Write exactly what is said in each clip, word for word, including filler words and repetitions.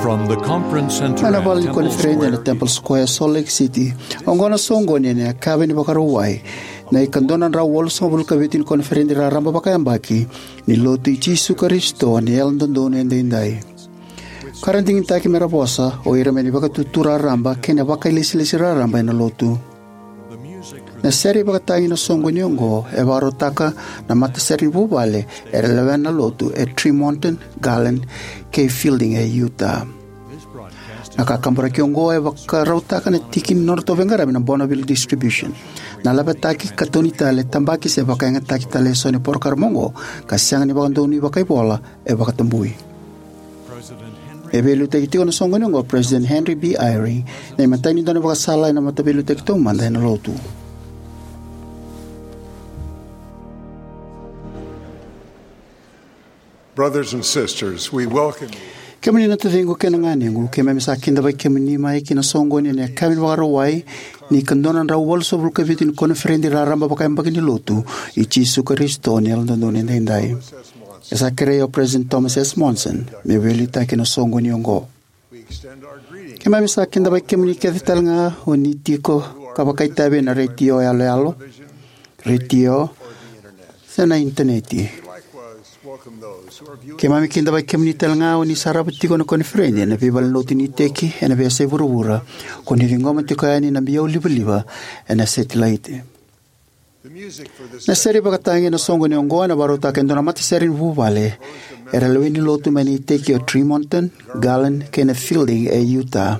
From the conference center ena vale ni koniferedi ena Temple Square, Salt Lake City. Oqo na soqoni ena yakavi ni Vakarauwai, na ikadua na drau walusagavulu ka vitu ni koniferedi raraba vakayabaki ni Lotu i Jisu Karisito ni Yalododonu Edaidai. Ka ra digitaki me ra vosa o ira mai na Vakatutu Raraba kei na vakailesilesi raraba ena Lotu. Na sere ivakatagi na soqoni oqo e vakarautaka na matasere ni vuvale era lewena na Lotu e Tremonton, Garland kei Fielding e Utah. Na kakaburaki oqo e vakarautaka na tiki ni nodratou veiqaravi na Bonneville Distribution. Na lavetaki, katoni tale, tabaki se vakayagataki tale eso ni porokaramu oqo ka sega ni vakadonui vakaivola e vakatabui. E veiliutaki tiko na soqoni oqo o President Henry B. Eyring, na imatai ni dua na ivakasala ena Mataveiliutaki Taumada ena Lotu. Brothers and sisters, we welcome you. Kemuni na taciqu kei na ganequ, keimami sa kidavaki kemuni mai ki na soqoni ena yakavi ni Vakarauwai ni ikadua na drau walusagavulu ka vitu ni koniferedi raraba vakayabaki ni Lotu i Jisu Karisito ni Yalododonu Edaidai. E sa kerei o President Thomas S. Monson me veiliutaki na soqoni oqo. Keimami sa kidavaki kemuni kece tale ga o ni tiko ka vakaitavi ena retio yaloyalo, retio, se na initaneti. Keimami kidavaki kemuni tale ga o ni sarava tiko na koniferedi ena veivalenilotu ni iteki ena veiyasai vuravura, ko ni ciqoma tiko yani na biau livaliva ena setilaiti. Na sere ivakatagi ena soqoni oqo ena vakarautaka e dua na matasere ni vuvale era lewe ni Lotu mai na iteki o Tremonton, Garland kei na Fielding e Utah,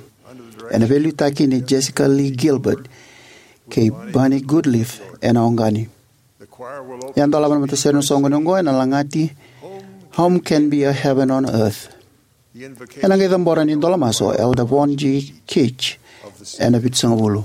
ena veiliutaki nei Jessica Lee Gilbert kei Bernie Goodleaf ena oqani. E a dolava na matasere na soqoni oqo ena lagati Home Can Be a Heaven on Earth. Ena qai cabora ni dola masu o Elder Vaughn G. Keach ena vitusagavulu.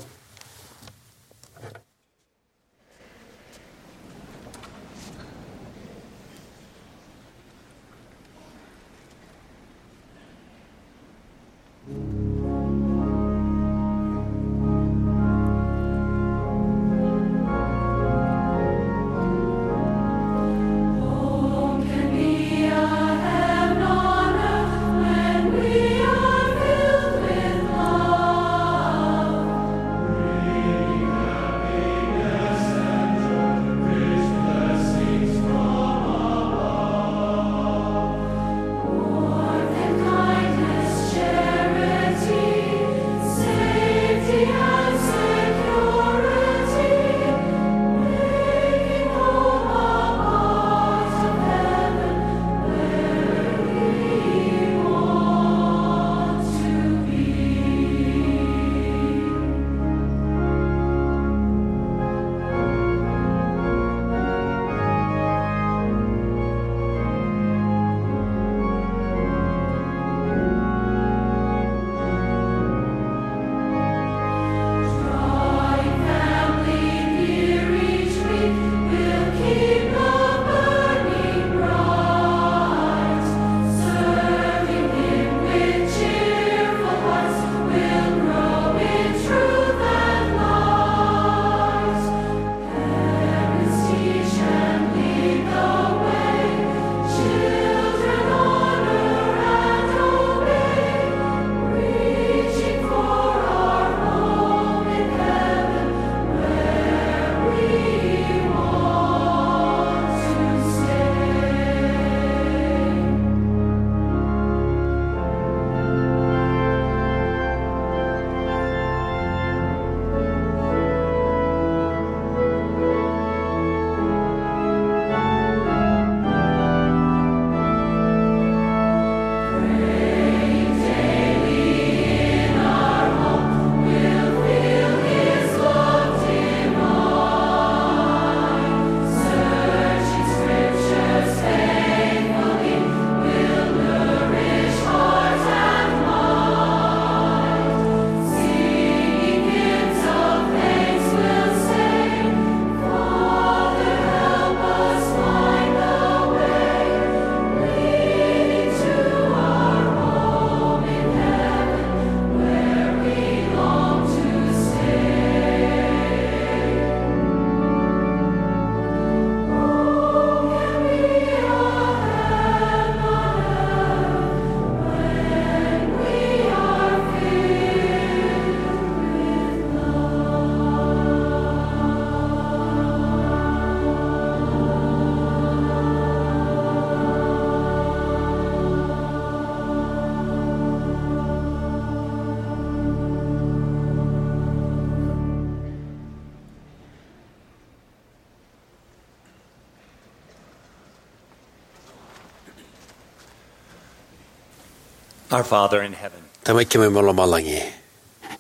Our Father in heaven, Tamai keimami mai lomalagi,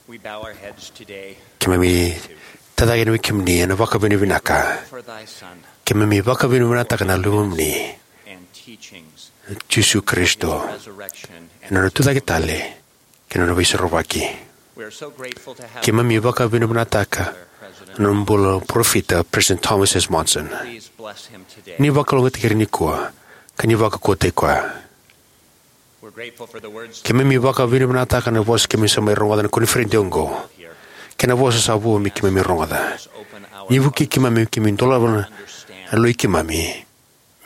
we bow our heads today keimami tacake yani vei kemuni ena vakavinavinaka. For thy Son, keimami vakavinavinakataka na Luvemuni, and teachings, Jisu Karisito, resurrection, and ena nona tucake tale kei na nona veisorovaki. We are so grateful to have keimami vakavinavinakataka na nona bula na parofita, President Thomas S. Monson. Please bless him today. Ni vakalougatataki ira nikua, ka ni vakaukauwataki koya. We're grateful for the words. Keimami vakavinavinakataka na vosa keimami sa mai rogoca ena koniferedi oqo, kei na vosa sa vo me keimami rogoca. Ni vukei keimami, keimami dolava na loi keimami,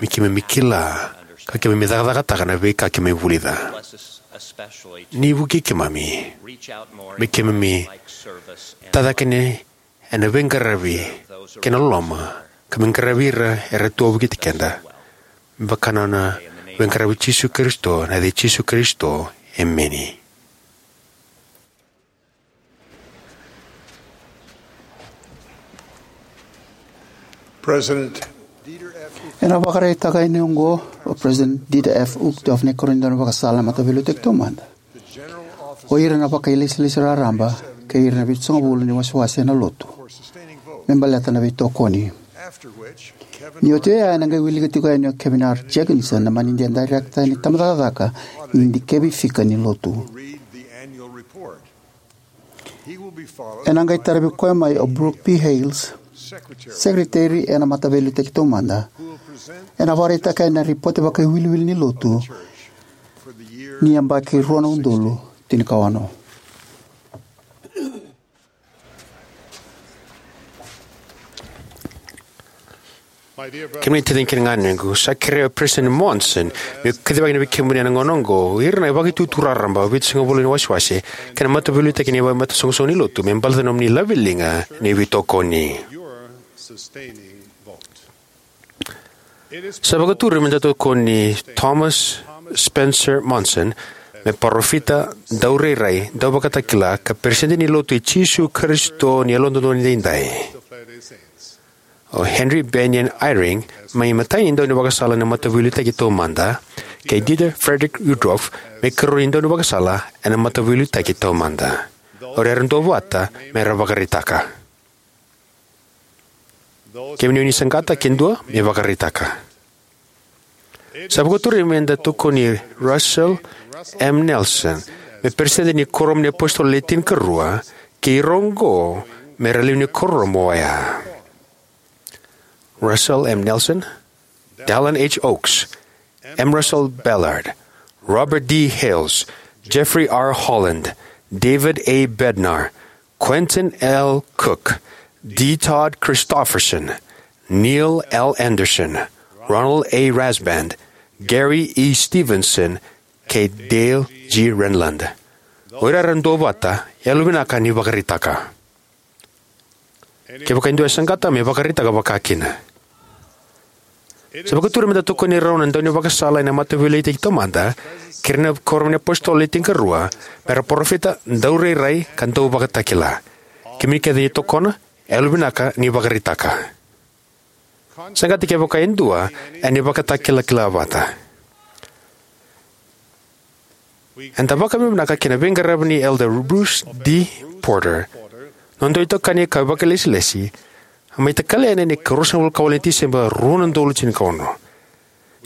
me keimami kila ka keimami cakacakataka na veika keimami vulica. Bless us especially to, ni vukei keimami, reach out more me keimami, in life-like service and tacake yani ena veiqaravi kei na loloma, ka me qaravi ira era tu vei keda. Me vaka na nona veiqaravi Jisu Karisito, ena yaca i Jisu Karisito, emeni. President Dieter F. Ena vakaraitaka yani oqo o President Dieter F. Uchtdorf na ikarua ni daunivakasala ena Mataveiliutaki Taumada. O ira na vakailesilesi raraba kei ira na vitusagavulu ni wasewase ena lotu me baleta na veitokoni. Ni oti oya, ena qai wilika tiko yani o Kevin R. Jenkinson na manidia dairekita ni tabacakacaka ni dikevi fika ni lotu. Ena qai taravi koya mai o Brooke P. Hales, sekereteri ena Mataveiliutaki Taumada, ena vakaraitaka yani na ripote vakaiwiliwili ni lotu ni yabaki rua na udolu tinikaono. Kemuni na taciqu kei na ganequ, sa kerea o President Monson meu kacivaka yani vei kemuni ena gauna oqo ira na vakaitutu raraba, vitusagavulu ni wasewase kei na mataveiliutaki ni veimataisoqosoqo ni lotu me baleta na nomuni laveliga ni veitokoni. Sa vakaturi meda tokoni Thomas Spencer Monson me parofita, daurairai, dauvakatakila, ka peresitedi ni Lotu i Jisu Karisito ni Yalododonu Edaidai, o Henry Bennion Eyring me imatai ni daunivakasala ena Mataveiliutaki Taumada, kei Dieter Friedrich Uchtdorf me ikarua ni daunivakasala ena Mataveiliutaki Taumada. O ira era duavata me ra vakaraitaka. Kemuni o ni saqata, ke dua, me vakaraitaka. Sa vakaturi meda tokoni Russell M. Nelson me peresitedi ni Kuoramu ni iApositolo Le Tinikarua, kei ira oqo me ra lewe ni kuoramu oya: Russell M. Nelson, Dallin H. Oaks, M. Russell Ballard, Robert D. Hales, Jeffrey R. Holland, David A. Bednar, Quentin L. Cook, D. Todd Christofferson, Neil L. Andersen, Ronald A. Rasband, Gary E. Stevenson, kei Dale G. Renlund. O ira era duavata, yalovinaka ni vakaraitaka. Kevaka e dua e saqata, me vakaraitaka vakakina. Sa vakaturi meda tokoni rau na daunivakasala ena Mataveiliutaki Taumada kei ira na Kuoramu ni iApositolo Le Tinikarua me ra parofita, daurairai, ka dauvakatakila. Kemuni kece ni tokona, yalovinaka ni vakaraitaka. Saqata kevaka e dua, ena vakatakilakila vata. Eda vakavinavinaka ki na veiqaravi nei Elder Bruce D. Porter, noda itokani ka vakailesilesi, a mai takali yani ena ikaruasagavulu ka walu ni Tiseba, rua na udolu tinikaono.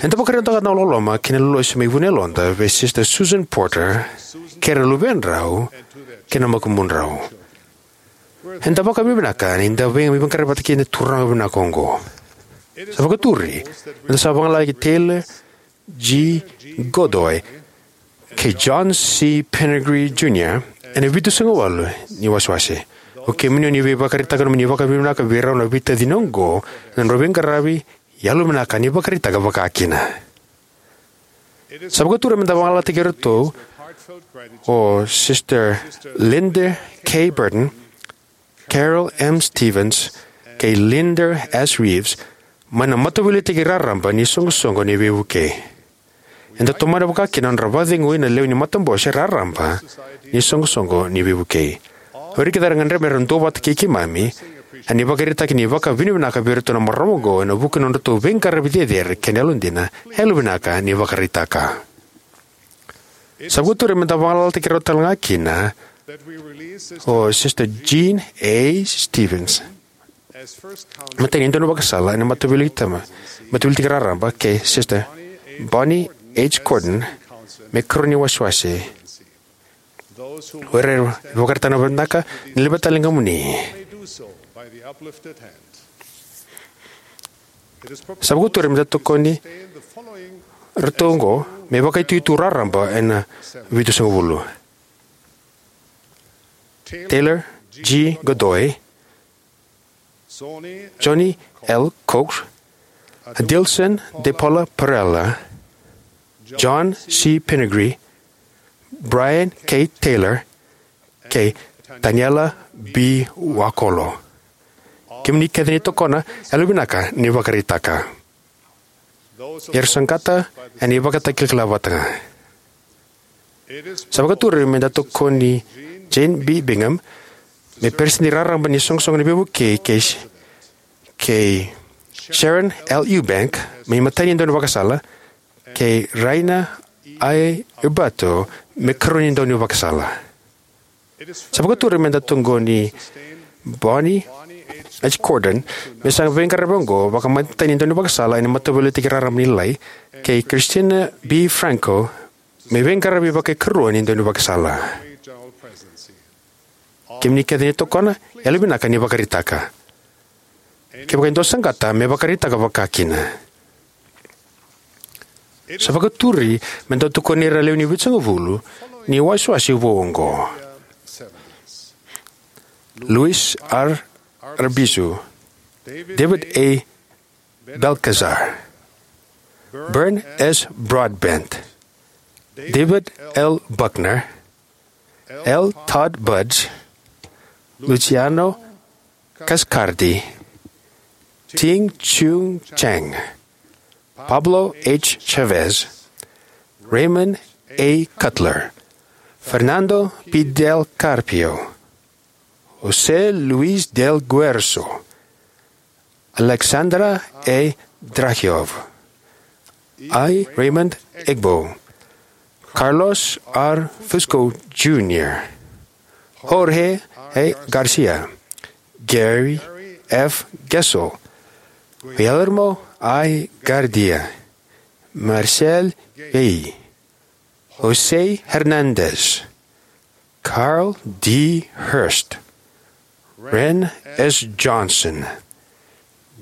Eda vakaraitaka na loloma kei na lolosi mai vu ni yaloda vei Sister Susan Porter kei ira na luvedrau kei na makubudrau. Eda vakavinavinaka ni da veiqaravi vata kei na turaga vinaka oqo. Sa vakaturi meda sa vagalalataki Taylor G. Godoy kei John C. Pennegree Junior ena vitusagavulu ni wasewase. O kemuni o ni via vakaraitaka na nomuni vakavinavinaka vei rau na veitacini oqo ena nodrau veiqaravi, yalovinaka ni vakaraitaka vakakina. Sa vakaturi meda vagalalataki iratou o Sister Linda K. Burton, Carol M. Stevens, kei Linda S. Reeves mai na Mataveiliutaki Raraba ni Soqosoqo ni Veivukei. Eda tomana vakakina na nodra vakacegui na lewe ni matabose raraba ni Soqosoqo ni Veivukei. O ira kece era gadreva me ra duavata kei keimami ena ivakaraitaki ni vakavinavinaka vei iratou na marama oqo ena vuku ni nodratou veiqaravi cecere kei na yalodina, yalovinaka ni vakaraitaka. Sa vakaturi me da vagalalataki rau tale ga kina o Sister Jean A. Stevens, matai ni daunivakasala ena Mataveiliutaki Raraba, kei Sister Bonnie H. Cordon me karua ni wasewase. O ira era vakaraitaka na vinaka, ni laveta tale na ligamuni. Sa vakaturi me da tokoni iratou oqo me vakaitutu raraba ena vitusagavulu: Taylor G. Godoy, Johnny L. Cox, Adilson de Paula Perella, John C. Pingree, Brian K. Taylor, kei Taniela B. Wakolo. Kemuni kece ni tokona, yalovinaka ni vakaraitaka. Era saqata ena ivakatakilakila vata ga. Sa vakaturi me da tokoni Jane B. Bingham me peresitedi raraba ni soqosoqo ni veivukei, kei, kei Sharon L. Eubank me imatai ni daunivakasala, kei Raina I. Ubato me karua ni daunivakasala. Sa vakaturi me da tokoni Bonnie H. Cordon me sa veiqaravi oqo vakaimatai ni daunivakasala ena Mataveiliutaki Raraba ni Lai, kei Christina B. Franco me veiqaravi vakaikarua ni daunivakasala. Kemuni kece ni tokona, yalovinaka ni vakaraitaka. Kevaka e dua saqata, me vakaraitaka vakakina. Sa vakaturi me da tokoni ira na lewe ni vitusagavulu ni wasewase vou oqo: Luis R. Arbizu, David A. Balcazar, Burn S. Broadbent, David L. Buckner, L. Todd Budge, Luciano Cascardi, Ting Chung Chang, Pablo H. Chavez, Raymond A. Cutler, Fernando P. Del Carpio, José Luis del Guerzo, Alexandra A. Drahiov, I. Raymond Egbo, Carlos R. Fusco Junior, Jorge A. Garcia, Gary F. Gessel, Guillermo I. Gardia, Marcel Gay, Jose Hernandez, Carl D. Hurst, Ren S. Johnson,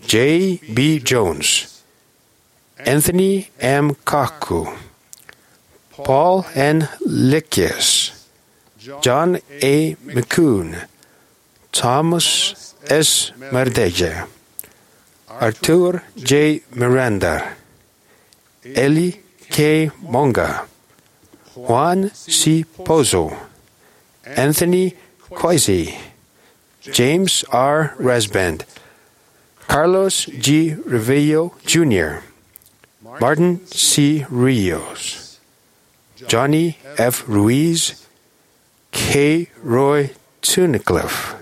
J. B. Jones, Anthony M. Kaku, Paul N. Likias, John A. McCune, Thomas S. Mardeja, Artur J. Miranda, Eli K. Monga, Juan C. Pozo, Anthony Quasi, James R. Rasband, Carlos G. Revejo Junior, Martin C. Rios, Johnny F. Ruiz, K. Roy Tunnicliffe,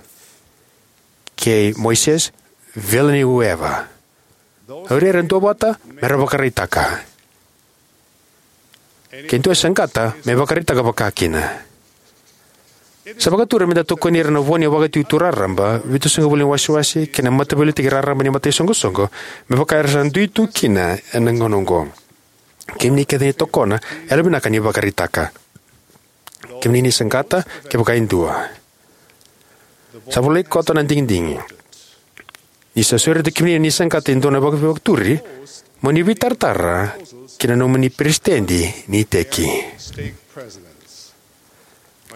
kei Moises Villanueva. O ira era duavata me ra vakaraitaka. Ke dua e saqata, me vakaraitaka vakakina. Sa vakaturi me da tokoni ira na vo ni Vakaitutu Raraba, Vitusagavulu ni Wasewase kei na Mataveiliutaki Raraba ni Mataisoqosoqo, me vaka era sa dui tu kina ena gauna oqo. Kemuni kece ni tokona, yalovinaka ni vakaraitaka. Kemuni ni saqata, kevaka e dua. Sa volai koto na digidigi. Ni sa sureti kemuni ni saqata e dua na vakavakaturi, mo ni veitaratara ki na nomuni peresitedi ni iteki.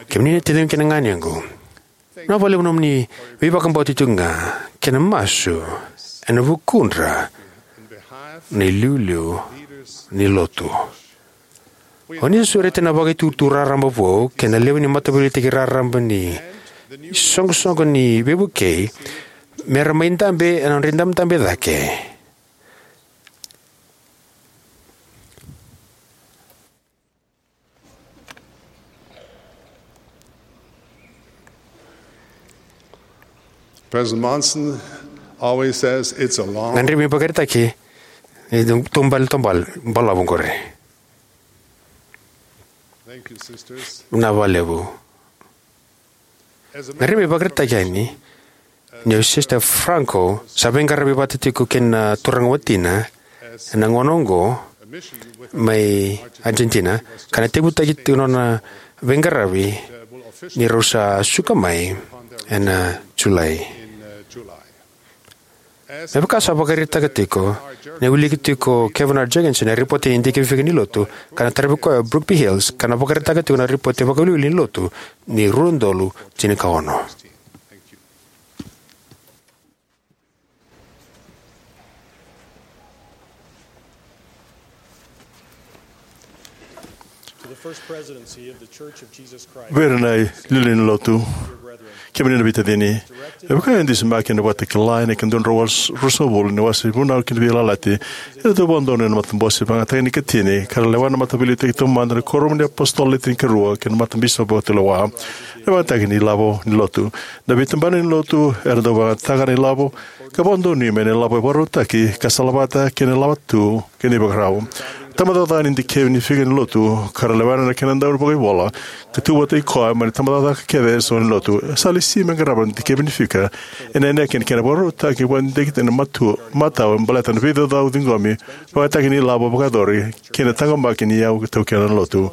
Kemuni na taciqu kei na ganequ, vinaka vakalevu na nomuni veivakabauti tiko ga kei na masu ena vukudra na iliuliu ni lotu. O ni sa sureta na Vakaitutu Raraba vou kei na lewe ni Mataveiliutaki Raraba ni Soqosoqo ni Veivukei me ra mai dabe ena nodra idabedabe cake. President Monson always says, "It's a long..." Gadrevi me vakaraitaki ni tubale, tubale balavu qori. Vinaka vakalevu. Na rimi vakaraitaki yani ni o Sister Franco sa veiqaravi vata tiko kei na turaga watina ena gauna oqo mai Argentina, ka na tekivutaki tiko na nona veiqaravi ni rau sa suka mai ena Julai. Me vaka sa vakaraitaka tiko, na wiliki tiko Kevin R. Jenkinson e ripoti ni dikevi fika ni lotu, ka na taravi koya o Brooke B. Hales, ka na vakaraitaka tiko na ripoti vakawiliwili ni lotu ni rua na udolu tinikaono. Vei ira na iliuliu ni lotu, kemuni na veitacini, me vaka e dusimaki ena Vakatakila ena ika dua na drau walusagavulu ni wase Vunau kei na Veiyalayalati, e dau vakadonui na matabose vakayagataki ni ikatini ka ra lewena na Mataveiliutaki Taumada ni Kuoramu ni iApositolo Le Tinikarua kei na Matabisopi Vakatulewa. Na vakayagataki ni ilavo ni lotu. Na veitabana ni lotu era dau vakayagataka na ilavo ka vakadonui mai na ilavo e vakarautaki ka salavata kei na ilavo tu kei na ivakarau. Tabacakacaka ni dikevi ni fika ni lotu ka ra lewena na kena dau vakaivola ka tu vata i koya mai na tabacakacaka kece eso ni lotu. E sa lesi me qarava na dikevi ni fika ena inaki ni kena vakarautaki vakadidike ena matua, matau baleta na veicaucau ciqomi, vakayagataki ni ilavo vakayacori kei na taqomaki ni iyau taukena na lotu.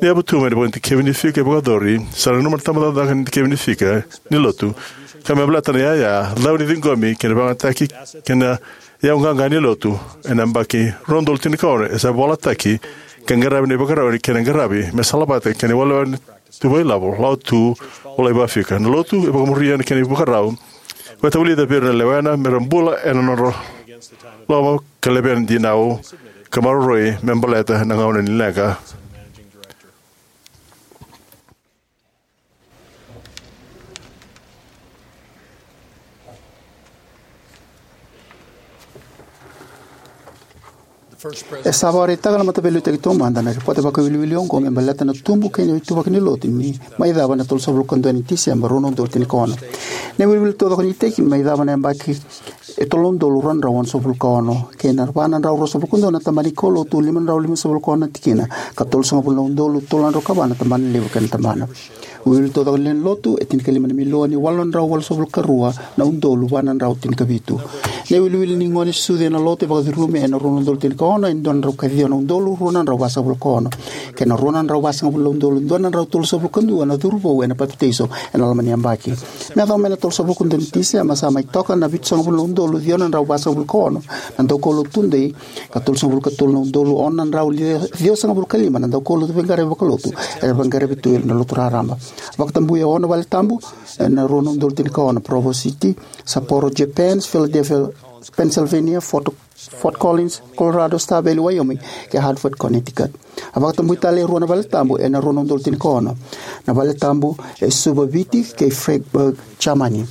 Ni yavu tu mai na vakadikevi ni fika e vakayacori, sa nanuma na tabacakacaka ni dikevi ni fika ni lotu ka me baleta na iyaya, cau ni ciqomi kei na vakayagataki kei na iyau qaqa ni lotu. Ena yabaki rua na udolu tinikaono e sa volataki ka qaravi na ivakarau ni kena qaravi me salavata kei na iwalewale tu vakailavo, lawa tu, volai vakafika. Na lotu e vakamuria na kena ivakarau. Vakavulica vei ira na lewena me ra bula ena nodra loma ka levea na dinau ka maroroi me baleta na gauna ni leqa. E sa vakaraitaka na Mataveiliutaki Taumada na ripote vakawiliwili oqo me baleta na tubu kei na ituvaki ni lotu ni mai cava na tolusagavulu ka dua ni Tiseba rua na udolu tinikaono. Na iwiliwili taucoko ni iteki mai cava na yabaki e tolu na udolu rua na drau onosagavulu ka ono, kei na va na drau ruasagavulu ka dua na tabana ni kaulotu, lima na drau limasagavulu ka ono na tikina, ka tolusagavulu na udolu tolu na drau ka va na tabana levu kei na tabana. Iwiliwili taucoko ni lewe ni lotu e tinikalima na milioni walu na drau walusagavulu ka rua na udolu va na drau tinikavitu. Na iwiliwili ni gone sucu ena lotu e vakacurumi ena rua na udolu tinikaono e dua na drau ka ciwa na udolu rua na drau vasagavulu ka ono, kei na rua na drau vasagavulu na udolu dua na drau tolusagavulu ka dua na curu vou ena papitaiso ena loma ni yabaki. Me yacova mai na tolusagavulu ka dua ni Tiseba sa mai toka na vitusagavulu na udolu ciwa na drau vasagavulu ka ono na daukaulotu tudei, ka tolusagavulu ka tolu na udolu ono na drau ciwasagavulu ka lima na daukaulotu veiqaravi vakalotu era veiqaravi tu ena lotu raraba. Vakatabui e ono vale tabu ena rua na udolu tinikaono: Provo City, Sapporo, Japan; Philadelphia, Pennsylvania; Fort, Fort Collins, Colorado; Star Valley, Wyoming; kei Hartford, Connecticut. A vakatabui tale e rua na vale tabu ena rua na udolu tinikaono, na vale tabu e Suva, Viti, kei Freiburg, Germany.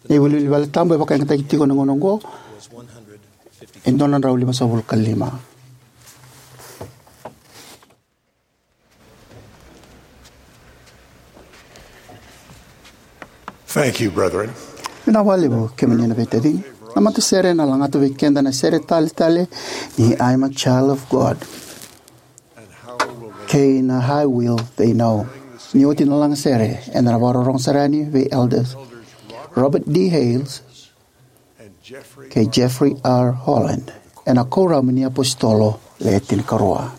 Na iwiliwili vale tabu e vakayagataki tiko ena gauna oqo e dua na drau limasagavulu ka lima. Thank you, brethren. Vinaka vakalevu kemuni na veitacini. Na matasere ena lagata vei keda na sere tale tale ni I'm a Child of God kei na How Will They Know. Ni oti na lagasere, eda na vakarorogo sara yani vei Elders Robert D. Hales kei Jeffrey R. Holland ena Kuoramu ni iApositolo Le Tinikarua.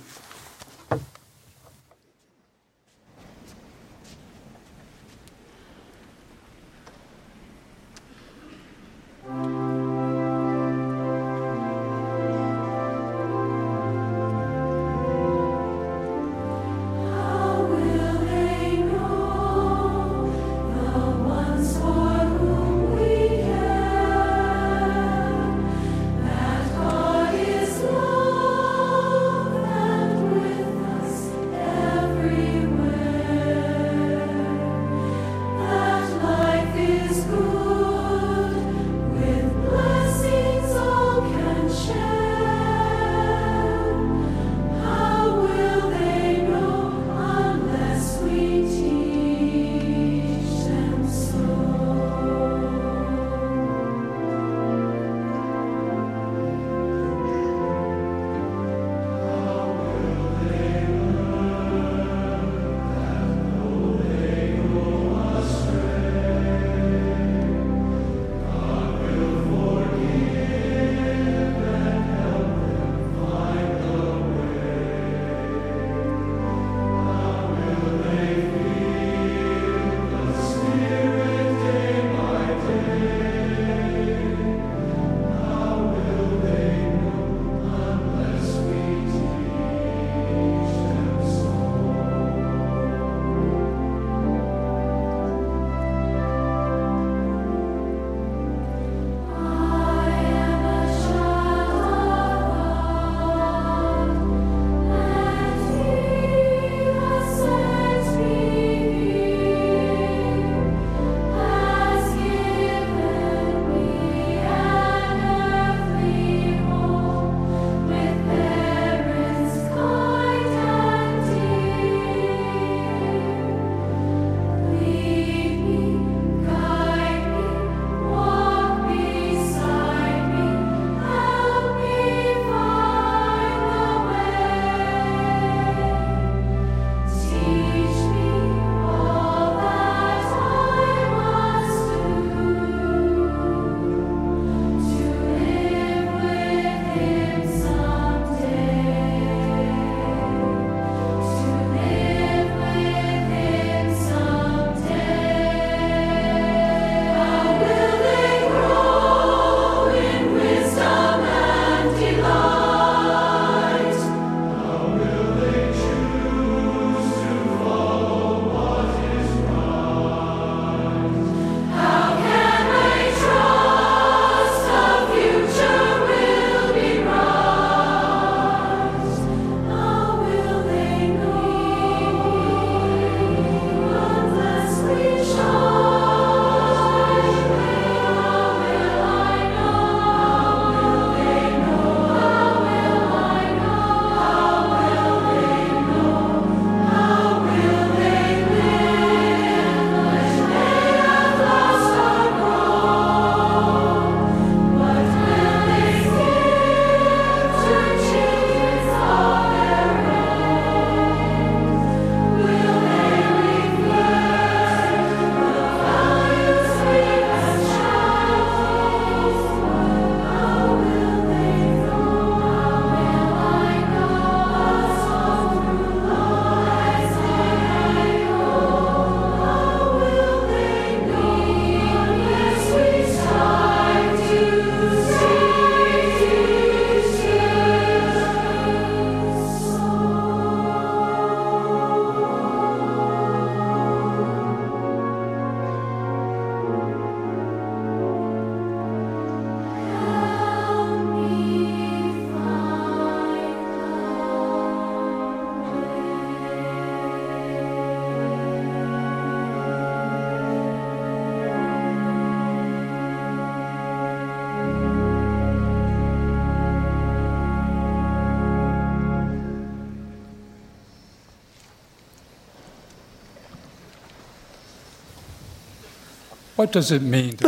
Na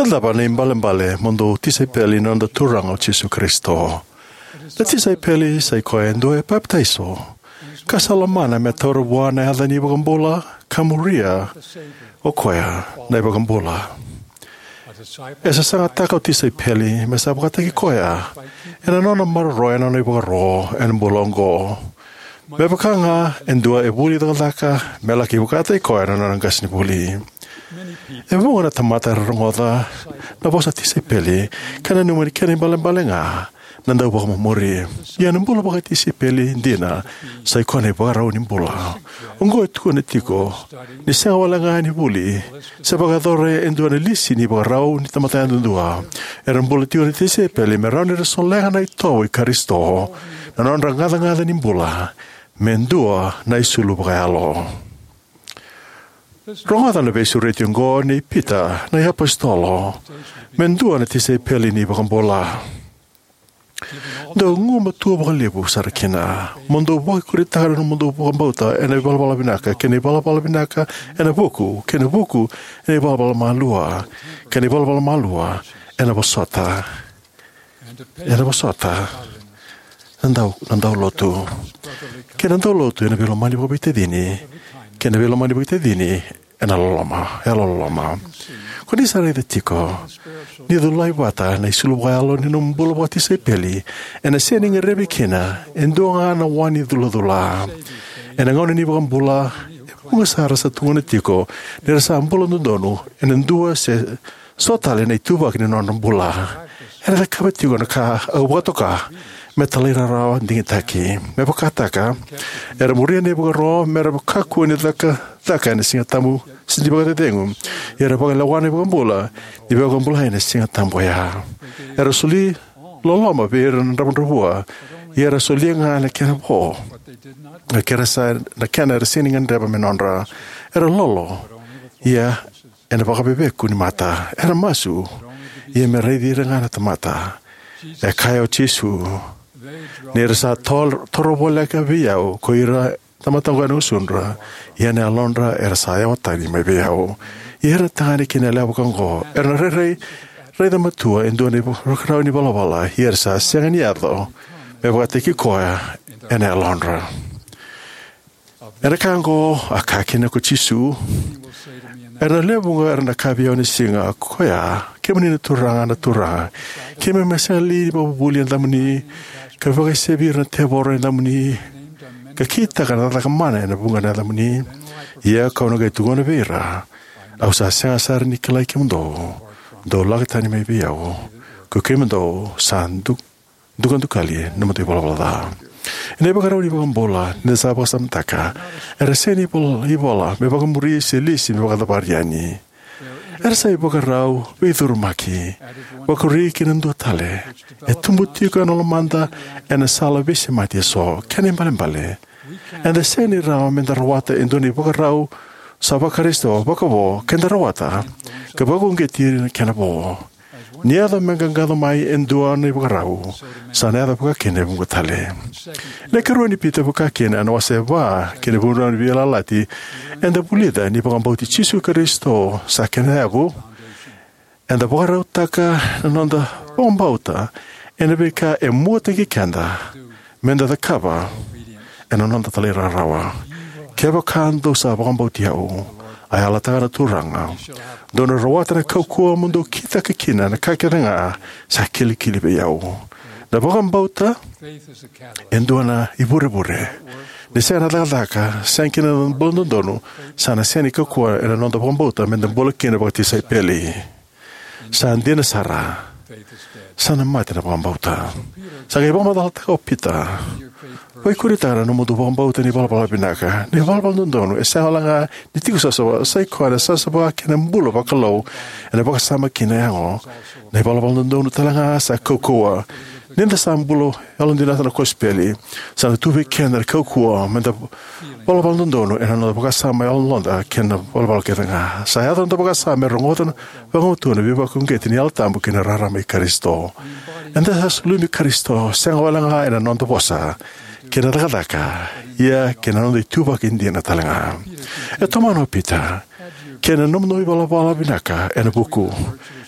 cava na ibalebale mo dou tisaipeli ni noda Turaga o Jisu Karisito? Na tisaipeli sa i koya e dua e papitaiso ka sa lomana me taura vua na yaca ni iVakabula ka muria o koya na iVakabula. E sasagataka o tisaipeli me sa vakataki koya ena nona maroroya na nona ivakaro ena bula oqo. Me vaka ga e dua e vuli cakacaka me laki vakataki koya na nona qasenivuli. E vuqa na tamata era rogoca na vosa tisaipeli ka nanuma ni kena ibalebale ga na dauvakamumuri. Ia na bula vakatisaipeli dina sa i koya na ivakarau ni bula. Oqo e tukuna tiko ni sega wale ga ni vuli se vakayacora e dua na lisi ni ivakarau ni tamata yadudua. Era bula tiko na tisaipeli me rawa ni ra solega na itovo i Karisito na nodra gacagaca ni bula me dua na isulu vakayalo. Rogoca na veisureti oqo nei Pita na iapositolo me dua na tisaipeli ni iVakabula. Dou gumatua vakalevu sara kina mo dou vakaikuritaka na nomudou vakabauta ena ivalavala vinaka, kei na ivalavala vinaka ena vuku, kei na vuku ena ivalavala malua, kei na ivalavala malua ena vosota, ena vosota na dau, na daulotu, kei na daulotu ena veilomani vakaveitacini, kei na veilomani vakaveitacini ena loloma, yalololoma. Ko ni sa raica tiko ni culai vata na isulu vakayalo ni nomu bula vakatisaipeli, ena sega ni gadrevi kina e dua ga na wa ni culacula. Ena gauna ni iVakabula, e vuqa sara sa tukuna tiko ni ra sa bula dodonu ena dua se so tale na ituvaki ni nodra bula. Era cakava tiko na ka au vakatoka me talairawarawa digitaki. Me vakataka, era muria na ivakaro me ra kakua ni caka, caka ena Siga Tabu se ni vakacecegu. Ia era vakalewa na iVakabula ni veivakabulai ena Siga Tabu oya. Era soli loloma vei ira na dravudravua, ia era solia ga na kena vo, na kena sa, na kena era sega ni gadreva me nodra. Era lolo, ia ena vakaveveku ni mata. Era masu, ia me raici ira ga na tamata. E kaya o Jisu, ni ra sa tol-, toro voleka vei au ko ira na tamata oqo ena gusudra, ia na yalodra era sa yawa tani mai vei au. Ia ira na tagane kei na yalewa vaka oqo era na rairai, raica matua e dua na ivakarau ni valavala, ia era sa sega ni yaco me vakataki koya ena yalodra. Ena ka oqo a kaya kina ko Jisu, era na lewe vuqa era na kaya vei au ena siga oya, kemuni na Turaga, na Turaga, keimami a sega li ni vakavuvuli ena yacamuni, ka vakaisevi ira na tevoro ena yacamuni, ka kitaka na cakacaka mana ena vuqa na yacamuni? Ia kau na qai tukuna vei ira, au sa sega sara ni kilai kemudou, dou lako tani mai vei au, ko kemudou sa du-, dukadukali na nomudou ivalavala ca. Ena ivakarau ni iVakabula, ni da sa vakasamataka, era sega ni ivola, ivola me vakamuri se lisi me vakacavari yani. Era sa ivakarau veicurumaki, vakuri kina dua tale, e tubu tiko ena lomada ena sala veisemati eso. Kena ibalebale, eda sega ni rawa me da rawata e dua na ivakarau sa vaKarisito vakavo ke da rawata ka vakauqeti ira na kena vo. Ni yaco me qaqaco mai e dua na ivakarau, sa na yaco vaka kina e vuqa tale. Na ikarua ni Pita vaka kina ena wase va kei na ikarua ni Veiyalayalati, eda vulica ni vakabauti Jisu Karisito sa kena yavu. Eda vakarautaka na noda vakabauta ena veika e muataki keda me da cakava ena noda talairawarawa. Kevaka dou sa vakabauti au, a yalataka na Turaga, dou na rawata na kaukauwa mo dou kitaka kina na ka kece ga sa kilikili vei au. Na vakabauta e dua na ivurevure. Ni sega na cakacaka, sega kina na buladodonu, sa na sega ni kaukauwa ena noda vakabauta me da bula kina vakatisaipeli. Sa dina sara, sa na mate na vakabauta. Sa qai vakamacalataka o Pita, vakaikuritaka na nomudou vakabauta ni valavala vinaka. Na ivalavala dodonu e sega wale ga ni tiko savasava, sa i koya na savasava kei na bula vakalou ena vakasama kei na yago. Na ivalavala dodonu tale ga sa kaukauwa. Ni da sa bula yalodina ena kosipeli, sa na tu vei keda na kaukauwa me da valavala dodonu ena noda vakasama, yaloda kei na valavala kece ga. Sa yaco na noda vakasama me rogoca vakaoqo na veivakauqeti ni Yalo Tabu kei na rarama i Karisito. Eda sa sulumi Karisito sega wale ga ena noda vosa, kei na cakacaka, ia kei na noda ituvaki dina tale ga. E tomana o Pita, kei na nomudou ivalavala vinaka ena vuku.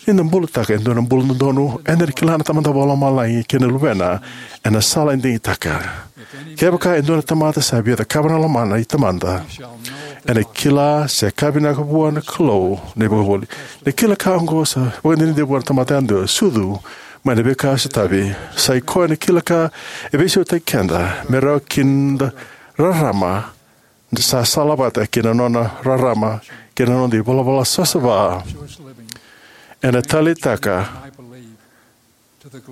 Ni da bulataka e dua na bula dodonu, eda na kila na Tamada Vakalomalagi kei na Luvena ena sala e digitaka. Kevaka e dua na tamata sa via cakava na lomana i Tamada, ena kila se ka vinaka vua na Kalou na ivakavuvuli. Na kila ka oqo sa vakadinadina vua na tamata yadua, sucu mai na veika e sotavi. Sa i koya na kila ka e veisautaki keda me rawa kina da rarama sa salavata kei na nona rarama kei na noda ivalavala savasava. Ena taleitaka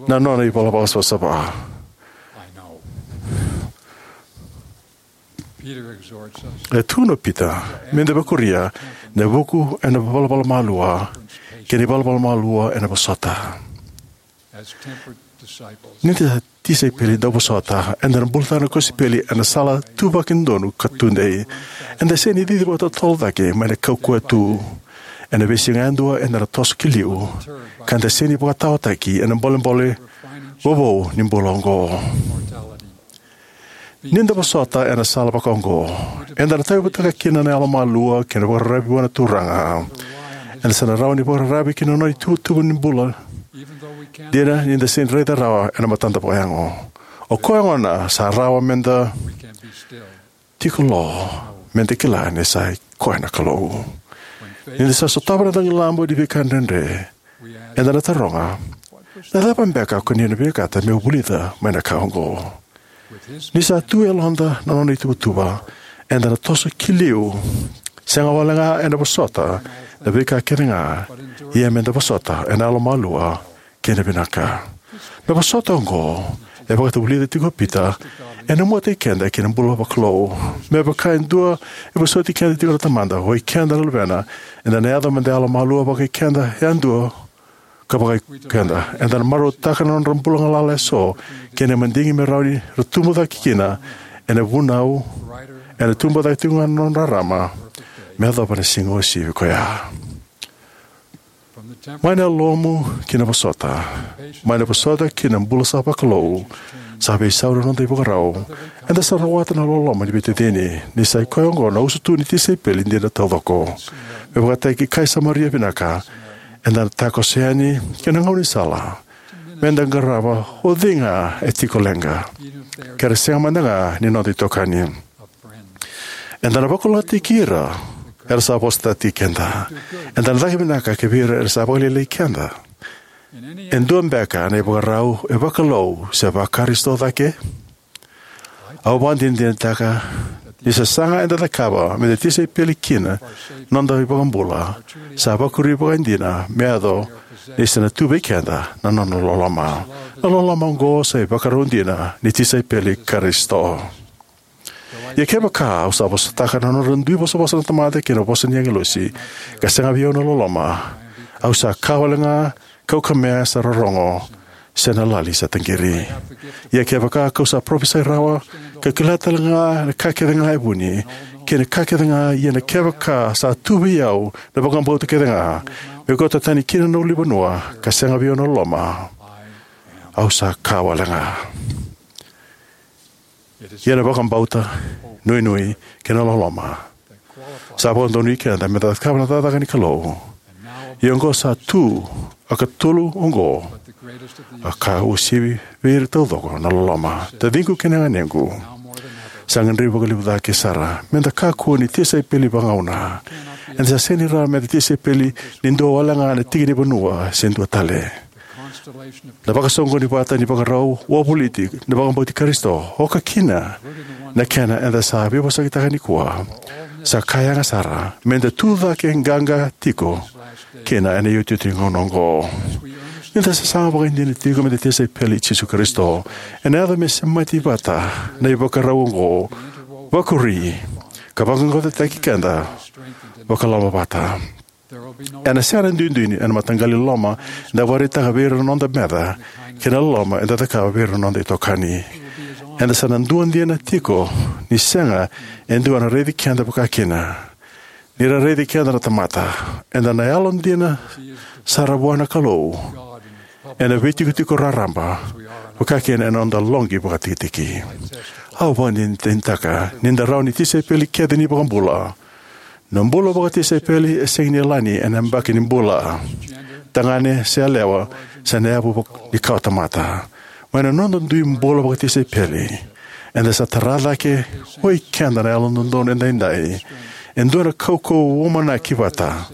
na nona ivalavala savasava. E tukuna o Pita me da vakuria na vuku ena ivalavala malua kei na ivalavala malua ena vosota. Ni da tisaipeli dauvosota, eda na bulataka na kosipeli ena sala tuvaki donu ka tudei. Eda sega ni cici vakatotolo cake mai na kaukauwa tu. Ena veisiga yadua eda na toso ki liu, ka da sega ni vakataotaki ena bolebole vovou ni bula oqo. Ni da vosota ena sala vakaoqo, eda na tauyavutaka kina na yalomalua kei na vakararavi vua na Turaga. Eda sa na rawa ni vakararavi ki na nona ituvatuva ni bula dina ni da sega ni raica rawa ena matada vakayago. O koya gona sa rawa me da tiko lo, me da kila ni sa i koya na Kalou. Ni da sa sotava na noda ilavo ni veika dredre, eda na taroga, na cava beka ko ni na vinakata meu vulica mai na ka oqo? Ni sa tu e yaloda na nona ituvatuva, eda na toso ki liu, sega wale ga ena vosota na veika kece ga, ia me da vosota ena yalomalua kei na vinaka. Na vosota oqo e vakatavulica tiko o Pita ena muataki keda ki na bula vakalou. Me vaka e dua e vosoti keda tiko na Tamada, o ikeda na luvena, eda na yaco me da yalomalua vakaikeda yadua ka vakaikeda. Eda na marautaka na nodra bula galala eso kei na madigi me rawa ni ra tubu cake kina ena vunau, ena tubu cake tiko ga na nodra rarama me yacova na siga uasivi ko ya. Mai na yalomu ki na vosota, mai na vosota ki na bula sa vakalou, sa veisau na noda ivakarau. Eda sa rawata na loloma ni veitacini, ni sa i koya oqo na usutu ni tisaipeli dina taucoko. Me vakataki Kai Samaria vinaka, eda na takoso yani ki na gaunisala me da qarava o cei ga e tiko leqa, ke ra sega mada ga ni noda itokani. Eda na vakalougatataki ira era sa vosataki keda. Eda na caka vinaka ki vei ira era sa vakalailai keda. E dua beka na ivakarau e vakalou se vaKarisito cake? Au vakadinadinataka ni sasaga eda cakava me da tisaipeli kina na noda iVakabula sa vakuri vakaidina me yaco ni sa na tu vei keda na nona loloma. Na loloma oqo sa ivakarau dina ni tisaipeli Karisito. Ia kevaka au sa vosataka na nodra dui vosavosa na tamata kei na vosa ni agilosi, ka sega vei au na loloma, au sa ka wale ga kau kamea sa rorogo, se na lali sa taqiri. Ia kevaka kau sa parofisai rawa, ka kila tale ga na ka kece ga e vuni, kei na ka kece ga, ia na kevaka sa tu vei au na vakabauta kece ga, me kauta tani kina na ulunivanua, ka sega vei au na loloma, au sa ka wale ga. Ia na vakabauta, nuinui, kei na loloma sa vakadonui keda me da cakava na cakacaka ni Kalou. Ia oqo sa tu, a katolu oqo, a ka uasivi vei ira taucoko na loloma. Taciqu kei na ganequ, sa gadrevi vakalevu cake sara me da kakua ni tisaipeli vagauna. Eda sa sega ni rawa me da tisaipeli ni dua wale ga na tiki ni vanua se dua tale. Na vakasoqoni vata ni vakarau wavoliti na vakabauti Karisito, oka kina na kena eda sa veivosakitaka nikua, sa ka yaga sara me da tu cake qaqa tiko kina ena iotioti ni gauna oqo. Ni da sasaga vakaidina tiko me da tisaipeli i Jisu Karisito, ena yaco me semati vata na ivakarau oqo, vakuri, ka vaqaqacotaki keda vakaloloma vata. Ena sega na duidui ena mataqali loloma eda vakaraitaka vei ira na noda meca, kei na loloma eda cakava vei ira na noda itokani. Eda sa na dua dina tiko, ni sega e dua ena raici keda vakakina. Ni ra raici keda na tamata, eda na yalodina sara vua na Kalou ena veitikotiko raraba, vakakina ena noda loqi vakatikitiki. Au vakadinadinataka ni da rawa ni tisaipeli kece ni iVakabula. Na bula vakatisaipeli e sega ni yalani ena yabaki ni bula, tagane se yalewa, se na yavu vak-, ni kawatamata. Mai na noda dui bula vakatisaipeli, eda sa tara cake oi keda na Yalododonu Edaidai e dua na kaukauwa umanaki vata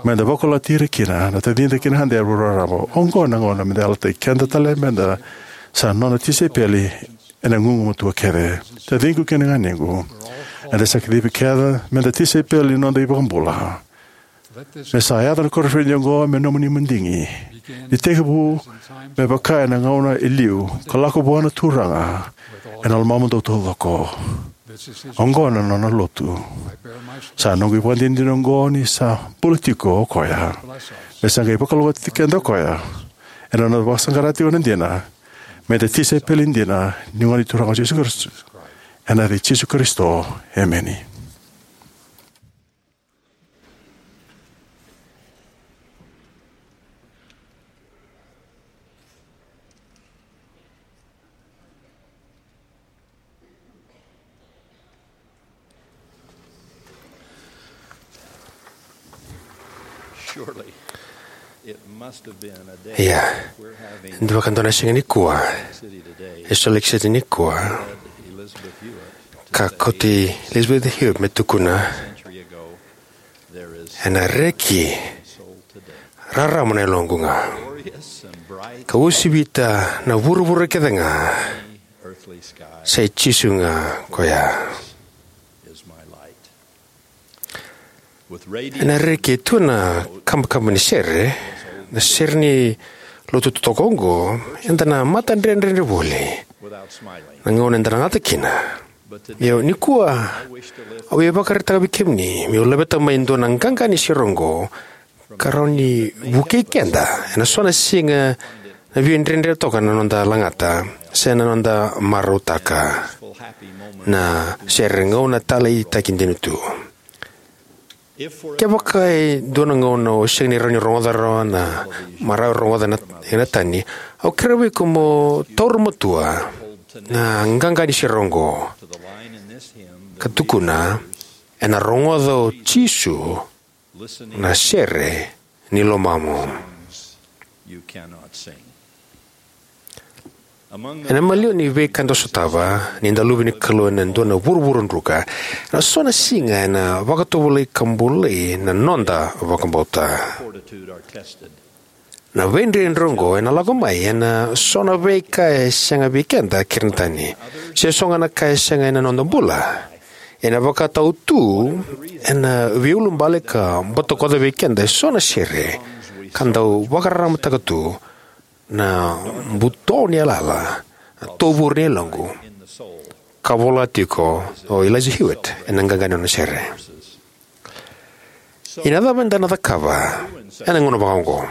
meda vakalougatataki ira kina na tacida kei na yada e raraba. Oqo na gauna meda yalataki keda tale meda sa nona tisaipeli ena gugumatua kece. Taciqu kei na ganequ, eda sa kacivi keda meda tisaipeli ni noda iVakabula. Me sa yaco na koniferedi oqo me nomuni madigi. Ni tekivu me vaka ena gauna e liu, ka lako vua na Turaga ena lomamudou taucoko. Oqo na nona lotu. Sa noqu ivakadinadina oqo ni sa bula tiko o koya. Me sa qai vakalougatataki keda o koya ena nona vakasaqara tiko na dina meda tisaipeli dina ni Gone Turaga o Jisu Karisito. Ena yaca i Jisu Karisito, emeni. Ia, e dua ka dua na siga nikua e Salt Lake City nikua, ka kauti Elizabeth Hewitt me tukuna, ena reki rarama na yaloqu ga, ka uasivita na vuravura kece ga, sa i Jisu ga koya. Ena reki e tu na kabakaba ni sere, na sere ni lotu totoka oqo, eda na matadredredre voli na gauna eda na gata kina. Io, nikua au via vakaraitaka vei kemuni meu laveta mai e dua na qaqa ni sere oqo, ka rawa ni vukei keda ena so na siga na via dredre toka na noda lagata se na noda marautaka na sere gauna taleitaki dina tu. Kevaka e dua na gauna o sega ni rawa ni rogoca rawa na marau e rogoca na, ena tani, au kerea vei iko mo taura matua na qaqa ni sere oqo, ka tukuna, ena rogoca o Jisu na sere ni lomamu. Ena maliwa ni veika eda sotava ni da luve ni Kalou ena dua na vuravura druka, ena so na siga ena vakatovolei ka bolei na noda vakabauta. Na veidredre oqo ena lako mai ena so na veika e sega vei keda kei ira na tani, se so ga na ka e sega ena noda bula. Ena vakatau tu ena veiulubale ka butakoca vei keda e so na sere ka dau vakararamataka tu, na buto ni yalayala, na tovure ni yaloqu, ka vola tiko o Eliza Hewitt ena qaqa ni nona sere. Ia na cava eda na cakava ena gauna vakaoqo?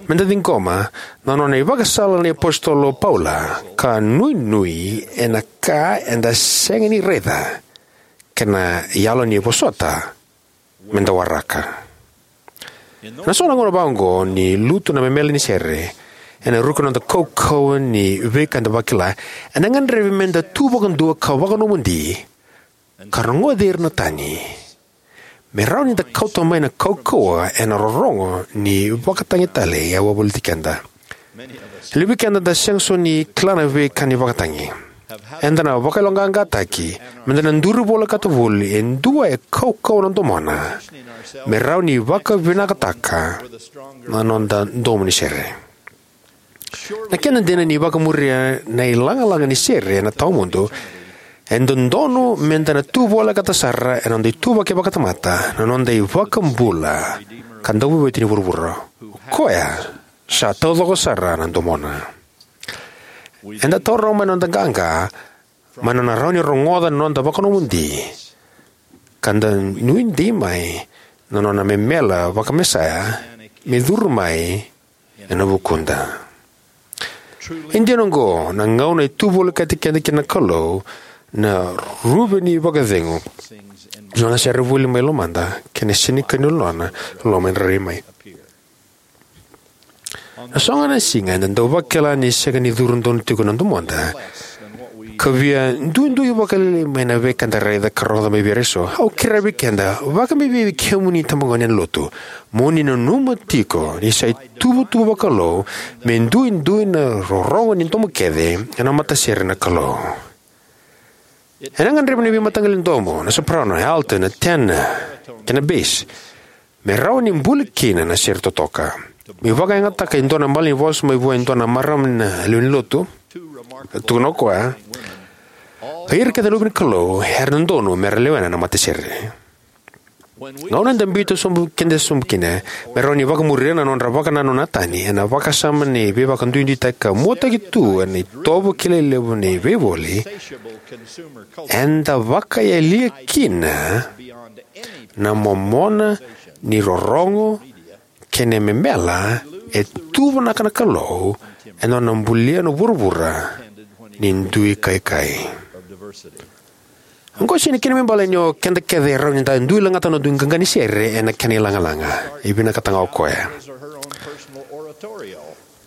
Meda ciqoma na nona ivakasala na iapositolo o Paula, ka nuinui ena ka eda sega ni raica, kei na yalo ni vosota meda waraka. Ena so na gauna vakaoqo ni lutu na memela ni sere ena ruku ni noda kaukauwa ni veika eda vakila, ena gadrevi meda tu vakadua ka vakanomodi ka rogoci ira na tani, me rawa ni da kauta mai na kaukauwa ena rorogo ni vakatagi tale e wavoliti keda. E levu vei keda da sega soti ni kila na veika ni vakatagi. Eda na vakayaloqaqataki meda na duri volekata voli e dua e kaukauwa na domona, me rawa ni vakavinakataka na noda domo ni sere. Na kena dina, ni vakamuria na ilagalaga ni sere ena tawamudu, e dodonu meda na tu volekata sara ena noda ituvaki vakatamata na noda iVakabula ka Dauveivueti ni vuravura. O koya sa taucoko sara na domona. Eda taura mai na noda qaqa mai na nona rawa ni rogoca na noda vakanomodi, ka da nuidei mai na nona memela vakaMesaia me curu mai ena vukuda. E dina oqo, na gauna e tu volekati keda kina na Kalou, na Ruve ni Vakacegu, na nona sere voli mai lomada kei na sega ni kania ni loloma e rairai mai. Na so ga na siga eda dau vakila ni sega ni curu donu tiko na domoda, Ka via duidui vakalailai mai na veika eda raica ka rogoca mai vei ira eso, au kerea vei keda, vakabibi vei kemuni itabagone ena Lotu, mo ni nanuma tiko ni sa ituvatuva vakalou me duidui na rorogo ni domo kece ena matasere na Kalou. Ena gadrevi na veimataqali domo, na soprano, alto, na tenor, kei na bass, me rawa ni buli kina na sere totoka. Meu vakayagataka e dua na malanivosa mai vua e dua na marama na lewe ni Lotu. E tukuna o koya, o ira kece na luve ni Kalou era dodonu me ra lewena na matasere. Gauna eda biuta sobu keda sobu kina, me rawa ni vakamuria na nodra vakanananu na tani ena vakasama ni veivakaduiduitaki ka muataki tu ena itovo kilai levu ni veivoli, eda vakayalia kina na momona ni rorogo kei na memela e tuvanaka na Kalou ena nona bulia na vuravura ni dui kaikai. Oqo e sega ni kena ibalebale ni o keda kece e rawa ni da dui lagata na noda dui qaqa ni sere ena kena ilagalaga. E vinakata ga o koya.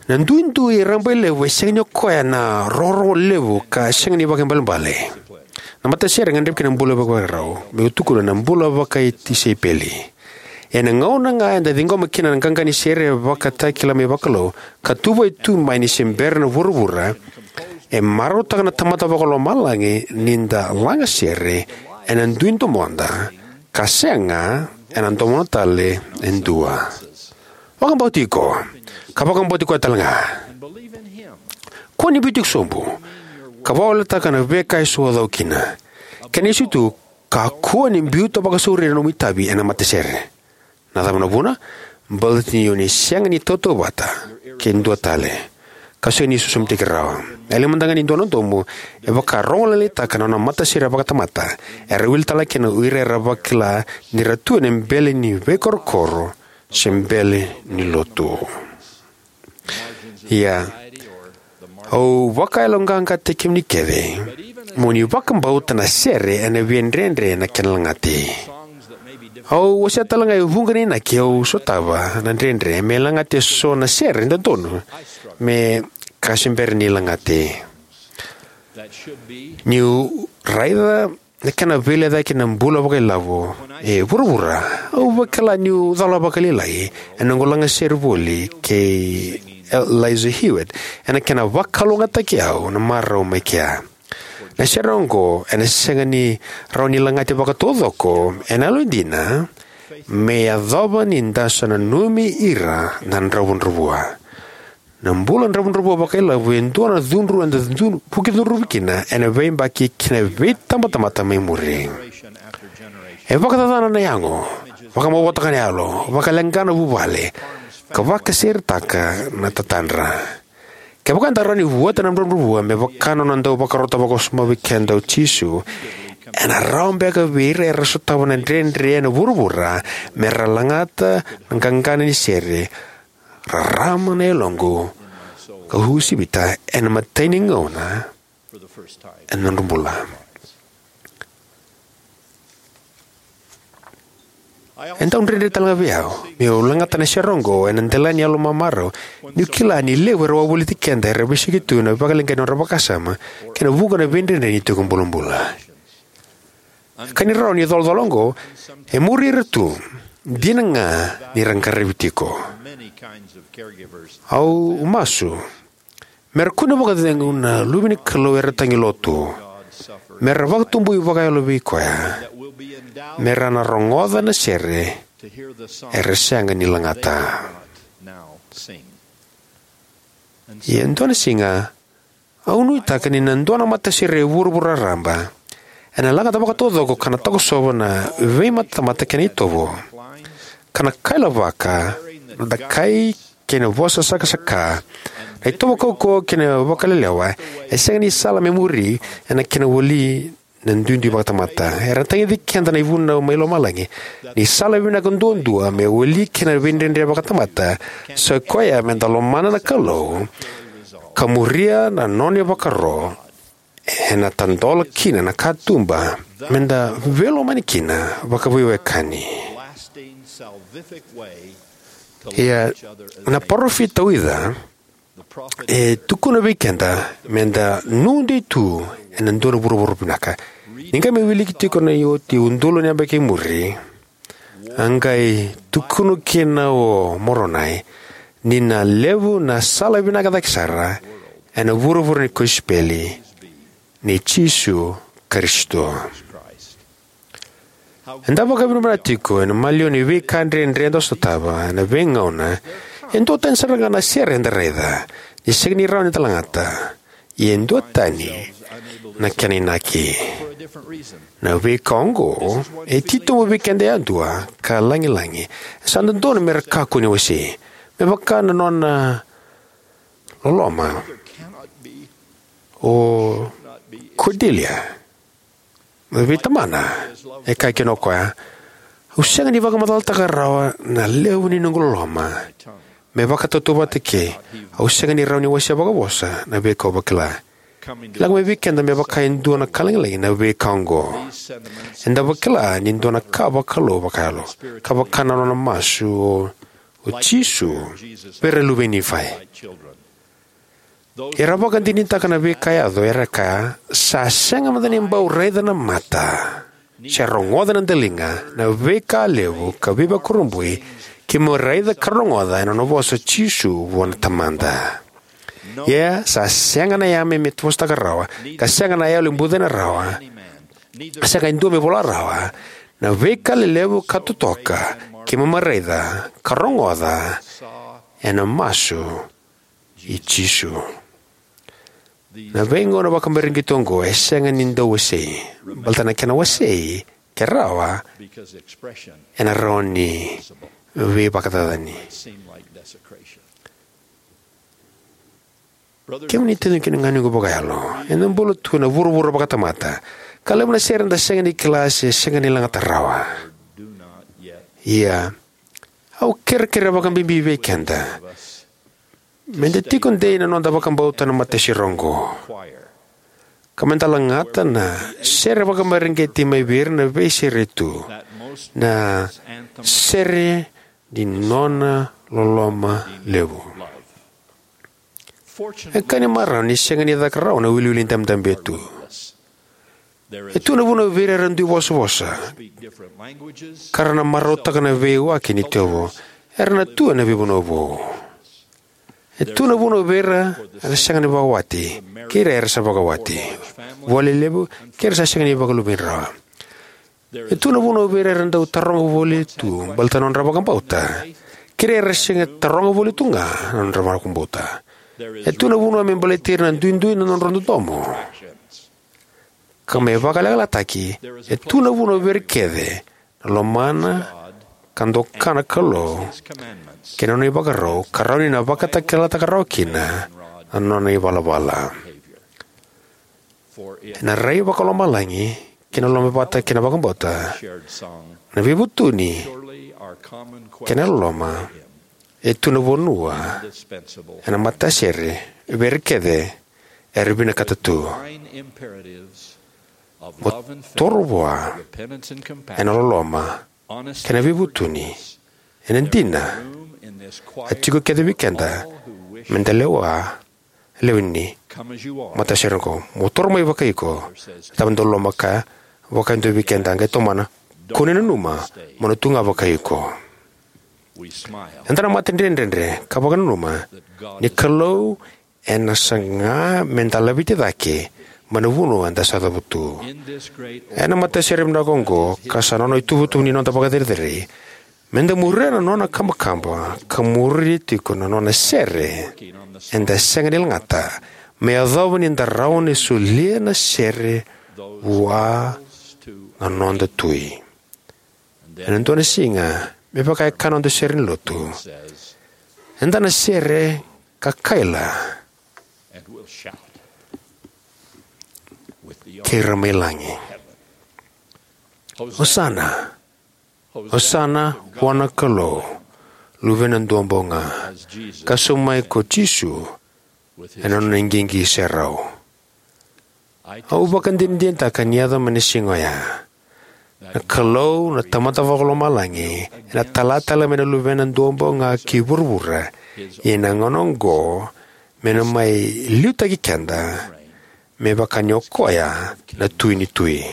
Na duidui rabailevu e sega ni o koya na rorogo levu ka sega ni vakaibalebale. Na matasere e gadrevi kina na bula vakavakarau, meu tukuna, na bula vakatisaipeli. Ena gauna ga eda ciqoma kina na qaqa ni sere e vakatakila mai vakalou, ka tuvai tu mai ni se bera na vuravura, e marautaka na Tamada Vakalomalagi ni da laga sere ena dui domoda, ka sega ena domona tale e dua. Vakabauti iko, ka vakabauti koya talega. Kua ni biuti iko sobu, ka vakawaleta na veika eso o cau kina. Kena isevu tu, kakua ni biuta vakasauri na nomu itavi ena matasere. Na cava na vuna? Baleta ni o ni sega ni tautauvata kei dua tale, ka sega ni sosomitaki rawa. E levu mada ga ni dua na domo e vakarogolailaitaka na nona matasere vakatamata. Era wili tale ga kina o ira era vakila ni ra tu ena bele ni veikorokoro se bele ni lotu. Ia, au vakayaloqaqataki kemuni kece mo ni vakabauta na sere ena veidredre na kena lagati. Au wasea tale ga e vuqa na inaki au sotava na dredre me lagati eso na sere dodonu me ka se bera ni lagati. Niu raica na kena veilecayaki na bula vakailavo e vuravura, au vakila niu cala vakalailai ena noqu laga sere voli kei Eliza Hewitt ena kena vakalougatataki au na marau mai kea. Na sere oqo ena sega ni rawa ni lagati vakataucoko ena yalodina me yacova ni da sa nanumi ira na dravudravua. Na bula dravudravua vakailavo e dua na cudru eda cudru, vuki cudruvi kina ena veiyabaki kei na veitabatamata mai muri. E vakacacana na yago, vakamavoataka na yalo, vakaleqa na vuvale, ka vakaseretaka na tatadra. Kevaka eda rawa ni vuata na dravudravua me vaka na nona dau vakarota vakawasoma vei keda o Jisu, ena rawa beka vei ira era sotava na dredre ena vuravura me ra lagata na qaqana ni sere, rarama na yaloqu ka uasivita ena imatai ni gauna ena nodra bula. E dau dredre tale ga vei au meu lagata na sere oqo ena dela ni yalo mamarau, niu kila ni levu era wavoliti keda era veisiko tu na vakaleqai ni nodra vakasama kei na vuqa na veidredre ni tiko bulabula. Ka ni rawa ni colacola oqo e muri ira tu, dina ga ni ra qaravi tiko. Au masu me ra kune vakacegu na luve ni Kalou era tagi lotu, me ra vakatabui vakayalo vei koya, me ra na rogoca na sere era sega ni lagata. Ia e dua na siga au nuitaka ni na dua na matasere e vuravura raraba ena lagata vakataucoko ka na takosova na veimatamata kei na itovo, ka na kailavaka na dakai kei na vosa sakasaka, na itovo kaukauwa kei na vakalelewa e sega ni sala me muri ena kena wali na duidui vakatamata. Era tagici keda na ivunau mai lomalagi ni sala vinaka duadua me wali kina na veidredre vakatamata sa i koya me da lomana na Kalou ka muria na nona ivakaro, ena tadola kina na katuba me da veilomani kina vakaveiwekani. Ia, na parofita o Ica e tukuna vei keda me da nuidei tu ena dua na vuravura vinaka. Ni qai mai wiliki tiko na ioti e udolu na yabaki i muri, a qai tukuna kina o Moronai ni na levu na sala vinaka cake sara ena vuravura ni kosipeli nei Jisu Karisito. Eda vakavinavinaka tiko ena maliwa ni veika dredre eda sotava ena veigauna. E duatani sara ga na sere eda raica ni sega ni rawa ni da lagata, ia e duatani na kena inaki. Na veika oqo e titobu vei keda yadua ka lagilagi. E sa dodonu me ra kakua ni wasei. Me vaka na nona loloma o Cordelia vei tamana, e kaya kina o koya, "Au sega ni vakamacalataka rawa na levu ni noqu loloma me vakatautauvata ke au sega ni rawa ni wasea vakavosa na veika au vakila." Lako mai vei keda me vaka e dua na ka lagilagi na veika oqo. Eda vakila ni dua na ka vakalou vakayalo, ka vaka na nona masu o, o Jisu vei ira na luve i Nifai. Era vakadinadinataka na veika e yaco, era kaya, "Sa sega mada ni bau raica na mata, se rogoca na daliga, na veika levu ka veivakurabuitaki keimami raica ka rogoca ena nona vosa o Jisu vua na Tamada. Ia sa sega na yame me vosataka rawa, ka sega na yalo e bucina rawa, ka sega e dua me vola rawa, na veika lelevu ka totoka keimami raica ka rogoca ena masu i Jisu." Na veigauna vakamareqeti oqo e sega ni dau wasei, baleta na kena wasei, ke rawa, ena rawa ni veivakacacani. Kemuni taciqu kei na ganequ vakayalo, eda bula tu ena vuravura vakatamata, ka levu na sere eda sega ni kila se sega ni lagata rawa. Ia, au kerekere vakabibi vei keda meda tiko dei na noda vakabauta na matasere oqo, ka meda lagata na sere vakamareqeti mai vei ira na veisere tu, na sere ni nona loloma levu. E ka ni marau ni sega ni caka rawa na wiliwili dabedabe tu. E tu na vuna vei ira era dui vosavosa, ka ra na marautaka na veiwaki ni tevo, era na tu ena veivanua vou. E tu na vuna vei ira era sega ni vakawati, kei ira era sa vakawati, vua lelevu, kei ira sa sega ni vakaluvedrau. E tu na vuna vei ira era dau taroga voli tu baleta na nodra vakabauta, kei ira era sega ni taroga voli tu ga na nodra vakabauta. E tu na vuna me baleti ira na duidui na nodra dodomo. Ka me vakalekalekataki, e tu na vuna vei ira kece na lomana ka doka na Kalou kei na nona ivakarau, ka rawa ni na vakatakilakilataka rawa kina na nona ivalavala. Ena rai vakalomalagi kei na lomavata kei na vakabauta, na veivutuni kei na loloma, e tu na vanua ena matasere vei ira kece era vinakata tu. Mo toro vua ena loloma kei na veivutuni, ena dina, a tiko kece vei keda meda lewa, lewe ni matasere oqo. Mo toro mai vakaiko, e tava dau loma ka vaka e dua vei keda, qai tomana, kua ni nanuma mo na tu ga vakaiko. Eda na mata dredredre ka vakananuma ni Kalou ena saga meda laveti cake mai na vanua eda sa cavutu. Ena matasere vinaka oqo, ka sa nona ituvatuva ni noda vakacerecerei, meda muria na nona kabakaba ka muria tiko na nona sere eda sega ni lagata, me yacova ni da rawa ni solia na sere vua na noda Tui. Ena dua na siga, me vaka e kaya na noda sere ni lotu, eda na sere ka kaila kei ira mai lagi: "Osana, Osana vua na Kalou, Luvena Duabau Ga, ka sauma mai ko Jisu ena nona iqiqi serau." Au vakadinadinataka ni yaco mai na siga oya, na Kalou na Tamada Vakalomalagi ena tala tale mai na Luvena Duabau Ga ki vuravura, ia ena gauna oqo me na mai liutaki keda me vaka ni o koya na Tui ni tui.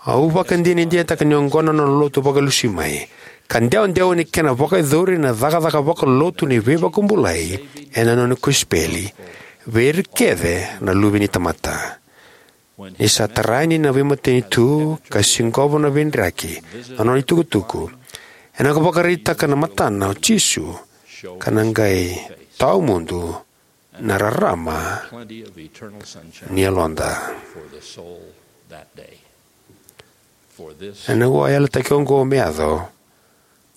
Au vakadinadinataka ni oqo na nona lotu vakalesui mai, ka dewadewa ni kena vakayacori na cakacaka vakalotu ni veivakabulai ena nona kosipeli vei ira kece na luve ni tamata. Ni sa tarai yani na veimatanitu ka siqova na veidraki na nona itukutuku, ena qai vakaraitaka na matana o Jisu ka na qai tawamudu na rarama ni yaloda. Ena vua yalataki oqo me yaco,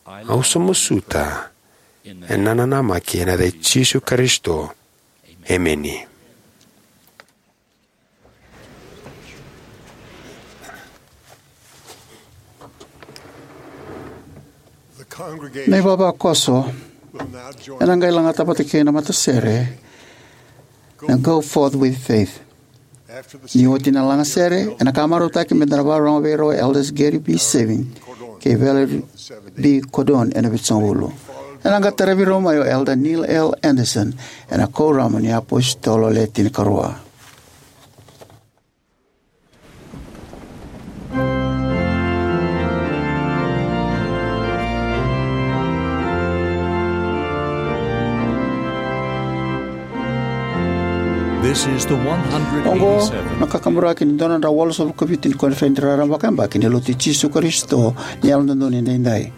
au sa masuta ena nanamaki ena yaca i Jisu Karisito. Emeni. Na ivavakoso ena qai lagata vata kei na matasere na Go Forth with Faith. Ni oti na lagasere, ena ka marautaki me da na vakarorogo vei rau o Elders Gary B. Savin kei Valerie B. Cordon ena Vitusagavulu. Ena qai taravi rau mai o Elder Neil L. Andersen ena Kuoramu ni iApositolo Le Tinikarua. This is the Oqo one hundred eighty-seven. Na kakaburaki ni dua na drau walusagavulu ka vitu ni koniferedi raraba vakayabaki ni Lotu i Jisu Karisito ni Yalododonu Edaidai.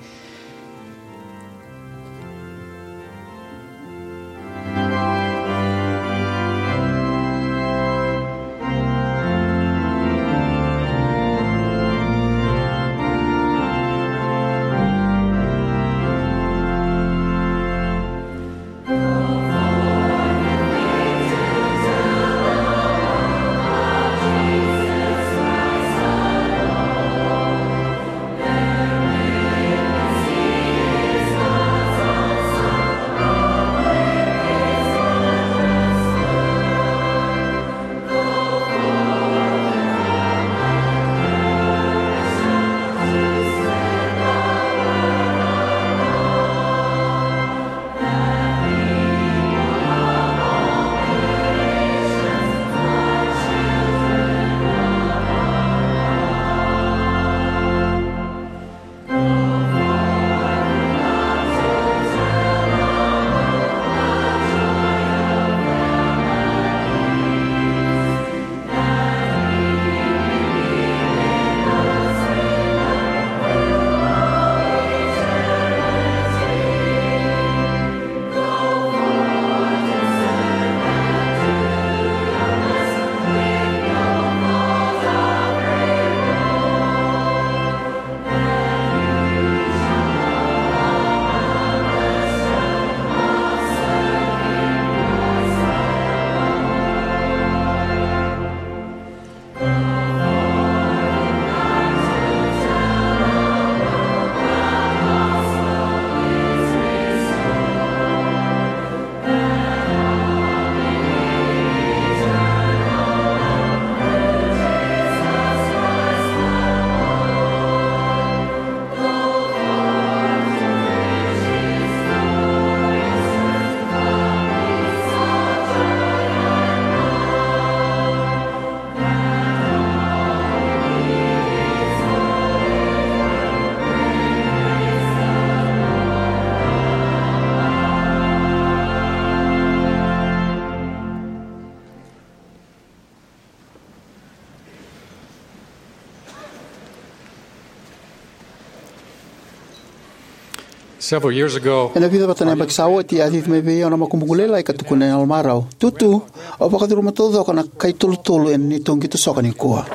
Several years ago, ena vica vata na yabaki sa oti, a cici mai vei au na makubuqu lailai ka tukuna ena yalomarau, "Tutu, o vakacuruma taucoko na kai tolutolu ena neitou qito soka nikua."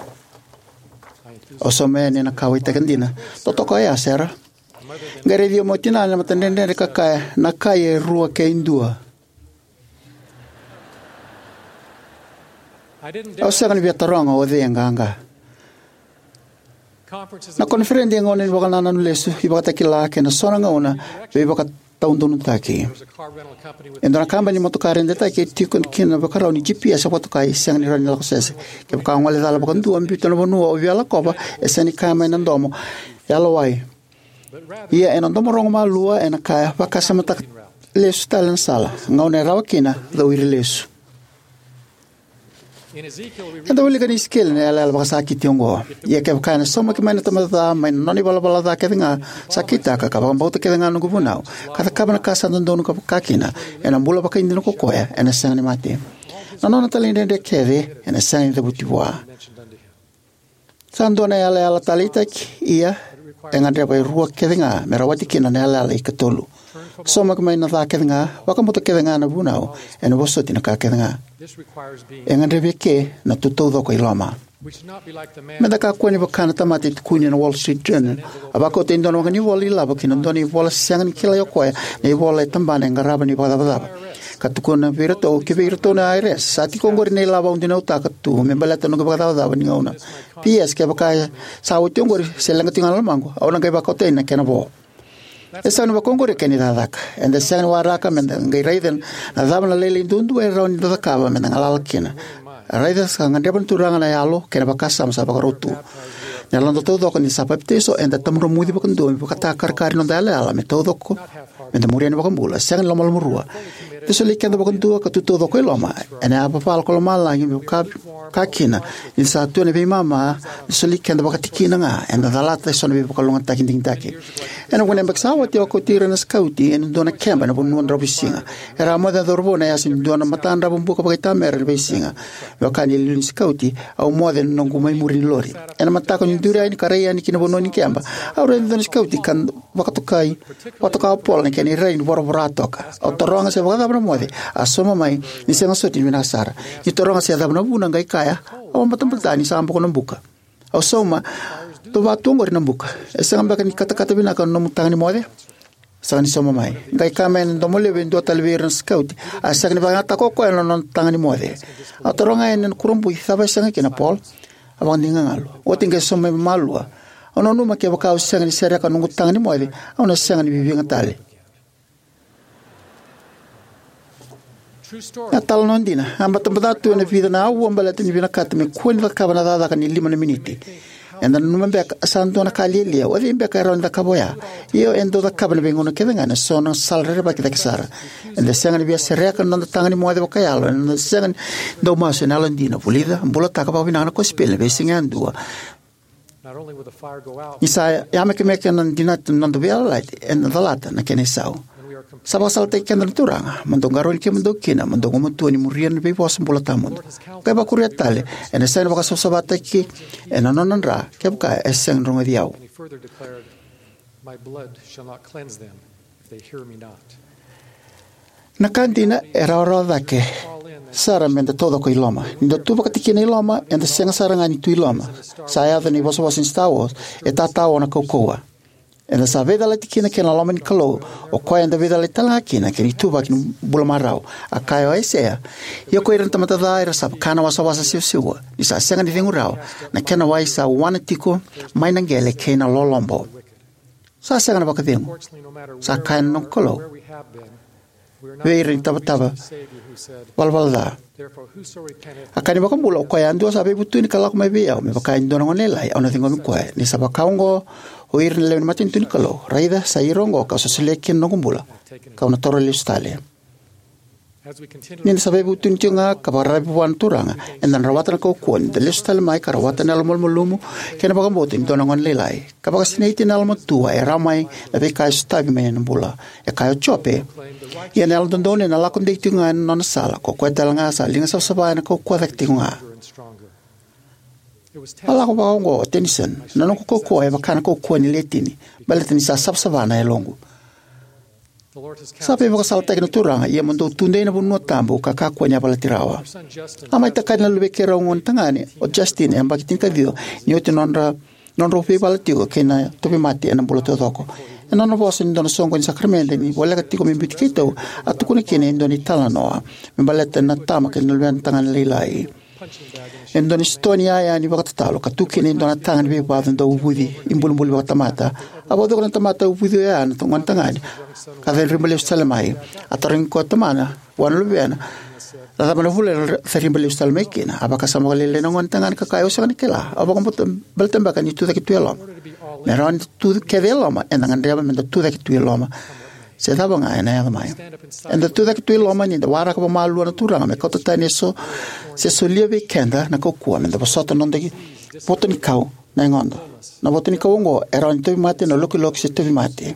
Au sauma yani ena kauwaitaki dina. "Totoka oya, Sera." Qai raici au mai o tinana ena matadredredre ka kaya, "Na kai e rua kei dua." Au sega ni via taroga o cei e qaqa. Na koniferedi e gauna ni vakanananu lesu, ivakatakila kei na so na gauna veivakataudonutaki. E dua na kabani ni motoka redaitaki e tiko kina na ivakarau ni G P S e vakatokai, sega ni rawa ni lako sese. Kevaka o gole cala vakadua, biuta na vanua o via lakova, e sega ni kaya mai na domo, "Yalowai." Ia ena domo rogo malua ena kaya, "Vakasamataka lesu tale na sala. Gauna e rawa kina, cowiri lesu." Eda wilika ena Isikeli na yalayala vakasakiti oqo: Ia kevaka ena saumaki mai na tamata ca mai na nona ivalavala ca kece ga sa kitaka, ka vakabauta kece ga na noqu vunau, ka cakava na ka sa dodonu ka vakakina, ena bula vakaidina ko koya, ena sega ni mate. Na nona talaidredre kece ena sega ni cavuti vua. Sa dua na yalayala taleitaki, ia e gadreva e rua kece ga me rawati kina na yalayala ikatolu. Saumaki mai na ca kece ga, vakabauta kece ga na vunau, ena vosoti na ka kece ga. E gadrevi eke na tu taucoko i loma. Meda kakua ni vaka na tamata e tukuni ena Wall Street Journal, a vakauta e dua na waqanivola ilavo ki na dua na ivola sega ni kilai o koya na ivola e tabana e qarava na ivakacavacava, ka tukuna vei iratou, kivei iratou na I R S, sa tiko oqori na ilavo au dinautaka tu me baleta na noqu ivakacavacava ni gauna. P S Kevaka sa oti oqori se leqa tiko ga na lomaqu, au na qai vakauta yani na kena vo. E sega ni vaka oqori na kena icakacaka. Eda sega ni waraka meda qai raica na cava na lailai duadua e rawa ni da cakava meda galala kina. Raica sa gadreva na Turaga na yalo kei na vakasama sa vakarau tu. Na yaloda taucoko ni da sa papitaiso, eda tabadromuci vakadua me vakatakarakara ni noda yalayala me taucoko, meda muria na iVakabula, sega ni lomalomarua. Eda soli keda vakadua ka tu taucoko i loma, ena yavavala ko lomalagi me vaka, ka kina, ni da sa tu ena veimama, da soli keda vakatikina ga, eda calata eso na veivakalougatataki digitaki. Ena vuqa na yabaki sa oti, au a kauti ira na sikauti ena dua na keba ena vanua dravuisiga. Era a moce na cauravou ena yasa ni dua na matadravu buka vakaitamera ena veisiga. Me vaka ni iliuliu ni sikauti, au moce ena noqu mai muri ni lori. Ena mataka niu duri yani ka rai yani ki na vanua ni keba, au raica e dua na sikauti ka vakatokai, vakatoka o Paul na kena irai ni voravora toka. Au taroga se vakacava na moce, a sauma mai ni sega soti ni vinaka sara. Niu taroga se cava na vuna, qai kaya, au a batabata ni sa boko na buka. Au sauma, dou vaka tu oqori na buka. E sega beka ni katakata vinaka na nomu taga ni moce? Sega ni sauma mai. Qai kaya mai ena domo levu e dua tale vei ira na sikauti, a sega ni vakayagataka o koya na nona taga ni moce. Au taroga yani ena kurabui, cava e sega kina, Paul? A vakadinagalu. Oti qai sauma mai malua. Au nanuma kevaka au sega ni sereka na noqu taga ni moce, au na sega ni viviga tale. Na italanoa dina, a batabata tu ena vica na aua baleta ni vinakata me kua ni cakava na cakacaka ni lima na miniti. Eda nanuma beka sa dua na ka lialia, o cei beka e rawa ni cakava oya? Ia eda dau cakava ena veigauna kece ga ena so na sala rerevaki cake sara. Eda sega ni via sereka na noda taga ni moce vakayalo, ena noda sega ni dau masu ena yalodina, vulica, bulataka vakavinaka na kosipeli ena veisiga yadua. Ni sa yamekemeke na dinata na noda veiyalayalati, ena calata na kena isau. Sa vakasalataki keda na Turaga, mo dou qarauni kemudou kina, mo dou gumatua ni muria na veivosa bula tawamudu. Qai vakuria tale, ena sega ni vakasavasavataki ena nona dra, kevaka e sega ni rogoci au. My blood shall not cleanse them if they hear me not. Na ka dina, e rawarawa cake sara meda taucoko i loma. Ni da tu vakatikina i loma, eda sega sara ga ni tu i loma. Sa yaco na ivosavosa ni Star Wars, e tatao na kaukauwa. Eda sa veicalati kina kei na loma ni Kalou, o koya eda veicalati tale ga kina kei na ituvaki ni bula marau. A kaya o Aisea, ia ko ira na tamata ca era sa vaka na wasawasa siwasiwa, ni sa sega ni cegu rawa, na kena wai sa wana tiko mai na qele kei na lolobo. Sa sega na vakacegu, sa kaya na noqu Kalou vei ira na itavatava valavala ca. A kaya na iVakabula, o koya yadua sa veivutuni ka lako mai vei au, me vaka e dua na gone lailai, au na ciqomi koya. Ni sa vaka oqo o ira na lewe ni matanitu ni Kalou, raica, sa ira oqo kau sa solia kina na noqu bula, kau na taura lesu tale. Ni da sa veivutuni tiko ga ka vakararavi vua na Turaga, eda na rawata na kaukauwa ni da lesu tale mai ka rawata na yalomalumalumu kei na vakabauta ni dua na gone lailai. Ka vakasinaiti ena yalomatua e rawa mai na veika e sotavi mai ena bula. E kaya o Jope, ia na yalododonu ena lako dei tiko ga ena nona sala, ko koya tale ga sa liga savasava ena kaukauwa cake tiko ga. A lako vakaoqo o Tennyson, na noqu kaukauwa e vaka na kaukauwa ni letini, baleta ni sa savasava na yaloqu. Sa veivakasalataki na Turaga, ia mo dou tudei na vanua tabu ka kakua ni yavalati rawa. A mai takali na luvei keirau gone tagane o Justin, e yabaki tinikaciwa, ni oti nodra, nodrau veivala tiko kei na tauvimate ena bula taucoko. Ena nona vosa ni dua na soqoni ni sakaramede ni voleka tiko me biuti keitou, a tukuna kina e dua na italanoa me baleta na tama kei na luvena tagane lailai. E dua na sitoa ni yaya ni vakatatalo, ka tu kina e dua na taga ni veivacu dau uvuci ibulibuli vakatamata. A vakacokona na tamata uvuci oya na gone tagane, ka cadriba lesu tale mai. A tarogi koya o tamana vua na luvena, na cava na vuna era cadriba lesu tale mai kina? A vakasama vakalailai na gone tagane ka kaya, au sega ni kila, au vakabauta baleta beka ni tucake tu e loma. Me rawa ni da tu kece e loma, eda gadreva me da tucake tu e loma. se cava ga ena yaco mai. Eda tucake tu i loma ni da waraka vakamalua na Turaga me kauta tani eso se solia vei keda na kaukauwa me da vosota na noda votonikau na yagoda. Na votonikau oqo e rawa ni tauvimate, na lokiloki, se tauvimate.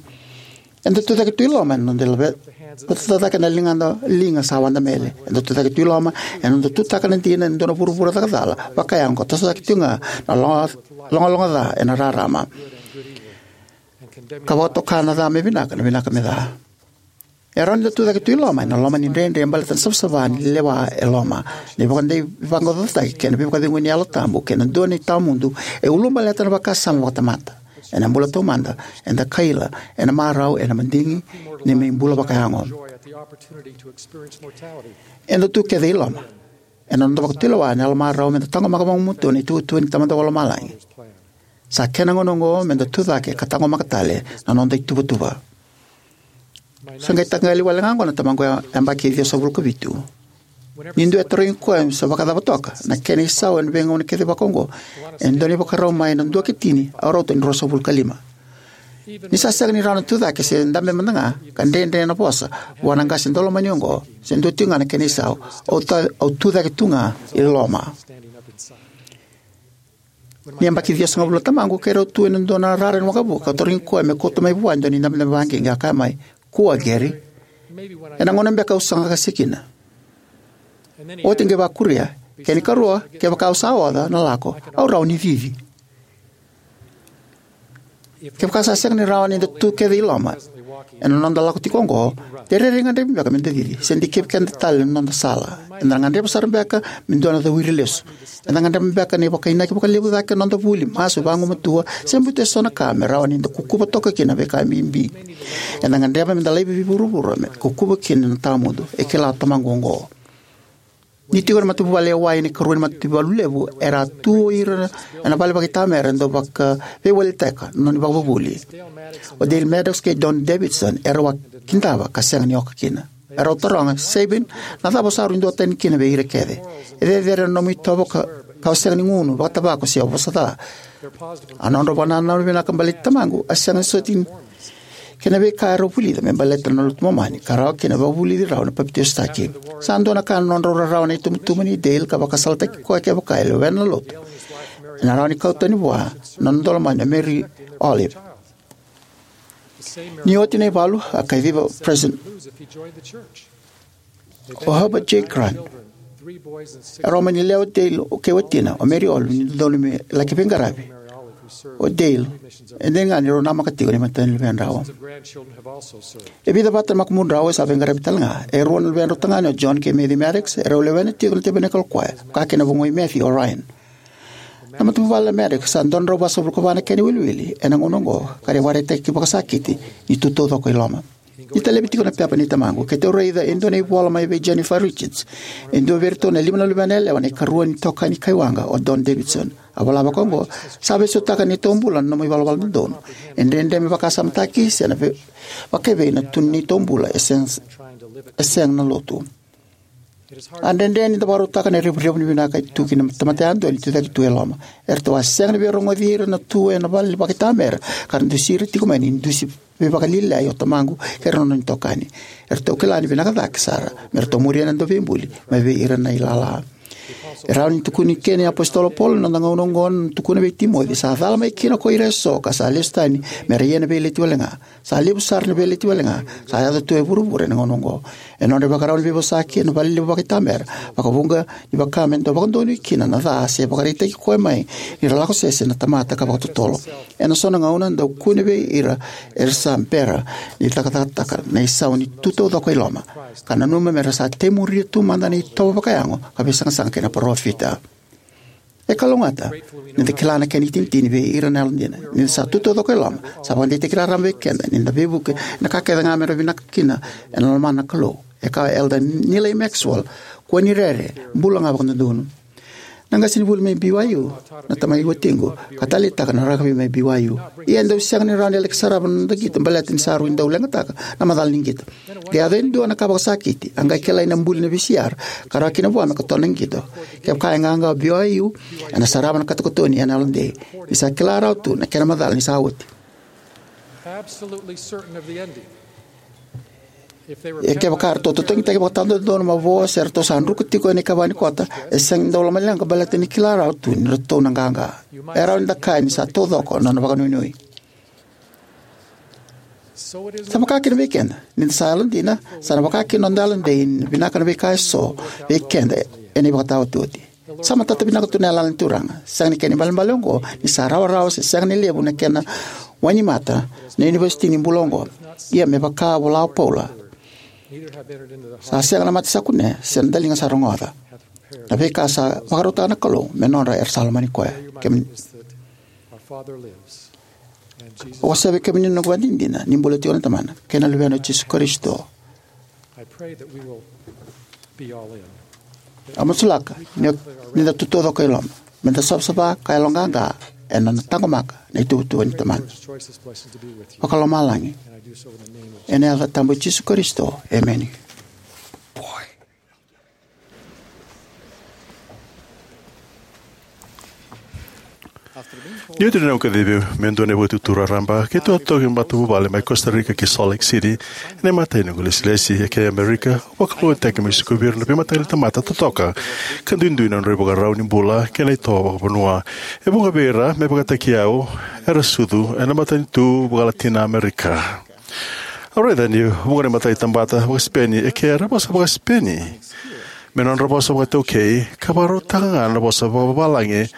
Eda tucake tu i loma ena noda laveta cake na ligada liga sa wadamele. Eda tucake tu i loma ena noda tutaka na dina e dua na vuravura cakacala vakayago, ka toso cake tiko ga na loga- logaloga ca ena rarama, ka vakatoka na ca me vinaka, na vinaka me ca. E rawa ni da tucake tu i loma ena loma ni dredre baleta na savasava ni lewa e loma, na ivakadei vaqaqacotaki kei na veivakacegui ni Yalo Tabu, kei na dua ni tawamudu e ulubaleta na vakasama vakatamata. Ena bula taumada, eda kaila ena marau ena madigi ni mai bula vakayago. Eda tu kece i loma ena noda vakatulewa ena yalomarau me da taqomaka vagumatua na ituvatuva ni Tamada Vakalomalagi. Sa kena gauna oqo me da tucake ka taqomaka tale na noda ituvatuva. Sa qai taqali wale ga oqo na tamaqu yabaki e ciwasagavulu ka vitu. Ni dua e tarogi koya se vakacava toka na kena isau ena veigauna kece vakaoqo, e dua na ivakarau mai na dua ki tini au rauta ni ruasagavulu ka lima. Ni sa sega ni rawa na tucake se dabe mada ga, ka dredre na vosa vua na qase daulomani oqo se dua tiko ga na kena isau, au, ta- au tucake tu ga i loma. Ni yabaki ciwasagavulu na tamaqu, keirau tu ena dua na rara ni waqavuka, ka tarogi koya me kauta mai vua e dua na idabedabe vakaqiqi. A kaya mai, "Kua, Gary. Ena gauna beka au saga ka se kina." Oti qai vakuria, "Kena ikarua, kevaka au sa oca na lako, au rawa ni cici." Kevaka sa sega ni rawa ni da tu kece i loma ena noda lako tiko oqo, de rairai gadrevi beka me da cici, se dikevi keda tale na noda sala. Eda na gadreva sara beka me dua na cawiri lesu. Eda gadreva beka na ivakainaki vakalevu cake na noda vuli, masu, vagumatua, se butu eso na ka me rawa ni da kukuva toka kina na veika bibi. Eda gadreva me da laivi vei vuravura me kukuva kina na tawamudu. E kila o tamaqu oqo. Ni tiko na matavuvale e wai ena ikarua ni mataivalu levu, era a tu o ira ena vale vakaitamera e dau vakaveiwalitaka na nona ivakavuvuli. O Dale Maddox kei Don Davidson erau a kidava ka sega ni oka kina. Erau taroga, "Sabine, na cava o sa rui duatani kina vei ira kece? E cecere na nomu itovo ka, ka o sega ni gunu vakatavako se o vosa ca." A nodrau vakanananu vinaka baleti tamaqu a sega ni soti kei na veika erau vulica me baleta na lotu Momani, ka rawa kina vakavulici rau na papitaisotaki. Sa dua na ka na nodrau rarawa na itubutubu nei Dale ka vakasalataki koya kevaka e lewena na lotu, ena rawa ni kau tani vua na nona daulomani o Mary Olive. Ni oti na ivalu, a kaciva o President o Heber J. Grant. Erau mani lewe o Dale kei watina, o Mary Olive, ni dodonu me laki veiqaravi. O Dale, e dina ga ni rau namaka tiko na imatai ni luvedrau. E vica vata na makubudrau e sa veiqaravi tale ga. E rua na luvedrau tagane, o John kei Matthew Maddox, erau lewena tiko na Tabernacle Choir, vaka kina na vugoi Matthew, o Ryan. Na matavuvale na Maddox sa dua na drau vasagavulu ka va na kena iwiliwili ena gauna oqo, ka ra vakaraitaki vakasakiti ni tu taucoko i loma. Ni talevi tiko na pepa nei tamaqu, keitou raica e dua na ivola mai vei Jennifer Richards, e dua vei iratou na lima na luvena yalewa na ikarua ni itokani kai waqa, o Don Davidson. A vola vakaoqo, "Sa veisautaka na neitou bula na nomu ivalavala dodonu. E dredre me vakasamataki se na vei- vakaevei na tu ni neitou bula e sega, e sega na lotu." A dredre ni da vakarautaka na revurevu ni vinaka e tu kina na tamata yadua ni tucake tu e loma. Eratou a sega ni veirogoci ira na tu ena vale vakaitamera ka ra dusi ira tiko mai ni dusi veivakalialiai o tamaqu kei ira na nona itokani. Eratou kila ni vinaka cake sara me ratou muria na Dauveibuli mai vei ira na ilala. E rawa ni tukuni kina na iApositolo o Paula na noda gauna oqo, na tukuna vei Timoci, "Sa cala mai kina ko ira eso ka sa lesu tani me ra ia na veileti wale ga. Sa levu sara na veileti wale ga sa yaco tu e vuravura ena gauna oqo." E nodra ivakarau ni veivosaki ena vale levu vakaitamera, vakavuqa ni vaka me dau vakadonui kina na ca se vakaraitaki koya mai ni ra lako sese na tamata ka vakatotolo. Ena so na gauna dau kune vei ira era sa bera ni cakacakataka na isau ni tu taucoko i loma, ka nanuma me ra sa tei muria tu mada na itovo vakayago ka veisaqasaqa kei na parofita. E kalougata ni da kila na kena itinitini vei ira na yalodina. Ni da sa tu taucoko e loma, sa vakadeitaki raraba vei keda ni da veivuke na ka kece ga me ra vinaka kina ena lomana na Kalou. E kaya o Elder Neal A. Maxwell, "Kua ni rere, bula ga vakadodonu." Na qasenivuli mai B Y U, na tamai watiqu, ka taleitaka na rakavi mai B Y U. Ia e dau sega ni rawa ni laki sarava na noda qito baleta ni sa rui dau leqataka na macala ni qito. Qai yaco e dua na ka vakasakiti, a qai kilai na buli na V C R ka rawa kina vua me katona na qito. Kevaka e qaqa o B Y U, ena sarava na katokatoni ena yalodei, ni sa kila rawa tu na kena macala ni sa oti. Absolutely certain of the ending, E kevaka eratou totogitaki vakatawadodonu, mavoa, se ratou sa druka tiko ena ikava ni kota, e sega ni dau lomaleqa baleta ni kila rawa tu ni ratou na qaqa. E rawa ni da kaya ni sa taucoko na nona vakanuinui. Sa vaka kina vei keda, ni da sa yalodina, sa na vaka kina noda yalodei ni vinaka na veika eso vei keda ena ivakataotioti. Sa matata vinaka tu na yalayala ni Turaga. Sega ni kena ibalebale oqo ni sa rawarawa se sega ni levu na kena wainimata na univesiti ni bula oqo. Ia me vaka vola o Paula, sa sega na mata sa kunea se na daliga sa rogoca na veika sa vakarautaka na Kalou me nodra era sa lomani koya. Kemuni, au wasea vei kemuni na noqu vakadinadina ni bula tiko na Tamana kei na Luvena o Jisu Karisito. Au masulaka ni, ni da tu taucoko i loma, me da savasava ka yaloqaqa ena nona taqomaka na ituvatuva ni Tamana vakalomalagi. Ena yaca tabu i Jisu Karisito, emeni. Ni oti na noqu kacivi me dua na ivakatutu raraba, keitou a toki matavuvale mai Costa Rica ki Salt Lake City. Ena imatai ni noqu ilesilesi eke i Amerika, au vakalougatataki meu sikovi ira na veimataqali tamata totoka ka duidui na nodra ivakarau ni bula kei na itovo vakavanua. E vuqa vei ira, me vakataki au, era sucu ena matanitu vaka-Latina Amerika. Au raica ni vuqa na imatai tamata vaka-Sipeni eke era vosa vaka-Sipeni me nodra vosa vakaiTaukei, ka vakarautaka ga na vosa vakavavalagi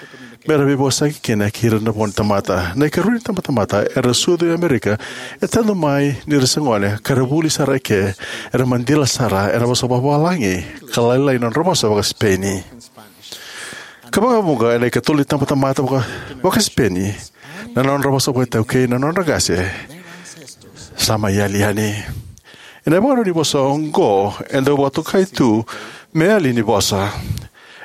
me ra veivosaki kina kei ira na vo ni tamata. Na ikarua ni itabatamata era sucu i Amerika e tadu mai ni ra se gone ka ra vuli sara eke, era madila sara ena vosa vakavavalagi ka lailai na nodra vosa vaka-Sipeni. Ka vakavuqa ena ikatolu ni itabatamata vaka, vaka-Sipeni, na nodra vosa vakaiTaukei na nodra qase sa mai yali yani. Ena ivakarau ni vosa oqo e dau vakatokai tu me yali ni vosa.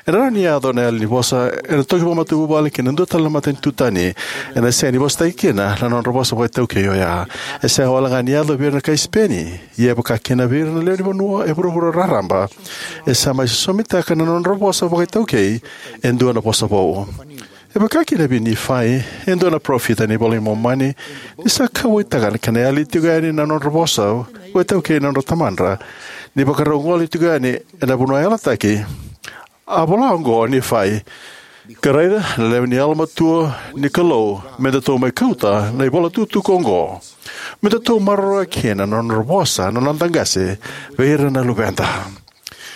Ena rawa ni yaco na yali ni vosa ena toki vakamatavuvale ki na dua tale na matanitu tani, ena sega ni vosataki kina na nodra vosa vakaiTaukei oya. E sega wale ga ni yaco vei ira na kai Sipeni, ia e vaka kina vei ira na lewe ni vanua e vuravura raraba, e sa mai sosomitaka na nodra vosa vakaiTaukei e dua na vosa vou. E vaka kina vei Nifai, e dua na parofita ena iVola i Momani, ni sa kauwaitaka na kena yali tiko yani na nodra vosa vakaiTaukei na nodra tamadra, ni vakarau gole tiko yani ena vanua yalataki. A vola oqo o Nifai: Ka raica, na lewe ni yalomatua ni Kalou me datou mai kauta na ivolatukutuku oqo, me datou maroroya kina na nodra vosa na noda qase vei ira na luveda.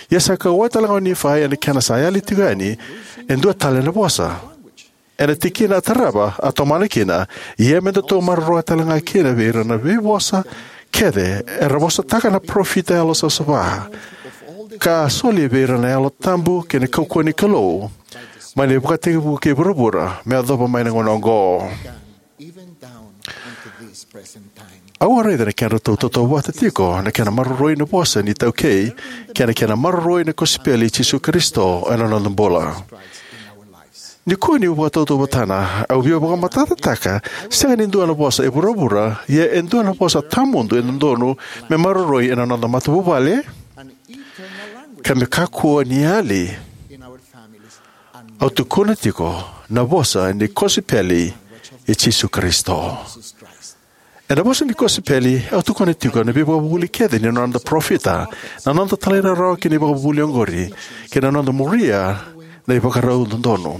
Ia sa kauwai tale ga o Nifai ena kena sa yali tiko yani e dua tale na vosa. Ena tikina a tarava, a tomana kina: Ia me datou maroroya tale ga kina vei ira na veivosa kece era vosataka na parofita yalosavasava, ka a soli vei ira na Yalo Tabu kei na kaukauwa ni Kalou, mai na ivakatekivu kei vuravura me yacova mai na gauna oqo. Au a raica na kedratou tautauvata tiko na kena maroroi na vosa ni iTaukei kei na kena maroroi na kosipeli i Jisu Karisito ena noda bula. Nikua niu vakatautauvatana, au via vakamatatataka, sega ni dua na vosa e vuravura, ia e dua na vosa tawamudu e dodonu me maroroi ena noda matavuvale ka me kakua ni yali. Au tukuna tiko na vosa ni kosipeli i Jisu Karisito. Ena vosa ni kosipeli, au tukuna tiko na veivakavuvuli kece ni noda parofita, na noda talairawarawa ki na ivakavuvuli oqori, kei na noda muria na ivakarau dodonu.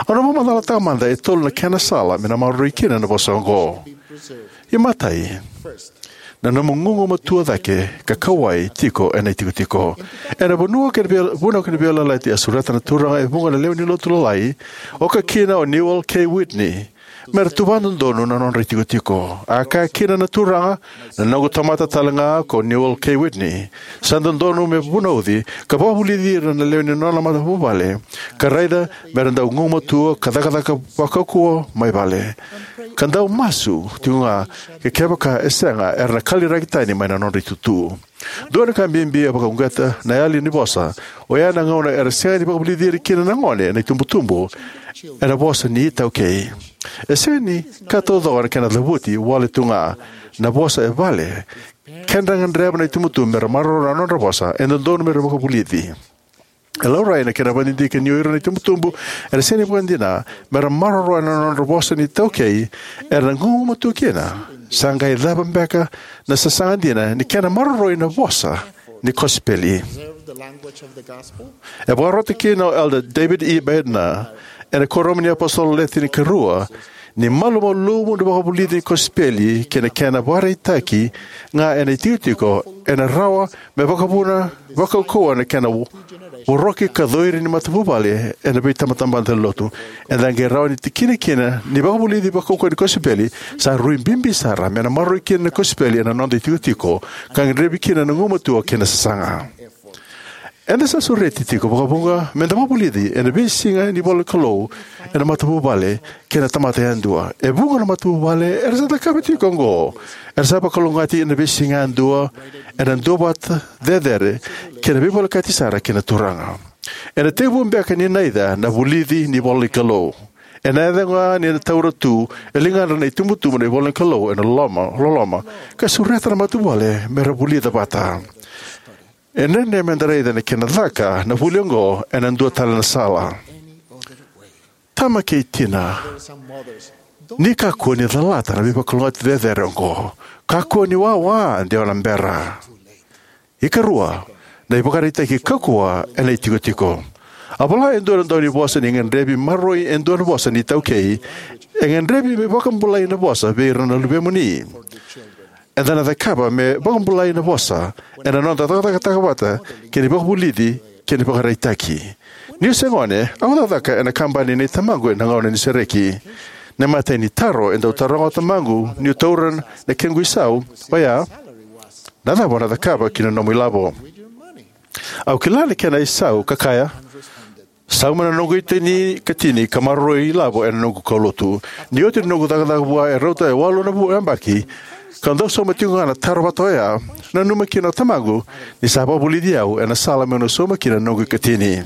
Au na vakamacalataka mada e tolu na kena sala me na maroroi kina na vosa oqo. Imatai, na nomu gugumatua cake ka kauwai tiko ena itikotiko. Ena vanua kei na via-, vunau kei na veiyalayalati a sureta na Turaga e vuqa na lewe ni lotu lalai, oka kina o Newel K. Whitney, me ra tuva dodonu na nodra itikotiko. A kaya kina na Turaga, na noqu tamata tale ga ko Newel K. Whitney, sa dodonu me vunauci ka vakavulici ira na lewe ni nona matavuvale, ka raica me ra dau gugumatua ka cakacaka vakaukauwa mai vale, ka dau masu tiko ga, ke kevaka e sega, era na kaliraki tani mai na nodra itutu. Dua na ka bibi e vakauqeta na yali ni vosa, oya na gauna era sega ni vakavulici ira kina na gone na itubutubu ena vosa ni iTaukei. E sega ni ka taucoko na kena cavuti, wale tu ga na vosa e vale. Kedra gadreva na itubutubu me ra maroroya na nodra vosa, e dodonu me ra vakavulici. E laurai na kena vakadidike ni o ira na itubutubu era sega ni vakadina me ra maroroya na nodra vosa ni iTaukei, era na gugumatua kina Sa qai cava beka na sasaga dina ni kena maroroi na vosa ni kosipeli? E vakarota kina o Elder David E. Bednar ena Kuoramu ni iApositolo Le Tinikarua ni malumalumu na vakavulici ni kosipeli kei na kena vakaraitaki ga ena itikotiko ena rawa me vakavuna vakaukauwa na kena voroki ka coiri ni matavuvale ena veitabatamata ni lotu. Eda qai rawa ni tikina kina ni vakavulici vakaukauwa ni kosipeli sa rui bibi sara me na maroroi kina na kosipeli ena noda itikotiko ka gadrevi kina na gugumatua kei na sasaga. Eda sa sureti tiko vakavuqa me da vakavulici ena veisiga ni ivolanikalou ena matavuvale kei na tamata yadua. E vuqa na matavuvale era sa cakava tiko oqo. Era sa vakalougatataki ena veisiga yadua ena duavata cecere kei na veivolekati sara kei na Turaga. Ena tekivu beka ni naica na vulici ni ivolanikalou. Ena yaco ga ni na taura tu e ligadra na itubutubu na ivolanikalou ena loloma, loloma ka sureta na matavuvale me ra vulica vata. E dredre me da raica na kena caka na vuli oqo ena dua tale na sala. Tama kei tina, ni kakua ni calata na veivakalougatataki cecere oqo. Kakua ni wawa de o na bera. Ikarua, na ivakaraitaki kaukauwa ena itikotiko. A vola e dua na daunivosa ni gadrevi maroroi e dua na vosa ni iTaukei, e gadrevi me vakabulai na vosa vei ira na luvemuni. Eda na cakava me vakabulai na vosa ena noda cakacakataka vata kei na ivakavulici kei na ivakaraitaki. Niu se gone, au cakacaka ena kabani nei tamaqu ena gauna ni sereki. Na imatai ni taro e dau taroga o tamaqu niu taura na kequ isau oya, "Na cava o na cakava ki na nomu ilavo?" Au kila na kena isau ka kaya, "Sauma na noqu itini katini ka maroroi ilavo ena noqu kaulotu." Ni oti na noqu cakacaka vua e rauta e walu na vu yabaki, ka dau sauma tiko ga na taro vata oya, nanuma kina o tamaqu ni sa vakavulici au ena sala meu na sauma kina na noqu ikatini.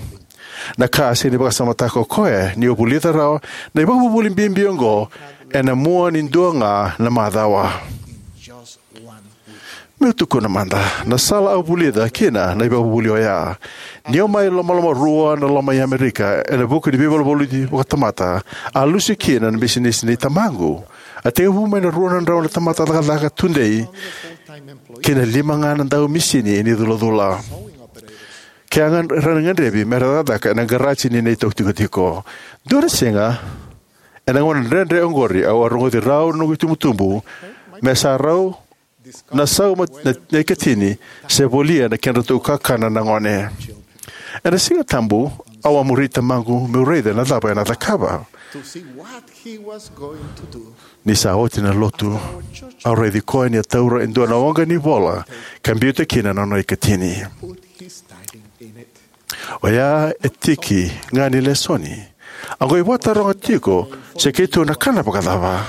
Na ka a sega ni vakasamataka o koya niu vulica rawa na ivakavuvuli bibi oqo ena mua ni dua ga na macawa. Meu tukuna mada na sala au vulica kina na ivakavuvuli oya. Niu mai lomalomarua na loma i Amerika ena vuku ni veivaluvaluti vakatamata, a lusi kina na bisinisi nei tamaqu. A tekivu mai na rua na drau na tamata cakacaka tudei ki na lima ga na dau misini ni culacula. Ke a gad-, ra na gadrevi me ra cakacaka ena garaji ni neitou tikotiko. Dua na siga, ena gauna dredre oqori, au a rogoci rau na noqu itubutubu me sa rau na sauma na, na ikatini se volia na kedratou kakana na gone. Ena Siga Tabu, au a muri tamaqu meu raica na cava ena cakava. Ni sa oti na lotu, au raici koya ni a taura e dua na oqa ni vola ka biuta kina na nona ikatini. Oya e tiki ga ni lesoni. A qai vakataroga tiko se keitou na kana vakacava.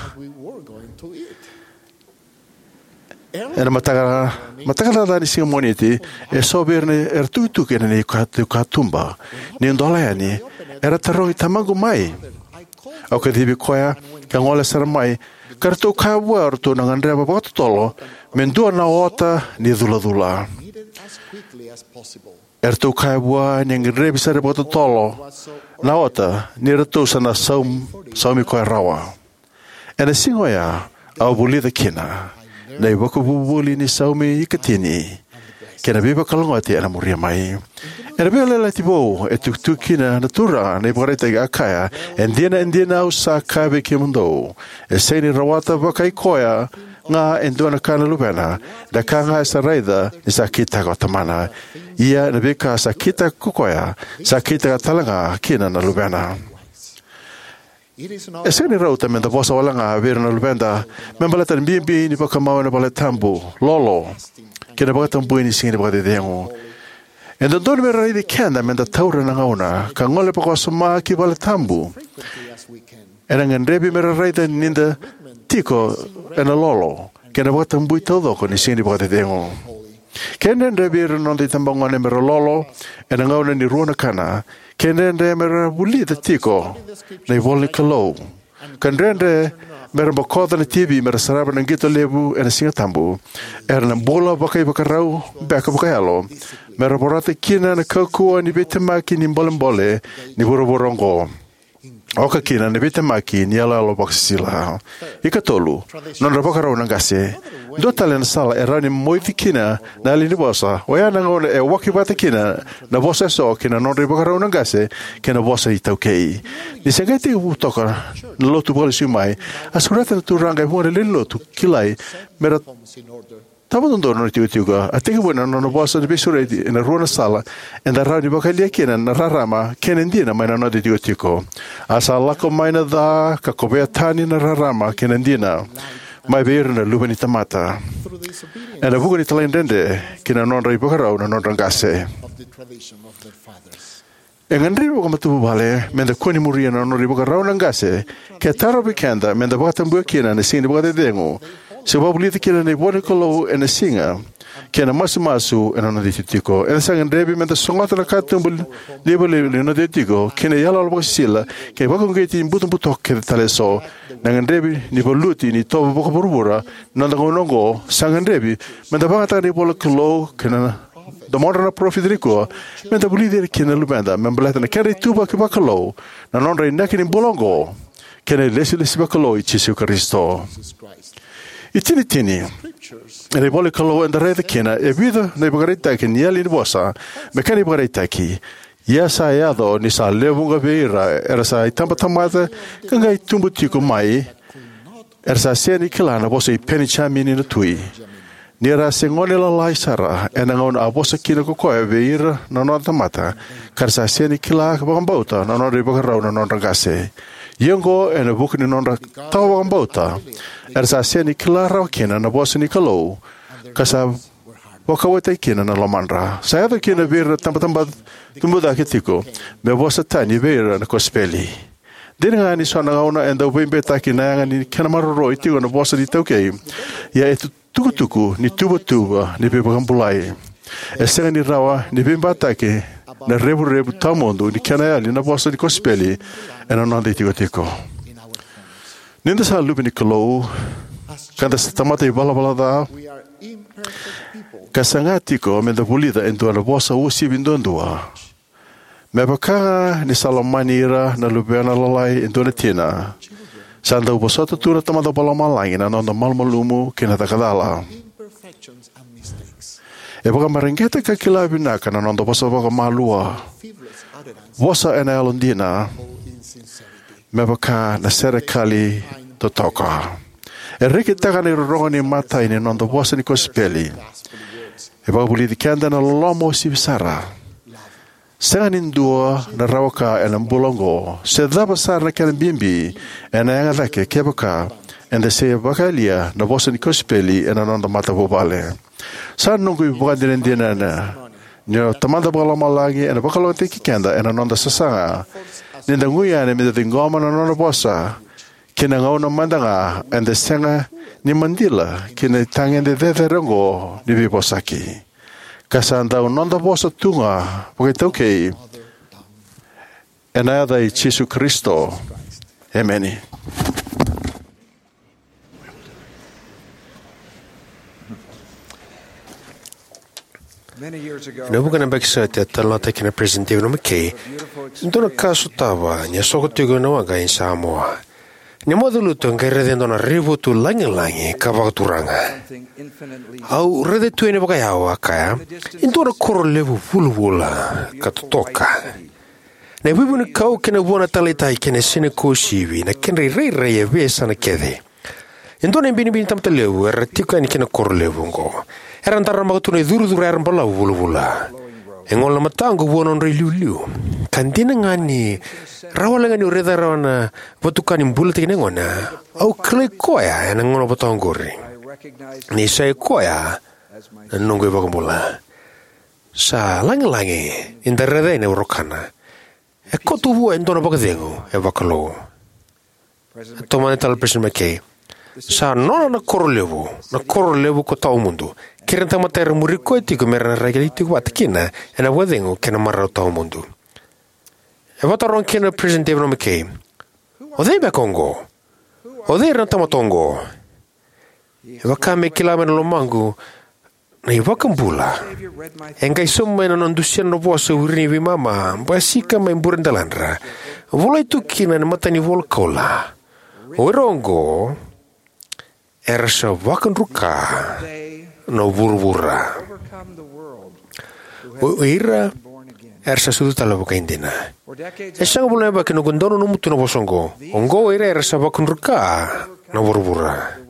Ena mataka, mataka caca ni siga Moniti, e so vei ira era tukituki ena neitou katuba. Niu dola yani, era tarogi tamaqu mai. Au kacivi koya ka gole sara mai, ka ratou kaya vua ratou na gadreva vakatotolo me dua na ota ni culacula. Eratou kaya vua ni gadrevi sara vakatotolo na ota ni ratou sa na saum-, saumi koya rawa. Ena siga oya, au vulica kina na ivakavuvuli ni saumi ikatini kei na veivakalougatataki ena muria mai. Ena Veiyalayalati Vou, e tukituki kina na Turaga na ivakaraitaki, a kaya, "E dina, e dina au sa kaya vei kemudou, e sega ni rawata vakai koya ga e dua na ka na luvena na ka ga e sa raica ni sa kitaka o tamana. Ia na veika sa kitaka ko koya, sa kitaka tale ga kina na luvena." E sega ni rauta me da vosa wale ga vei ira na luveda me baleta na bibi ni vakamau ena valetabu, lolo, kei na vakatabui ni Siga ni Vakacecegu. E dodonu me ra raici keda me da taura na gauna ka gole vakawasoma ki valetabu. Ena gadrevi me ra raica ni da tiko ena lolo kei na vakatabui taucoko ni Siga ni Vakacecegu. Ke dredre vei ira na noda itabagone me ra lolo ena gauna ni rua na kana, ke dredre me ra vulica tiko na ivola ni Kalou, ka dredre me ra bokoca na T V me ra sarava na qito levu ena Siga Tabu, era na bula vakaivakarau beka vakayalo me ra vorata kina na kaukauwa ni veitemaki ni bolebole ni vuravura oqo. oka kina na veitemaki ni iyaloyalo vakasisila. Ikatolu, nodra ivakarau na qase. Dua tale na sala e rawa ni moici kina na yali ni vosa oya na gauna e waki vata kina na vosa eso kei na nodra ivakarau na qase kei na vosa iTaukei. Ni se qai tekivu toka na Lotu Vakalesui mai, a sureta na Turaga e vuqa na lewe ni Lotu kilai me ra tava dodonu na tikotiko. A tekivu ena nona vosa ni veisureti ena rua na sala eda rawa ni vakayalia kina na rarama kei na dina mai na noda itikotiko. A sa lako mai na ca ka kovea tani na rarama kei na dina mai vei ira na luve ni tamata ena vuku ni talaidredre ki na nodra ivakarau na nodra qase. E gadrevi vakamatavuvale meda kua ni muria na nodra ivakarau na qase ke tarovi keda meda vakatabuya kina na siga ni vakacecegu, se vakavulica kina na ivola ni Kalou ena siga kei na masumasu ena noda itikotiko. Eda sa gadrevi meda sogota na katuba livaliva ni noda itikotiko kei na iyaloyalo vakasisila kei na vakauqeti butobuto kece tale eso. Na gadrevi ni valuti ni itovo vakavuravura ni noda gauna oqo sa gadrevi meda vakayagataka na ivola ni Kalou kei na domodra na parofita nikua meda vulici ira kina na luveda me baleta na kedra ituvaki vakalou, na nodra inaki ni bula oqo, kei na ilesilesi vakalou i Jisu Karisito. Itinitini, ena ivola ni Kalou eda raica kina e vica na ivakaraitaki ni yali ni vosa me kena ivakaraitaki. Ia sa yaco ni sa lewe vuqa vei ira era sa itabatamata ka qai tubu tiko mai, era sa sega ni kila na vosa i Penijamini na tui. Ni ra se gone lalai sara ena gauna a vosa kina ko koya vei ira na nona tamata, ka ra sa sega ni kila ka vakabauta na nodra ivakarau na nodra qase. Ia oqo ena vuku ni nodra tawa vakabauta, era sa sega ni kila rawa kina na vosa ni Kalou, ka sa vakawataki kina na lomadra. Sa yaco kina vei ira na tabataba tubu cake tiko me vosa tani vei ira na kosipeli. Dina ga ni so na gauna e dau veibeitaki na yaga ni kena maroroi tiko na vosa ni iTaukei, ia e tu- tukutuku ni tuvatuva ni veivakabulai. E sega ni rawa ni veibeitaki na revurevu tawamudu ni kena yali na vosa ni kosipeli ena noda itikotiko. Ni da sa luve ni Kalou, ka da sa tamata ivalavala ca, ka saga tiko me da vulica e dua na vosa uasivi duadua. Me vaka ga ni sa lomani ira na luvena lalai e dua na tina, sa dau vosota tu na Tamada Vakalomalagi na noda malumalumu kei na cakacala. E vakamareqeta ka kila vinaka na noda vosa vakamalua, vosa ena yalodina, me vaka na serekali totoka. E rekitaka na irorogo ni imatai ni noda vosa ni kosipeli. E vakavulici keda na loloma uasivi sara. Sega ni dua na rawa ka ena bula oqo, se cava sara na kena bibi, ena yaga cake kevaka eda se vakayalia na vosa ni kosipeli ena noda matavuvale. Sa noqu ivakadinadina ni o Tamada Vakalomalagi ena vakalougatataki keda ena noda sasaga ni da gui yani me da ciqoma na nona vosa ki na gauna mada ga eda sega ni madila ki na itagede cecere oqo ni veivosaki. Ka sa dau noda vosa tu ga vakaitaukei, ena yaca i Jisu Karisito. Emeni. Ena vuqa na yabaki sa oti a talanoataka kina na Peresitedi David O. McKay e dua na ka a sotava ni a soko tiko ena waqa e Samoa. Ni moce lutu e qai raica e dua na raivotu lagilagi ka vakaturaga. Au raica tu yani vakayawa, a kaya, e dua na koro levu vulavula ka totoka. Na ivuivunikau kei na vua na taleitaki kei na yasana ni kosipeli, na kedra irairai e veiyasana kece. E dua na ibinibini tamata levu era tiko yani ki na koro levu oqo. Era daramaka tu na icurucuru era balavu vulavula. E gole na mataqu vua na nodra iliuliu. Ka dina ga ni rawa wale ga niu raica rawa na vatuka ni bulataki na yagona, au kilai koya ena gauna vata oqori. Ni sa i koya na noqu iVakabula. Sa lagilagi ni da raica yani na irokana. E koto vua e dua na vakacegu e vakalou. E tomana tale o Peresitedi McKay, sa nona na koro levu, na koro levu ko tawamudu. Kei ira na tamata era muri koya tiko me ra na rai tiko vata kina ena vakacegu kei na marau tawamudu. E vakataroga kina o Peresitedi David O. McKay, o cei beka oqo? O cei ira na tamata oqo? E vaka me kila mai na lomaqu na iVakabula. E qai sauma mai na nona dusia na nona vosa o ira na veimama basika mai buredeladra. Volai tu kina ena matanivola Koula, o ira oqo era sa vakadruka na vuravura. O ira era sa sucu tale vakaidina. E sega vula na yabaki noqu dau nanuma tu na vosa oqo. Oqo o ira era sa vakadruka na vuravura.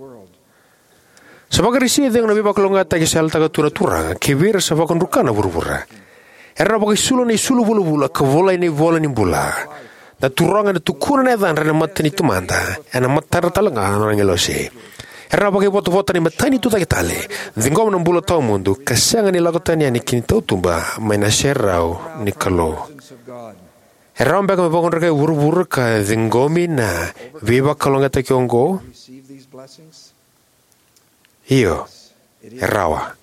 Sa vakarisi cegu na veivakalougatataki sa yalataka tu na Turaga kivei ira sa vakadruka na vuravura. Era na vakaisulu ena isulu vulavula ka volai ena ivola ni bula. Na Turaga ena tukuna na yacadra ena mata ni Tamada, ena matadra talega na nona agilosi. Era na vakaivotavota ena imatai ni tucake tale, ciqoma na bula tawamudu, ka sega ni lako tani yani ki na tautuba mai na serau ni Kalou. E rawa beka me vakadrukai vuravura ka ciqomi na veivakalougatataki oqo? Io, e rawa.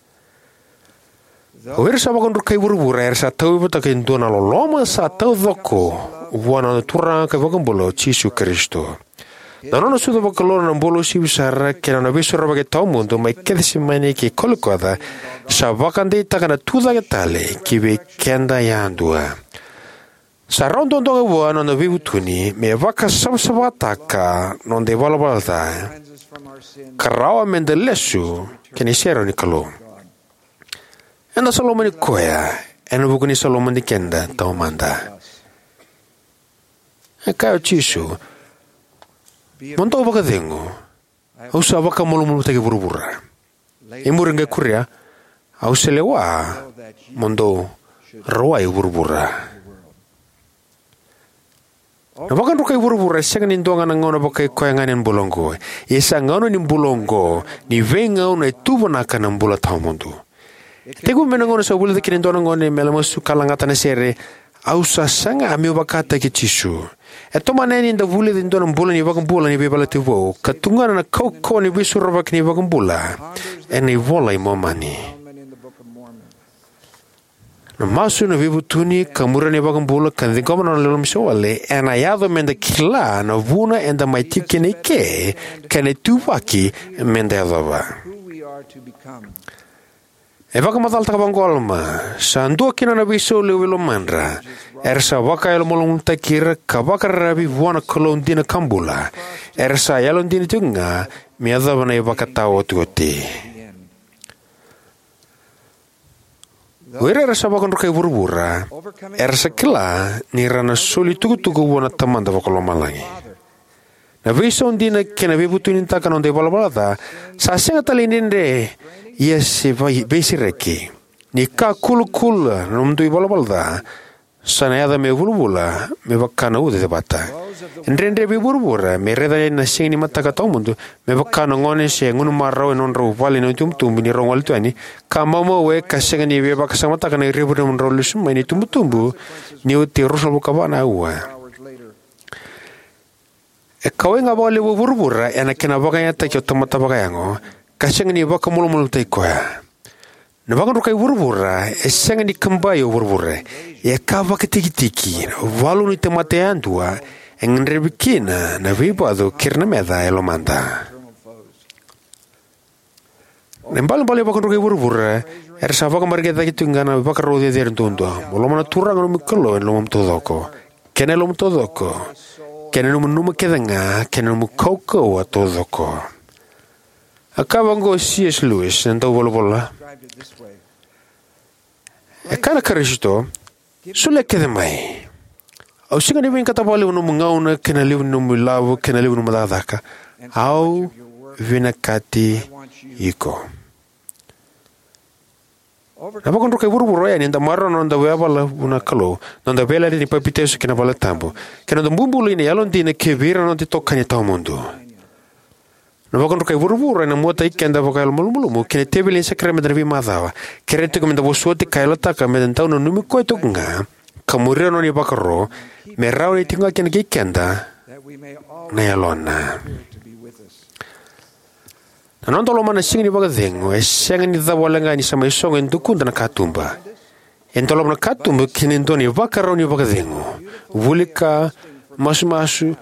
O ira sa vakadrukai vuravura era sa tauyavutaka e dua na loloma sa taucoko vua na noda Turaga ka iVakabula o Jisu Karisito. Na nona sucu vakalou, na nona bula uasivi sara, kei na nona veisorovaki tawamudu mai Kecisemani kei Kolikoca sa vakadeitaka na tucake tale kivei keda yadua. Sa rawa duadua ga vua na noda veivutuni me vakasavasavataka na noda ivalavala ca ka rawa meda lesu ki na iserau ni Kalou. Eda sa lomani Koya ena vuku ni sa lomani keda taumada. E kaya o Jisu, "Mo dou vakacegu, au sa vakamalumalumutaki vuravura. E muri qai kuria, au sa lewa mo dou rawai vuravura." Na vakadrukai vuravura e sega ni dua ga na gauna vakaikoya ga ena bula oqo. Ia sa gauna ni bula oqo, ni veigauna e tuvanaka na bula tawamudu. E tekivu mai na gauna sa vulica kina e dua na gone me lamasu ka lagata na sere, "Au sa saga meu vakataki Jisu." E tomana yani ni da vulica e dua na bula ni iVakabula ni Veiyalayalati Vou, ka tukuna na kaukauwa ni veisorovaki ni iVakabula ena iVola i Momani. Na masu, na veivutuni, ka muria na iVakabula, ka ciqoma na nona loloma isolewale, ena yaco meda kila na vuna eda mai tiko kina eke, kei na ituvaki meda yacova. E vakamacalataka vaqo o Alama, "Sa dua kina na veisau levu e lomadra, era sa vakayalomalumalumutaki ira ka vakararavi vua na Kalou dina ka bula, era sa yalodina tiko ga me yacova na ivakataotioti." O ira era sa vakadrukai vuravura era sa kila ni ra na soli tukutuku vua na Tamada Vakalomalagi. Na veisau dina kei na veivutunitaka na noda ivalavala ca sa sega tale ni dredre, ia se vai-, veisereki. Ni ka kulakula na nomudou ivalavala ca, sa na yaco me vulavula me vaka na uca cevata. E dredre vei vuravura me raica na siga ni mataka tawamudu me vaka na gone se gunu marau ena nodrau vale na itubutubu ni rau gole tu yani, ka maumau ka sega ni veivakasamataka na revurevu ni nodrau lesu mai na itubutubu ni oti e ruasagavulu ka va na aua. E kauwai ga vakalevu o vuravura ena kena vakayagataki o tamata vakayago, ka sega ni vakamalumalumutaki koya. Na vakadrukai vuravura e sega ni kabai o vuravura, e ka vakatikitiki, na valu ni tamata yadua, e gadrevi kina na veivacu kei ira na meca e lomada. Na ibalebale ni vakadrukai vuravura era sa vakamareqeti cake tiko ga na ivakarau cecere duadua: "Mo lomana na Turaga na nomu Kalou ena lomamu taucoko, kei na yalomu taucoko, kei na nomu nanuma kece ga, kei na nomu kaukauwa taucoko." A kaya vaqo o C S Lewis, na dauvolavola: "E kaya na Karisito, solia kece mai. Au sega ni vinakata vakalevu na nomu gauna, kei na levu ni nomu ilavo, kei na levu ni nomu cakacaka. Au vinakati iko." Na vakadrukai vuravura oya ni da maroroya na noda yavala vua na Kalou, noda veiyalayalati ni papitaiso kei na valetabu, kei na noda bubului na yalodina kivei ira na noda itokani tawamudu. Na vakadrukai vuravura ena muataki keda vakayalomalumalumu ki na teveli ni sakaramede ena veimacawa, kerea tiko meda vosoti ka yalataka meda dau nanumi koya tiko ga, ka muria na nona ivakaro, me rawa ni tiko ga kina kei keda na Yalona. Na noda lomana na Siga ni Vakacegu e sega ni cava wale ga ni sa mai sogo e dukuda na katuba. E dolava na katuba ki na dua na ivakarau ni vakacegu, vuli ka, masumasu,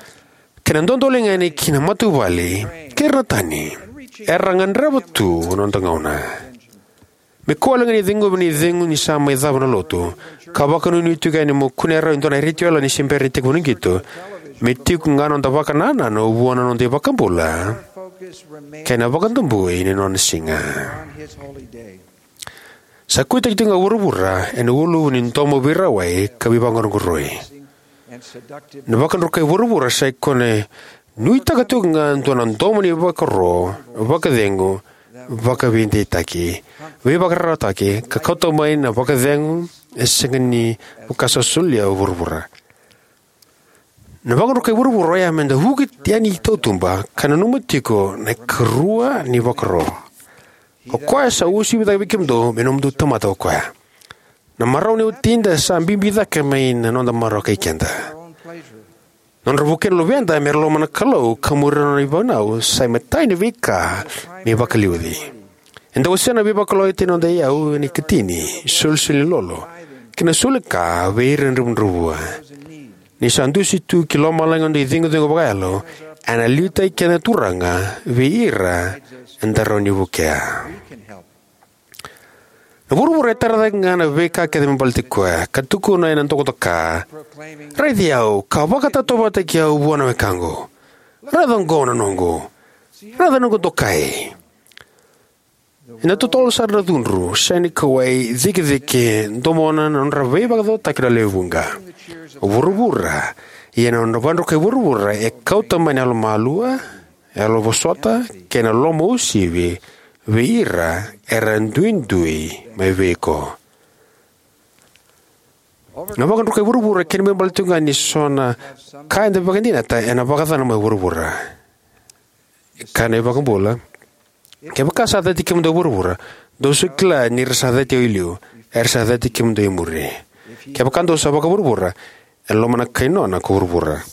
kei na dodoliga yani ki na matavuvale kei ira na tani era gadreva tu na noda gauna. Me kua wale ga ni ceguvi na icegu ni sa mai cava na lotu, ka vakanuinui tiko yani mo kunea rawa e dua na retio yalani se bera ni tekivu na qito, me tiko ga na noda vakanananu vua na noda iVakabula kei na vakadabui ni nona siga. Sa kuitaki tiko ga o vuravura ena uluvu ni domo veirawai ka veivaqaqoroi. Na vakadrukai vuravura sa ikoya e nuitaka tiko ga e dua na domo ni vakaro, vakacegu, vakaveideitaki, veivakararawataki, ka kauta mai na vakacegu e sega ni vaka sa solia o vuravura. Na vakadrukai vuravura oya me da vuki yani i tautuba ka nanuma tiko na ikarua ni vakaro. O koya sa uasivi cake vei kemudou me nomudou tamata o koya. Na marau ni watida sa bibi cake mai na noda marau kei keda. Nodra vukei na luveda me ra lomana na Kalou ka muria na nona ivunau sa imatai ni veika me vakaliuci. Eda wasea na veivakalougatataki ni noda iyau ena ikatini, isolisoli ni lolo, kei na soli ka vei ira na dravudravua. Ni sa dusi tu ki lomalagi noda icegucegu vakayalo, ena liutaki keda na Turaga vei ira eda rawa ni vukea. Na vuravura e tara cake ga na veika kece me baleti koya, ka tukuna ena dokadoka, "Raici au, ka vakatauvatani au vua na wekaqu. Raica oqo na noqu. Raica na noqu dokai." Ena totolo sara na cudru, sega ni kauwai, cikecike, domona na nodra veivakacaucautaki na lewe vuqa. O vuravura, ia na nodra vakadrukai vuravura e kauta mai na yalomalua, yalovosota, kei na lomauasivi vei ira era duidui mai vei iko. Na vakadrukai vuravura e kena ibalebale tiko ga ni so na ka eda vakadinata ena vakacacana mai vuravura. E kaya na iVakabula, "Kevaka sa cati kemudou e vuravura, dou sa kila ni ra sa cati au e liu, era sa cati kemudou e muri. Kevaka dou sa vakavuravura, ena lomana na kai nona ko vuravura."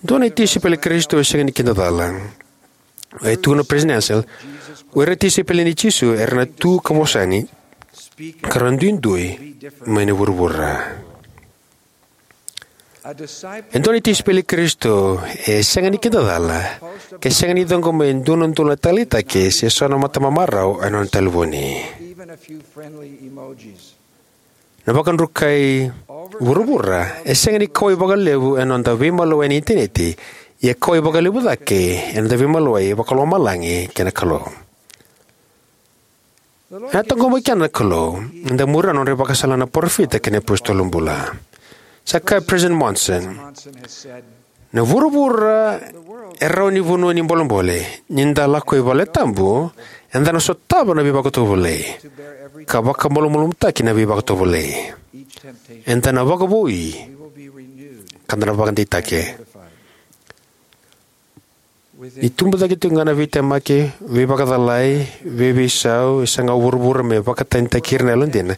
Dua na itisaipeli i Karisito e sega ni kidacala. E tukuna o Peresitedi Ansel, o ira na tisaipeli nei Jisu era na tu ka vosa yani, ka ra duidui mai na vuravura. E dua na tisaipeli i Karisito e sega ni kidacala ke sega ni ciqoma e dua na udolu na taleitaki se so na matamamarau ena nona talevoni. Na vakadrukai vuravura e sega ni kauwai vakalevu ena noda veimalua ena initaneti, ia kauwai vakalevu cake ena noda veimalua vakalomalagi kei na Kalou. Ena taqomaki keda na Kalou ni da muria na nodra ivakasala na parofita kei na iapositolo bula. Sa kaya o Peresitedi Monson, "Na vuravura e rawa ni vanua ni bolebole. Ni da lako i valetabu, eda na sotava na veivakatovolei, ka vakamalumalumutaki na veivakatovolei. Eda na vakavoui, ka da na vakadeitaki." Ni tubu cake tiko ga na veitemaki, veivakacalai, veiveisau, e saga o vuravura me vakatanitaki ira na yalodina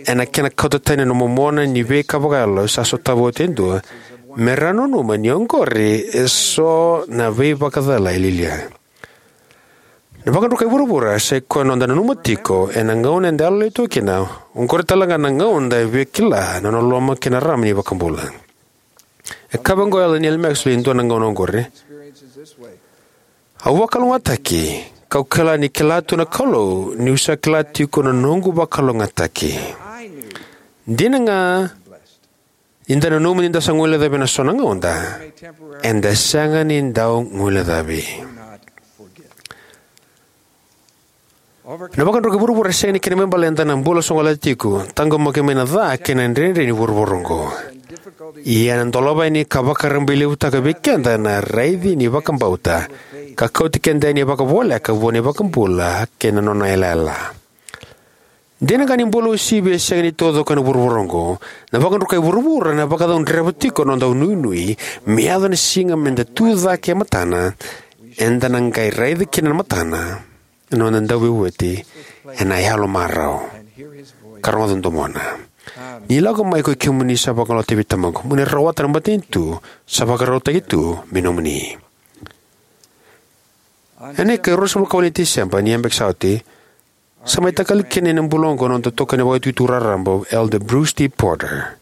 ena kena kauta tani na momona ni veika vakayalo sa sotava oti e dua, me ra nanuma ni oqori e so na veivakacalai lialia. Na vakadrukai vuravura sa ikoya na noda nanuma tiko ena gauna eda yalolai tu kina, oqori tale ga na gauna eda via kila na nona loloma kei na rarama na iVakabula. E kaya vaqo o Elder Neal Maxwell e dua na gauna oqori, "Au vakalougatataki, kau kila ni kila tu na Kalou niu sa kila tiko na noqu vakalougatataki. Dina ga ni da nanuma ni da sa guilecavi ena so na gauna, eda sega ni dau guilecavi." Na vakadrukai vuravura e sega ni kena ibalebale eda na bula sogolata tiko, taqomaki mai na ca kei na dredre ni vuravura oqo. Ia ena dolava yani ka vakarabailevutaka vei keda na raici ni vakabauta, ka kauti keda yani vakavoleka vua na iVakabula kei na nona yalayala. Dina ga ni bula uasivi e sega ni taucoko ena vuravura oqo, na vakadrukai vuravura ena vakacaudreva tiko na noda inuinui me yaco na siga me da tu cake e matana, eda na qai raica kina na matana na noda Dauveivueti ena yalomarau, ka rogoca na domona. Ni lako mai ko ikemuni sa vakalougatataki vei Tamaqu, mo ni rawata na matanitu sa vakarautaki tu me nomuni. Ena ika e ruasagavulu ka walu ni Tiseba ni yabaki sa oti, sa mai takali kina ena bula oqo na noda itokani vakaitutu raraba, Elder Bruce T. Porter.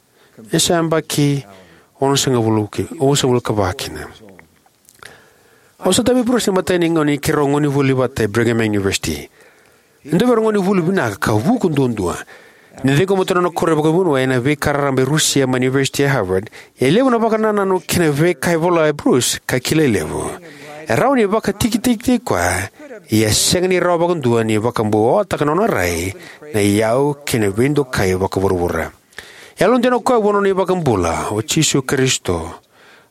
E sa yabaki onosagavulu ki, onosagavulu ka va kina. Au sa tauvi Bruce ena imatai ni gauna ni keirau gonevuli vata e Brigham Young University. E dua vei ira na gonevuli vinaka ka vuku duadua. Ni ciqoma tu na nona koro e vakavuniwai ena veika raraba e Rusia mai na University e Harvard, e levu na vakanananu kei na veika e vola o Bruce ka kilai levu. E rawa ni vakatikitikitaki koya, ia e sega ni rawa vakadua ni vakabuwataka na nona rai, na iyau kei na veidokai vakavuravura. E yalodina o koya vua na nona iVakabula, o Jisu Karisito,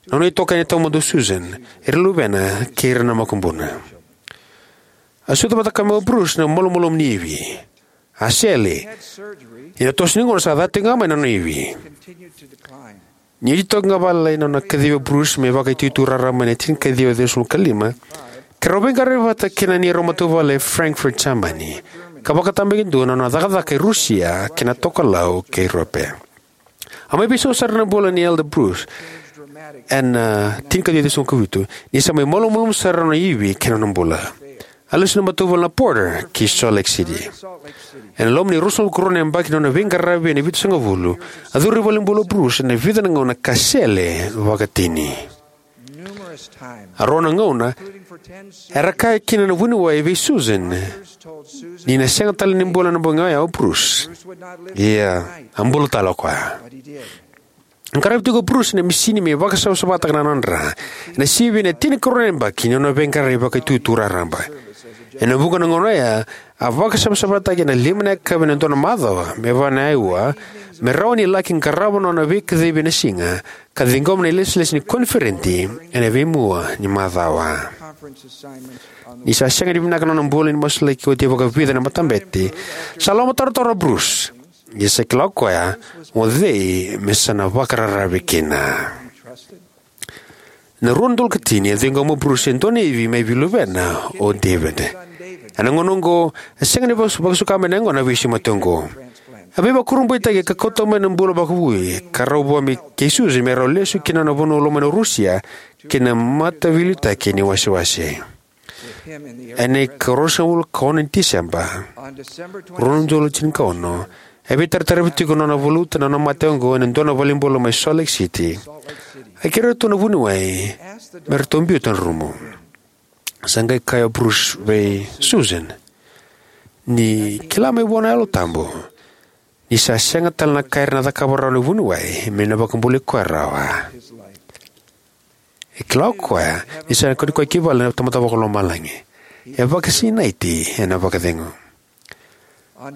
na nona itokani tawamudu o Susan, ira na luvena kei ira na makubuna. A sota vata kaya mai o Bruce na malumalumu ni ivi. A sele. Ena toso ni gauna sa ca tiko ga mai na nona ivi. Ni oti toka ga vale na nona kacivi o Bruce me vakaitutu raraba ena tinikaciwa ciwasagavulu ka lima, keirau veiqaravi vata kei na neirau matavuvale e Frankfurt, Jamani, ka vakatabakidua na nona cakacaka e Rusia kei na tokalau kei Europe. A mai veisau sara na bula nei Elder Bruce ena, a, tinikaciwa ciwasagavulu ka vitu, ni sa mai malumalumu sara na nona ivi kei na nona bula. A lesu na matavuvale na Porter ki Salt Lake City. Ena loma ni ruasagavulu ka rua na yabaki na nona veiqaravi ena vitusagavulu, a curu i valenibula o Bruce ena vica na gauna ka sele vakatini. A rua na gauna, era kaya kina na vuniwai vei Susan ni na sega tale ni bula ena bogi oya o Bruce. Ia, a bula tale o koya. A qaravi tiko o Bruce ena misini me vakasavasavataka na nona dra ena sivi ena tinikarua na yabaki ni nona veiqaravi vakaitutu raraba. Ena vuqa na gauna oya, a vakasavasavataki ena lima na yakavi ena dua na macawa me va na auwa, me rawa ni laki qarava na nona veikacivi ena siga ka ciqoma na ilesilesi ni koniferedi ena veimua ni macawa. Ni sa sega ni vinaka na nona bula ni masulaki oti e vakavica na matabete, sa lomatarotaro o Bruce. Ia sa kila o koya o cei me sa na vakararavi kina. Ena rua na udolu ka tini, a ciqoma o Bruce e dua na ivi mai vei luvena o David. Ena gauna oqo, a sega ni vaka-, vakasuka mai na yaqona na veisiga mate oqo. A veivakurabuitaki ka kauta mai na bula vakavoui ka rawa vua me kei Susan me rau lesu ki na nona vanua lomani o Rusia kei na mataveiliutaki ni wasewase. Ena ikaruasagavulu ka ono ni Tiseba, rua na udolu tinikaono, e veitarataravi tiko na nona valuta na nona mate oqo ena dua na valenibula mai Salt Lake City. A kerea tu na vuniwai me ratou biuta na rumu. Sa qai kaya o Bruce vei Susan ni kila mai vua na Yalo Tabu ni sa sega tale na ka era na cakava rawa na vuniwai me na vakabulai koya rawa. E kila o koya ni sa na kauti koya ki vale na Tamada Vakalomalagi. E vakasinaiti ena vakacegu.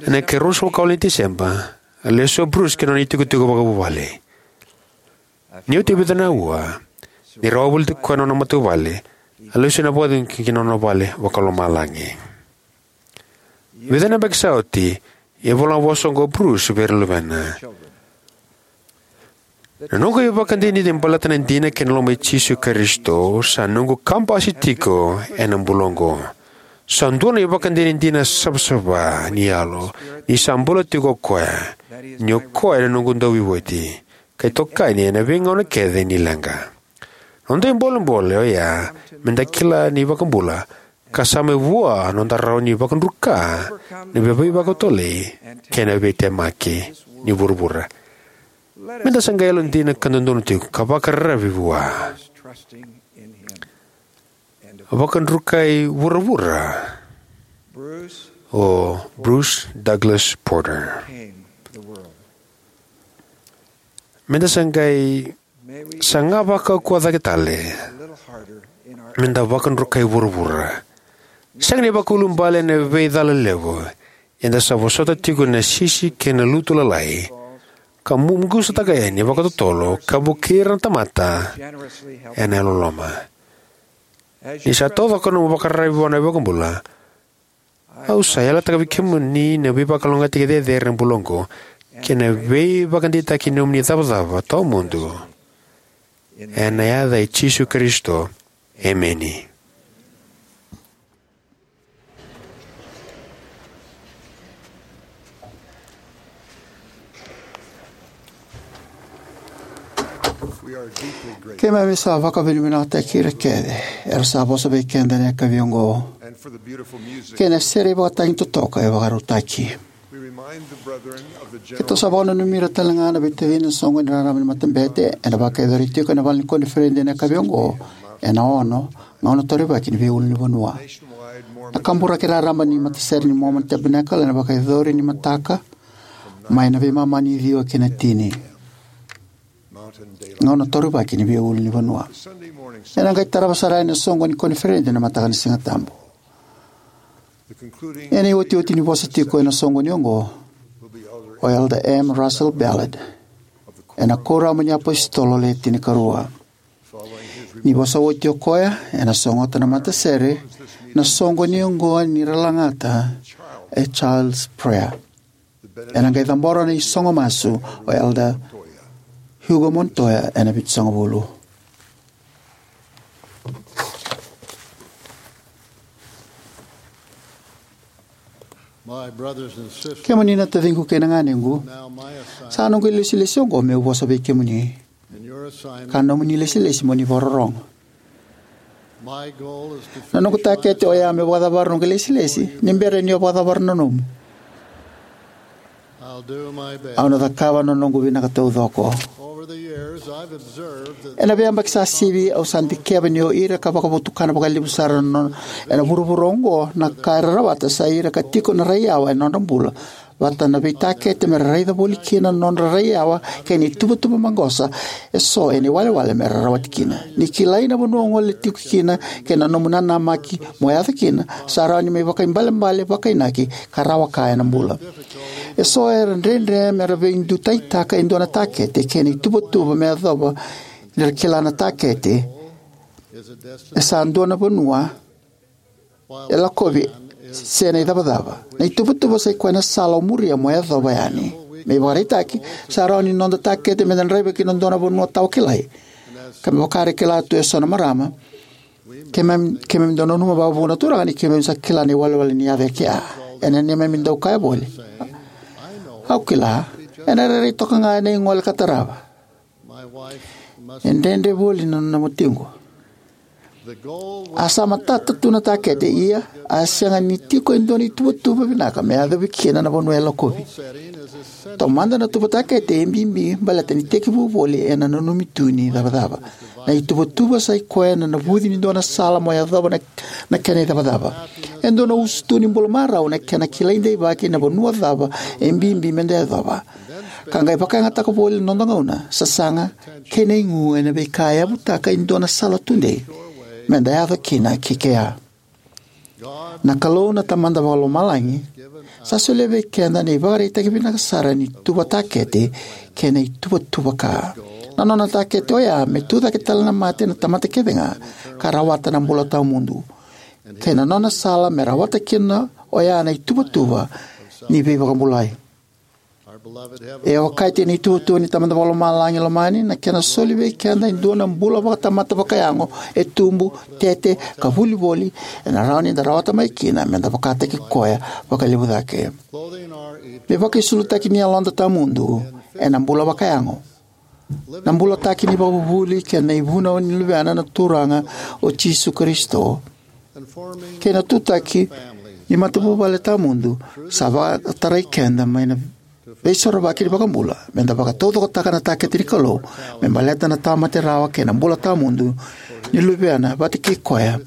Ena ikaruasagavulu ka walu ni Tiseba, a lesu o Bruce ki na nona itikotiko vakavuvale. Ni oti e vica na auwa, ni rawa voliti koya na nona matavuvale, a lesu ena vakacegu ki na nona vale vakalomalagi. Vica na yabaki sa oti, e vola na vosa oqo o Bruce vei ira na luvena. Na noqu ivakadinadina baleta na dina kei na loma i Jisu Karisito sa noqu kabasi tiko ena bula oqo. Sa dua na ivakadinadina savasava ni yalo ni sa bula tiko o koya, ni o koya na noqu dauveivueti ka itokani ena veigauna kece ni leqa. Noda ibolebole oya me da kila na iVakabula, ka sa mai vua noda rawa ni vakadruka na veivakatotolei kei na veitemaki ni vuravura. Me da sa qai yalodina ka dodonu tiko ka vakararavi vua. Vakadrukai vuravura o Bruce Douglas Porter. Me da sa qai saga vakaukauwa cake tale. Me da vakadrukai vuravura. Sega ni vakaiulubale ena veicala levu, eda sa vosota tiko na sisi kei na lutu lalai, ka muqusataka yani vakatotolo ka vukei ira na tamata ena yalololoma. Ni sa taucoko na nomu vakararavi vua na iVakabula, au sa yalataka vei kemuni na veivakalougatataki cecere ena bula oqo kei na veivakadeitaki ni nomuni icavacava tawamudu. Ena yaca i Jisu Karisito, emeni. Keimami sa vakavinavinakataki ira kece era sa vosa vei keda ena yakavi oqo, kei na sere ivakatagi totoka e vakarautaki. Keitou sa vakananumi ira tale ga na veitacini na soqoni raraba ni matabete ena vakayacori tiko ena vale ni koniferedi ena yakavi oqo, ena ono, gauna torevaki ni veiulunivanua. Na kaburaki raraba ni matasere ni Mormon Tabernacle ena vakayacori ni mataka mai na veimama ni ciwa ki na tini, gauna torivaki ni veiulunivanua. Ena qai tarava sara yani na soqo ni koniferedi ena mataka ni Sigatabu. Ena iotioti ni vosa tiko ena soqoni oqo, o Elder M. Russell Ballard, ena Kuoramu ni iApositolo Le Tinikarua. Ni vosa oti o koya, ena sogota na matasere na soqoni oqo ni ra lagata e Child's Prayer. Ena qai cabora na isogo masu o Elder Hugo Montoya ena vitusagavulu. My brothers and sisters, kemuni na taciqu kei na ganequ, now my assignment, sa noqu ilesilesi oqo meu vosa vei kemuni, in your assignment, ka nomuni ilesilesi mo ni vakarorogo. My goal is to, na noqu takete oya meu vakacavara noqu ilesilesi ni bera ni o vakacavara na nomu. I'll do my best. Au na cakava na noqu vinaka taucoko. Over the years, I've observed that ena veiyabaki sa sivi, au sa dikeva ni o ira ka vakavotukana vakalevu sara na nona ena vuravura oqo na ka era rawata sa ira ka tiko na raiyawa ena nodra bula, vata na veitakete me ra raica voli kina na nodra raiyawa kei na ituvatuva maqosa eso ena iwalewale me ra rawata kina. Ni kilai na vanua o gole tiko kina kei na nomu nanamaki mo yaco kina, sa rawa ni mai vakaibalebale, vakainaki, ka rawa ka ena bula. Eso era dredre me ra veidutaitaka e dua na takete kei na ituvatuva me yacova ni ra kila na takete e sa dua na vanua e lakovi se na icavacava. Na ituvatuva sa i koya na sala o muria mo yacova yani. Me ivakaraitaki, sa rawa ni noda takete me da draiva ki na dua na vanua tawakilai. Ka me vaka era kila tu eso na marama, keimami, keimami dau nanuma vakavuna na Turaga ni keimami sa kila na iwalewale ni yaco e kea. Ena neimami dau kaya voli, au kila, ena rairai toka ga ena igole ka tarava. E dredre voli na nona watiqu. A sa matata tu na takete, ia a sega ni tiko e dua na ituvatuva vinaka me yacovi kina na vanua e lakovi. Taumada na tuva takete e bibi baleta ni tekivu voli ena nanumi tu ni icavacava. Na ituvatuva sa i koya na navuci ni dua na sala mo yacova na, na kena icavacava. E dua na usutu ni bula marau na kena kilai deivaki na vanua cava e bibi me da yacova, ka qai vakayagataka voli na noda gauna, sasaga, kei na igu ena veika e yavutaka e dua na sala tudei me da yaco kina ki kea. Na Kalou na Tamada Vakalomalagi sa solia vei keda na ivakaraitaki vinaka sara ni tuva takete kei na ituvatuva ka. Na nona takete oya me tucake tale na mate na tamata kece ga ka rawata na bula tawamudu, kei na nona sala me rawata kina oya na ituvatuva ni veivakabulai. E okati ena ituvatuva ni Tamada Vakalomalagi lomani na kena soli vei keda e dua na bula vakatamata vakayago e tubu, tete, ka vuli voli ena rawa ni da rawata mai kina me da vakataki koya vakalevu cake. Me vakaisulutaki ni yaloda tawamudu ena bula vakayago, na bulataki ni vakavuvuli kei na ivunau ni Luvena na Turaga o Jisu Karisito, kei na tutaki ni matavuvale tawamudu sa vakatarai keda mai na Veisorovaki ni iVakabula, me da vakataucokotaka na takete ni Kalou me baleta na tawamate rawa kei na bula tawamudu ni Luvena vata kei koya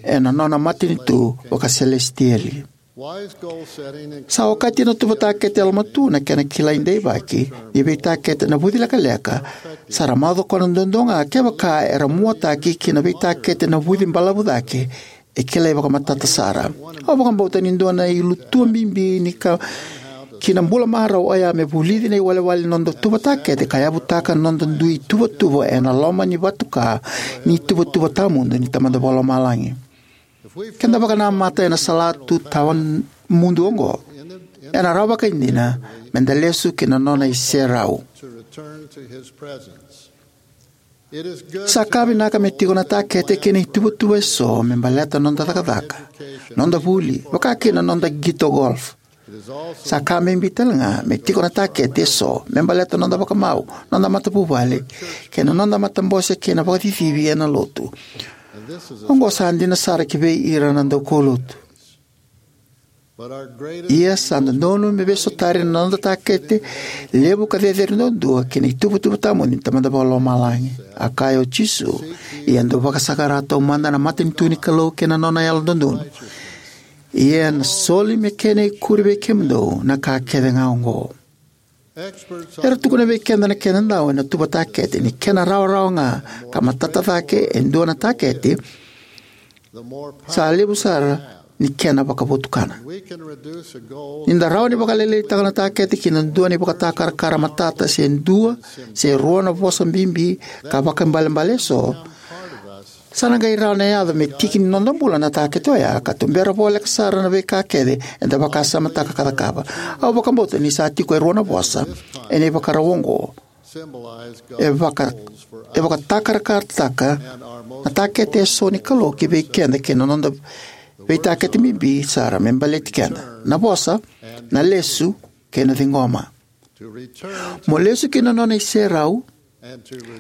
ena nona matanitu vakaselesitieli. Sa okati na tuva takete yalomatua na kena kilai deivaki ni veitakete navuci lekaleka sa ra macoka duadua ga kevaka era muataki ki na veitakete navuci balavu cake e kilai vakamatata sara. Au vakabauta ni dua na ilutua bibi ni ka ki na bula marau oya me vulici na iwalewale ni noda tuva takete ka yavutaka na noda dui tuvatuva ena loma ni vatuka ni tuvatuva tawamudu ni Tamada Vakalomalagi. Ke da vakanamata ena salatu tawamudu oqo, ena rawa vakaidina me da lesu ki na nona iserau. Sa ka vinaka me tiko na takete kei na ituvatuva eso me baleta noda cakacaka, noda vuli, vaka kina noda qito golf. Sa ka bibi tale ga me tiko na takete eso me baleta noda vakamau, noda matavuvale, kei na noda matabose kei na vakacicivi ena lotu. Oqo sa dina sara ki vei ira na daukaulotu. Ia sa dodonu me veisotari na noda takete levu ka cecere duadua ki na ituvatuva tawamudu ni Tamada Vakalomalagi. A kaya o Jisu, ia dou vakasaqara taumada na matanitu ni Kalou kei na nona yalododonu, ia ena soli me kena ikuri vei kemudou na ka kece ga oqo. Era tukuna vei keda na kena dau ena tuva takete ni kena rawarawa ga ka matata cake e dua na takete, sa levu sara ni kena vakavotukana. Ni da rawa ni vakalailaitaka na takete ki na dua na ivakatakarakara matata se dua se rua na vosa bibi ka vakaibalebale eso, sa na qai rawa na yaco me tiki ni noda bula na takete oya ka tubera voleka sara na veika kece eda vakasamataka ka cakava. Au vakabauta ni sa tiko e rua na vosa ena ivakarau oqo e vaka e vakatakarakarataka na takete eso ni Kalou ki vei keda kei na noda veitakete bibi sara me baleti keda: na vosa, na lesu, kei na ciqoma. Mo lesu ki na nona iserau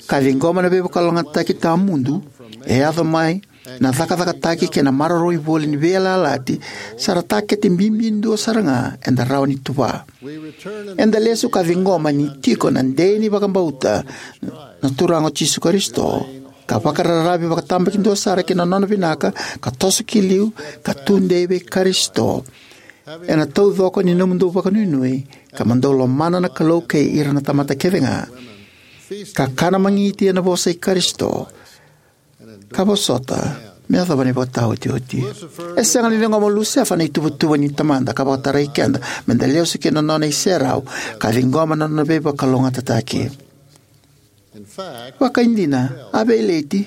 ka ciqoma na veivakalougatataki tawamudu e yaco mai na cakacakataki kei na maroroi voli ni veiyalayalati sa ra takete bibi dua sara ga eda rawa ni tuva. Eda lesu ka ciqoma ni tiko na dei ni vakabauta na Turaga o Jisu Karisito, ka vakararavi vakatabakidua sara ki na nona vinaka, ka toso ki liu, ka tudei vei Karisito. Ena taucoko ni nomudou vakanuinui, ka mo dou lomana na Kalou kei ira na tamata kece ga, ka kana magiti ena vosa i Karisito, ka vosota me yacova na ivakataotioti. E sega ni ciqoma o Lusefa na ituvatuva ni Tamada ka vakatarai keda me da lesu ki na nona iserau ka ciqoma na nona veivakalougatataki. Vakaidina, a veileti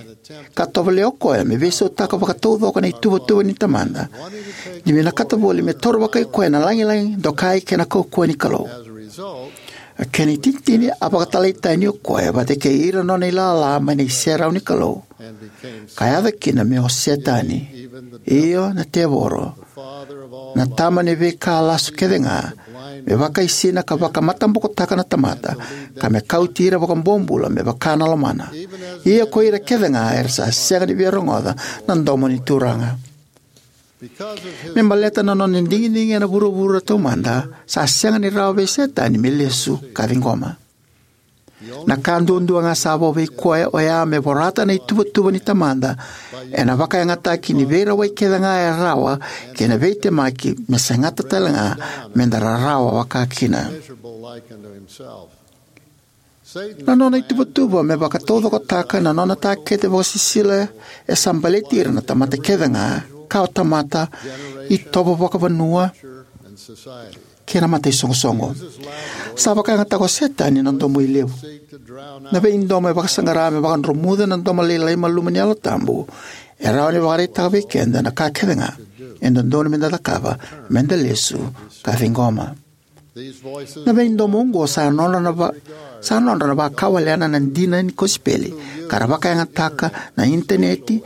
ka tovolea o koya me veisautaka vakataucoko na ituvatuva ni Tamada, ni vinakata voli me toro vakai koya na lagilagi dokai kei na kaukauwa ni Kalou. A kena itinitini, a vakatalai tani o koya vata kei ira na nona ilala mai na iserau ni Kalou, ka yaco kina me o Setani, io na tevoro, na tama ni veika lasu kece ga, me vakaisina ka vakamatabokotaka na tamata, ka me kauti ira vakabobula me vaka na lomana, ia ko ira kece ga era sa sega ni via rogoca na domo ni Turaga. Me baleta na nona digidigi ena vuravura taumada, sa sega ni rawa vei Setani me lesu ka ciqoma. Na ka duadua ga sa vo vei koya oya me vorata na ituvatuva ni Tamada ena vakayagataki ni veirawai kece ga e rawa kei na veitemaki me segata tale ga me da rarawa vakakina. Na nona ituvatuva me vakataucokotaka na nona takete vakasisila e sa baleti ira na tamata kece ga, kawatamata, itovo vakavanua, kei na mataisoqosoqo. Sa vakayagataka o Setani na domo ilevu. Na veidomo e vakasaqara me vakadromuca na domo lailai malumu ni Yalo Tabu e rawa ni vakaraitaka vei keda na ka kece ga e dodonu me da cakava me da lesu ka ciqoma. Na veidomo oqo sa nodra na va, sa nodra na vakawalena na dina ni kosipeli, ka ra vakayagataka na initaneti,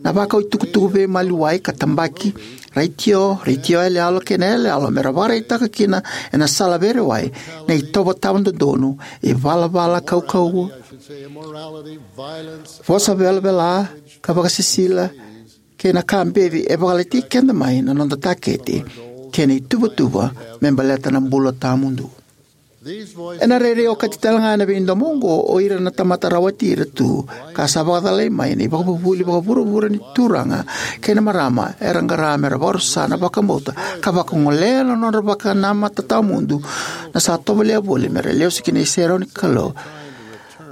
na vakau itukutuku veimaliwai ka tabaki, retio, retio yaloyalo kei na yaloyalo, me ra vakaraitaka kina ena sala veirewai na itovo tawa dodonu, ivalavala kaukauwa, vosa velavela ka vakasisila, kei na ka beci e vakalati keda mai na noda takete kei na ituvatuva me baleta na bula tawamudu. Ena rairai okati tale ga ena veidomo oqo o ira na tamata rawati ira tu ka sa vakacalai mai na ivakavuvuli vakavuravura ni turaga kei na marama era qara me ra vakarusa na vakabauta ka vakagolea na nodra vakanamata tawamudu na sa tovolea voli me ra lesu ki na iserau ni Kalou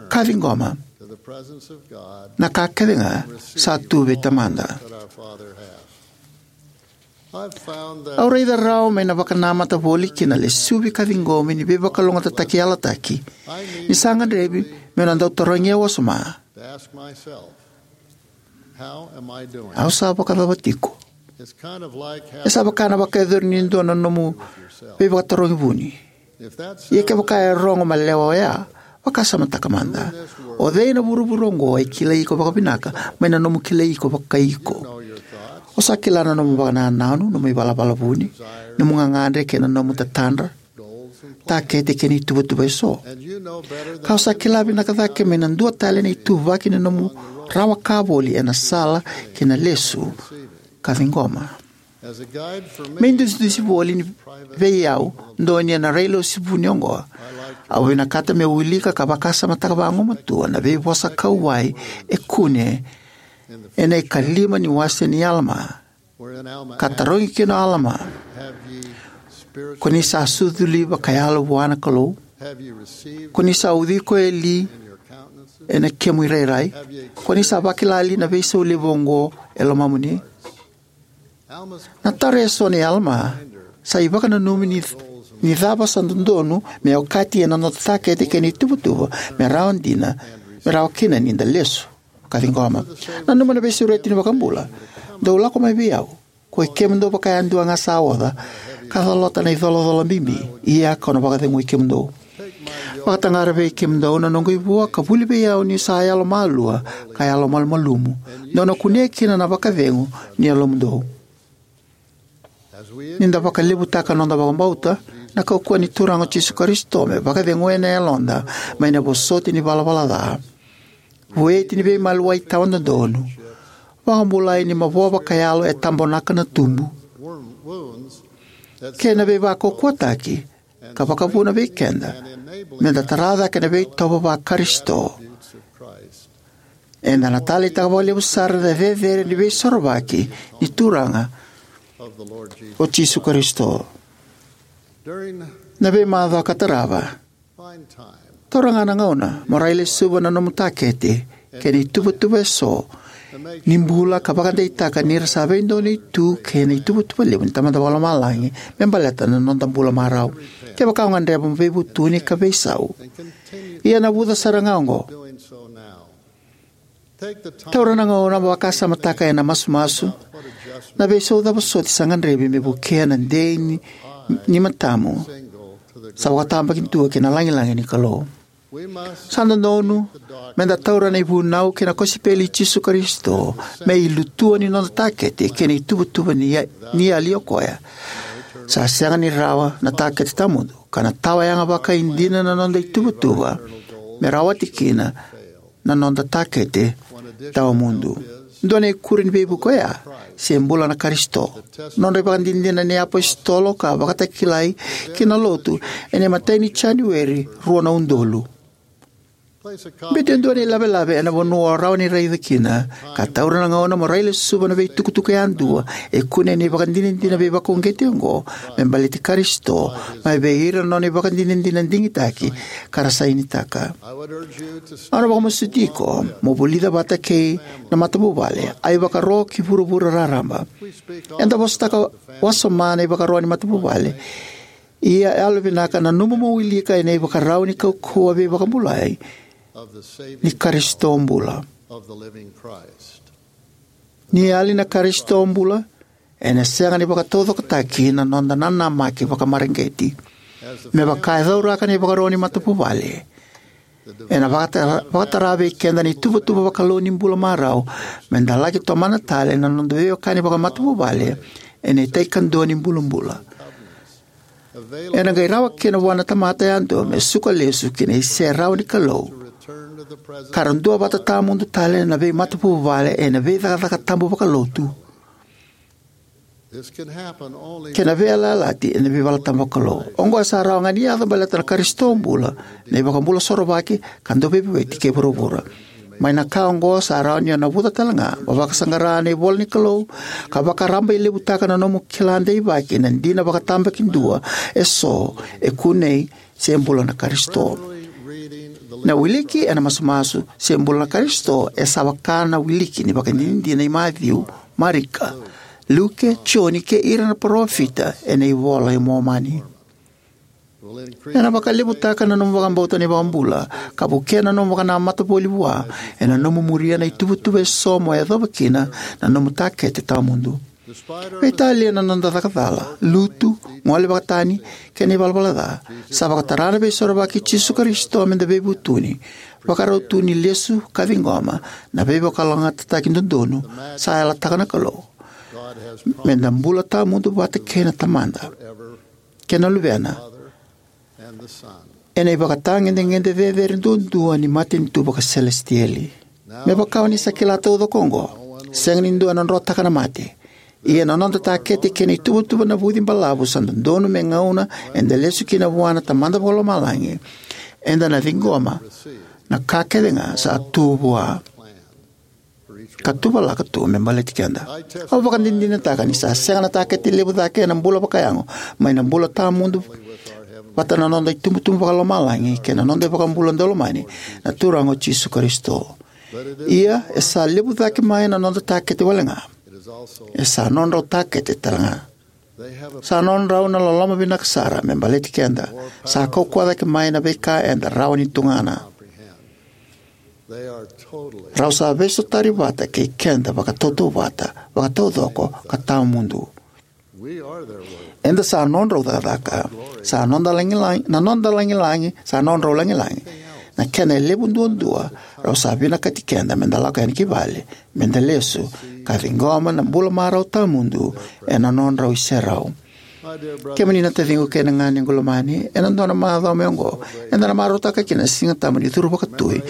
ka ciqoma na ka kece ga sa tu vei Tamada. Au raica rawa mai na vakanamata voli ki na lesuvi ka ciqomi ni veivakalougatataki yalataki ni sa gadrevi meu na dau tarogi au wasoma: Au sa vakacava tiko? E sa vaka na vakayacori ni dua na nomu veivakatarogi vuni. Ia kevaka e rogo malewa oya, vakasamataka mada: O cei ena vuravura oqo e kilai iko vakavinaka mai na nomu kilai iko vakai iko? O sa kila na nomu vakanananu, nomu ivalavala vuni, nomu gagadre kei na nomu tatadra, takete kei na ituvatuva eso. Ka o sa kila vinaka cake mai na dua tale na ituvaki ni nomu rawa ka voli ena sala ki na lesu ka ciqoma. Me idusidusi voli ni vei au, dua ni na railesuva ni oqo, au vinakata meu wilika ka vakasamataka vagumatua na veivosa kauwai e kune ena ikalima ni wase ni Alama, ka tarogi kina o Alama: "Ko ni sa suculi vakayalo vua na Kalou? Ko ni sa ucui koya li ena kemu irairai? Ko ni sa vakila li na veisau levu oqo e lomamuni?" Na taro eso nei Alama sa ivakananumi ni, ni cava sa dodonu me okati ena noda takete kei na ituvatuva me rawa dina, me rawa kina ni da lesu ka ciqoma. Nanuma na veisureti ni iVakabula: "Dou lako mai vei au, koi kemudou vakayadua ga sa oca ka colata na icolacola bibi, ia kau na vakacegui kemudou. Vakataqara vei kemudou na noqu ivua ka vuli vei au niu sa yalomalua ka yalomalumalumu, dou na kunea kina na vakacegu ni yalomudou." Ni da vakalevutaka noda vakabauta na kaukauwa ni Turaga o Jisu Karisito me vakacegu ena yaloda mai na vosoti ni valavala ca, vueti ni veimaliwai tawa dodonu, vakabulai ni mavoa vakayalo e tabonaka na tubu, kei na veivakaukauwataki, ka vakavuna vei keda me da tara cake na veitovo va-Karisito, eda na taleitaka vakalevu sara na cecere ni Veisorovaki ni Turaga o Jisu Karisito. Na veimacawa ka tarava, taura ga na gauna mo railesuva na nomu takete kei na ituvatuva eso ni bula, ka vakadeitaka ni ra sa veidonui tu kei na ituvatuva levu ni Tamada Vakalomalagi me baleta na noda bula marau. Kevaka o gadreva mo veivutuni ka veisau, ia navuca sara ga oqo. Taura na gauna mo vakasamataka ena masumasu na veisau cava soti sa gadrevi me vukea na dei ni, ni matamu sa vakatabakidua ki na lagilagi ni Kalou. Sa dodonu me da taura na ivunau kei na kosipeli i Jisu Karisito me ilutua ni noda takete kei na ituvatuva ni, ni yali o koya. Sa sega ni rawa na takete tawamudu, ka na tawa yaga vakaidina na noda ituvatuva me rawati kina na noda takete tawamudu. Dua na ikuri ni veivuke oya se bula na Karisito. Nodra ivakadinadina na iapositolo ka vakatakilai ki na lotu ena imatai ni Janueri rua na udolu. Biuta e dua na ilavelave ena vanua o rawa ni raica kina, ka taura na gauna mo railesuva na veitukutuku yadua e kune ena ivakadinadina veivakauqeti oqo me baleti Karisito mai vei ira na nona ivakadinadina digitaki ka ra sainitaka. Au na vakamasuti iko mo vulica vata kei na matavuvale, a ivakaro ki vuravura raraba. Eda vosataka wasoma na ivakaro ni matavuvale. Ia e yalovinaka na nomu mo wilika ena ivakarau ni kaukauwa veivakabulai ni Karisito bula. Ni yali na Karisito bula, ena sega ni vakataucokotaki na noda nanamaki vakamareqeti. Me vaka e cauraka na ivakaro ni matavuvale, ena vakatara, vakatara vei keda na ituvatuva vakalou ni bula marau me da laki tomana tale na noda veiwekani vakamatavuvale ena itai kadua ni bulabula. Ena qai rawa kina vua na tamata yadua me suka lesu ki na iserau ni Kalou, ka ra duavata tawamudu tale na veimatavuvale ena veicakacaka tabu vakalotu kei na veiyalayalati ena veivaletabu vakalou. Oqo sa rawa ga ni yaco baleta na Karisito bula, na iVakabula sorovaki ka dauveivueti kei vuravura. Mai na ka oqo sa rawa ni o navuca tale ga mo vakasaqara na ivola ni Kalou ka vakarabailevutaka na nomu kila deivaki na dina vakatabakidua eso e kunei se bula na Karisito. Na wiliki ena masumasu se bula na Karisito e sa vaka na wiliki ni vakadinadina i Maciu, Marika, Luke, Joni kei ira na parofita ena iVola i Momani. Ena vakalevutaka na nomu vakabauta na iVakabula ka vukea na nomu vakanamata voli vua ena nomu muria na ituvatuva eso mo yacova kina na nomu takete tawamudu. Veitalia na noda caka cala, lutu, gole vakatani kei na ivalavala ca, sa vakatara na Veisorovaki i Jisu Karisito me da veivutuni, vakarau tu ni lesu ka ciqoma na veivakalougatataki dodonu sa yalataka na Kalou, me da bula tawamudu vata kei na Tamada kei na Luvena ena ivakatagedegede cecere duadua ni matanitu vakaselesitieli. Me vaka o ni sa kila taucoko oqo, sega ni dua ena drotaka na mate. Ia na noda takete kei na ituvatuva navuci balavu sa dodonu me gauna eda lesu kina vua na Tamada Vakalomalagi. Eda na ciqoma na ka kece ga sa tu vua ka tuvalaka tu me baleti keda. Au vakadinadinataka ni sa sega na takete levu cake ena bula vakayago mai na bula tawamudu vata na noda itubutubu vakalomalagi kei na noda iVakabula daulomani, na Turaga o Jisu Karisito. Ia e sa levu cake mai na noda takete wale ga, e sa nodrau takete tale ga. Sa nodrau na loloma vinaka sara me baleti keda. Sa kaukauwa cake mai na veika eda rawa ni tugana. Rau sa veisotari vata kei keda vakatautauvata, vakataucoko ka tawamudu. Eda sa nodrau cakacaka. Sa noda lagilagi, na noda lagilagi sa nodrau lagilagi. Na kena e levu duadua, rau sa vinakati keda meda lako yani ki vale, meda lesu ka ciqoma na bula marau tawamudu ena nodrau iserau. Kemuni na taciqu kei na ganequ lomani, ena dua na macawa mai oqo eda na marautaka kina na Siga Tabu ni Curu Vakatui,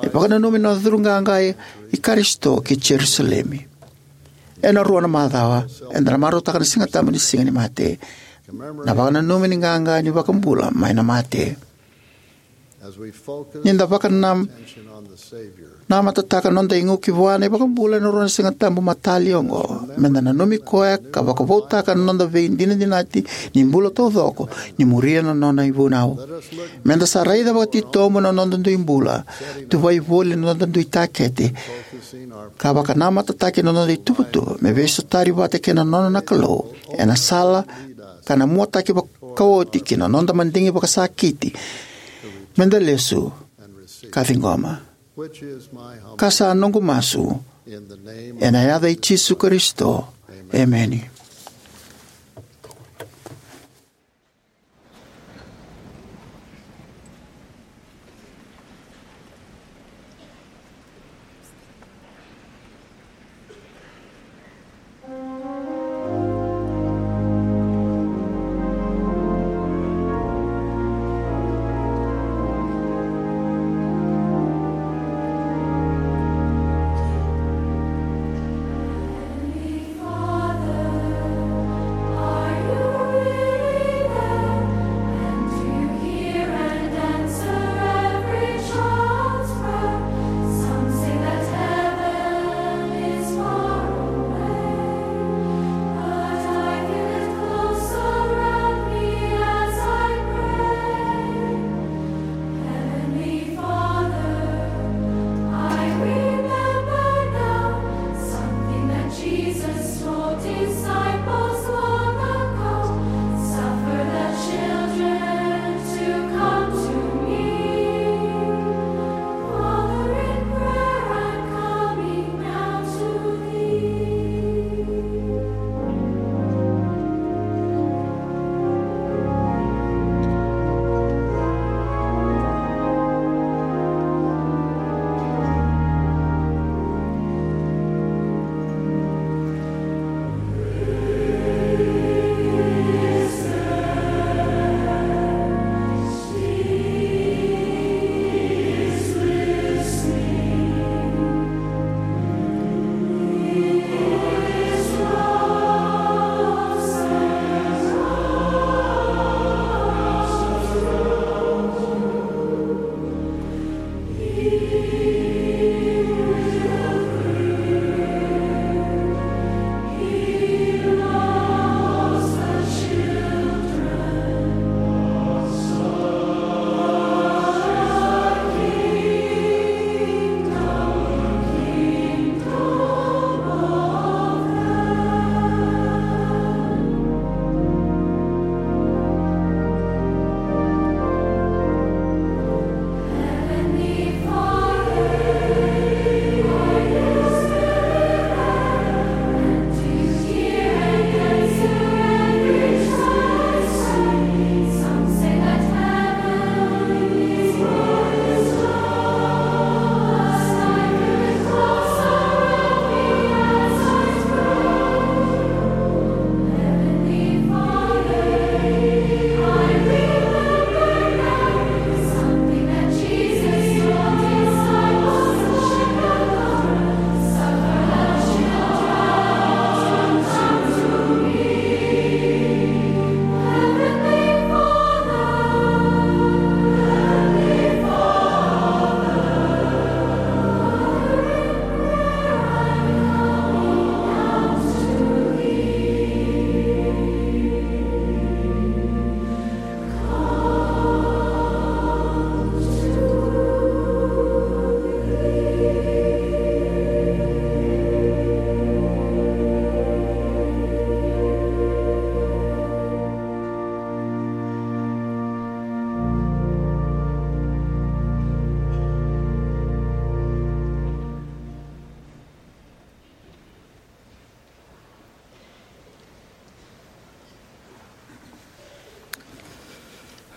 ni vakananumi na curu qaqa i Karisito ki Jerusalemi. Ena rua na macawa eda na marautaka na Siga Tabu ni Siga ni Mate, na vakananumi ni qaqa ni iVakabula mai na mate. Ni da vakanam, namatataka noda igu ki vua na iVakabula ena rua na Siga Tabu matali oqo, meda nanumi koya ka vakavoutaka na noda veidinadinati ni bula taucoko ni muria na nona ivunau. Meda sa raica vakatitobu na noda dui bula, tuvai voli na noda dui takete, ka vakanamatataki na noda ituvatuva me veisotari vata kei na nona na Kalou ena sala ka na muataki vakaoti ki na noda madigi vakasakiti, meda lesu ka ciqoma. Ka sa noqu masu ena yaca i Jisu Karisito. Emeni.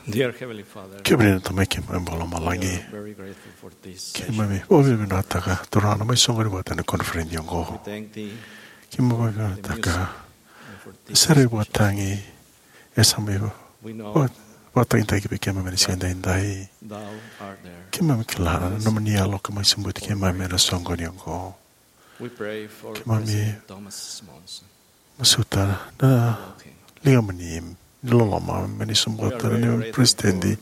Dear Heavenly Father, kemuni na Tamai keimami vakalomalagi, we are very grateful for this session. Keimami vakavinavinakataka, Turaga, na mai soqoni vata ena koniferedi oqo. We thank thee for the message and for this session. Keimami vakavinavinakataka na sere vakatagi e sa mai va-, vakatagitaki vei keimami ena siga edaidai. Thou art there. Keimami kila na nomuni Yalo ka mai sobuti keimami ena soqoni oqo. We pray for President Thomas Monson. Keimami masuta na ligamuni ni loloma me ni sobuta na neimami President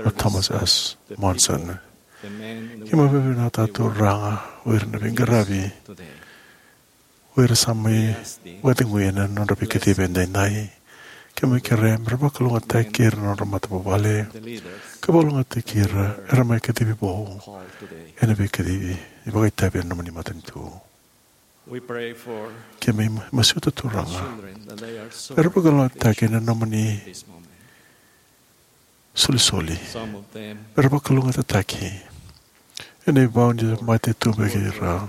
o Thomas S Monson. Keimami vakavinavinakataka, Turaga, o ira na veiqaravi, o ira sa mai vakacegui ena nodra veikacivi edaidai. Keimami kerea me ra vakalougatataki ira na nodra matavuvale, ka vakalougatataki ira era mai kacivi vou ena veikacivi ni vakaitavi ena nomuni matanitu. Keimami masuta, Turaga, me ra vakalougatataki ena nomuni solisoli, me ra vakalougatataki ena ivau ni mate tu vei ira.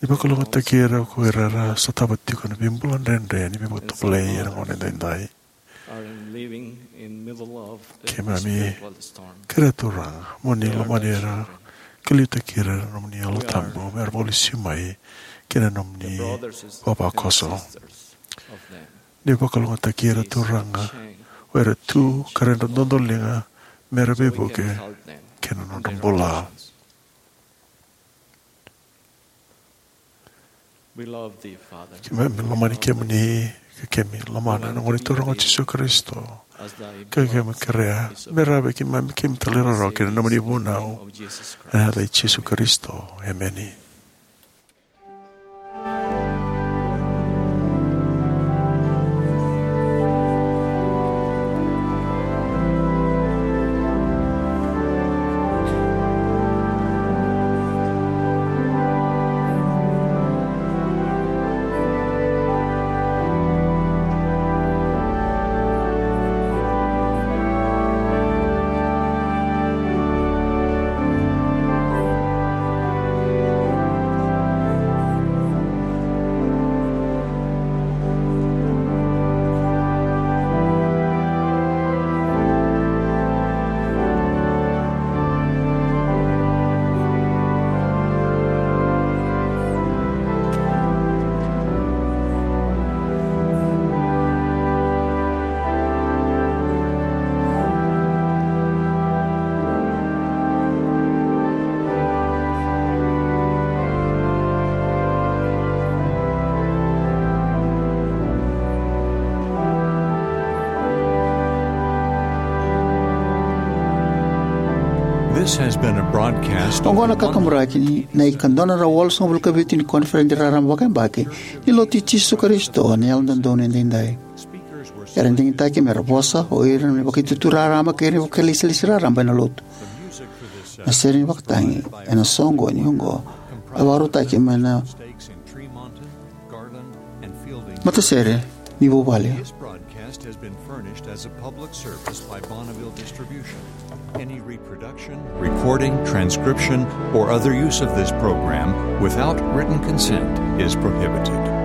Ni vakalougatataki ira ko ira era sotava tiko na veibula dredre ni veivakatovolei ena gauna edaidai. Keimami kerea, Turaga, mo ni lomani ira ka liutaki ira ena nomuni Yalo Tabu me ra vakalesui mai ki na nomuni vavakoso. Ni vakalougatataki ira, Turaga, o ira tu ka ra dodoliga me ra veivuke kei na nodra bula. Keimami lomani kemuni, ka keimami lomana na Gone Turaga o Jisu Karisito. Ka keimami kerea me rawa vei keimami keimami talairawarawa ki na nomuni vunau, ena yaca i Jisu Karisito. Emeni. This has been a broadcast. Oqo na kakaburaki ni na ikadua na drau walusagavulu ka vitu ni koniferedi raraba vakayabaki ni Lotu i Jisu Karisito ni Yalododonu Edaidai. Era digitaki me ra vosa o ira na vakaitutu raraba kei na vakailesilesi raraba ena Lotu. Na sere ni vakatagi ena soqoni oqo a vakarautaki mai na matasere ni vuvale. This broadcast has been furnished as a public service by Bonneville Distribution. Any reproduction, recording, transcription, or other use of this program without written consent is prohibited.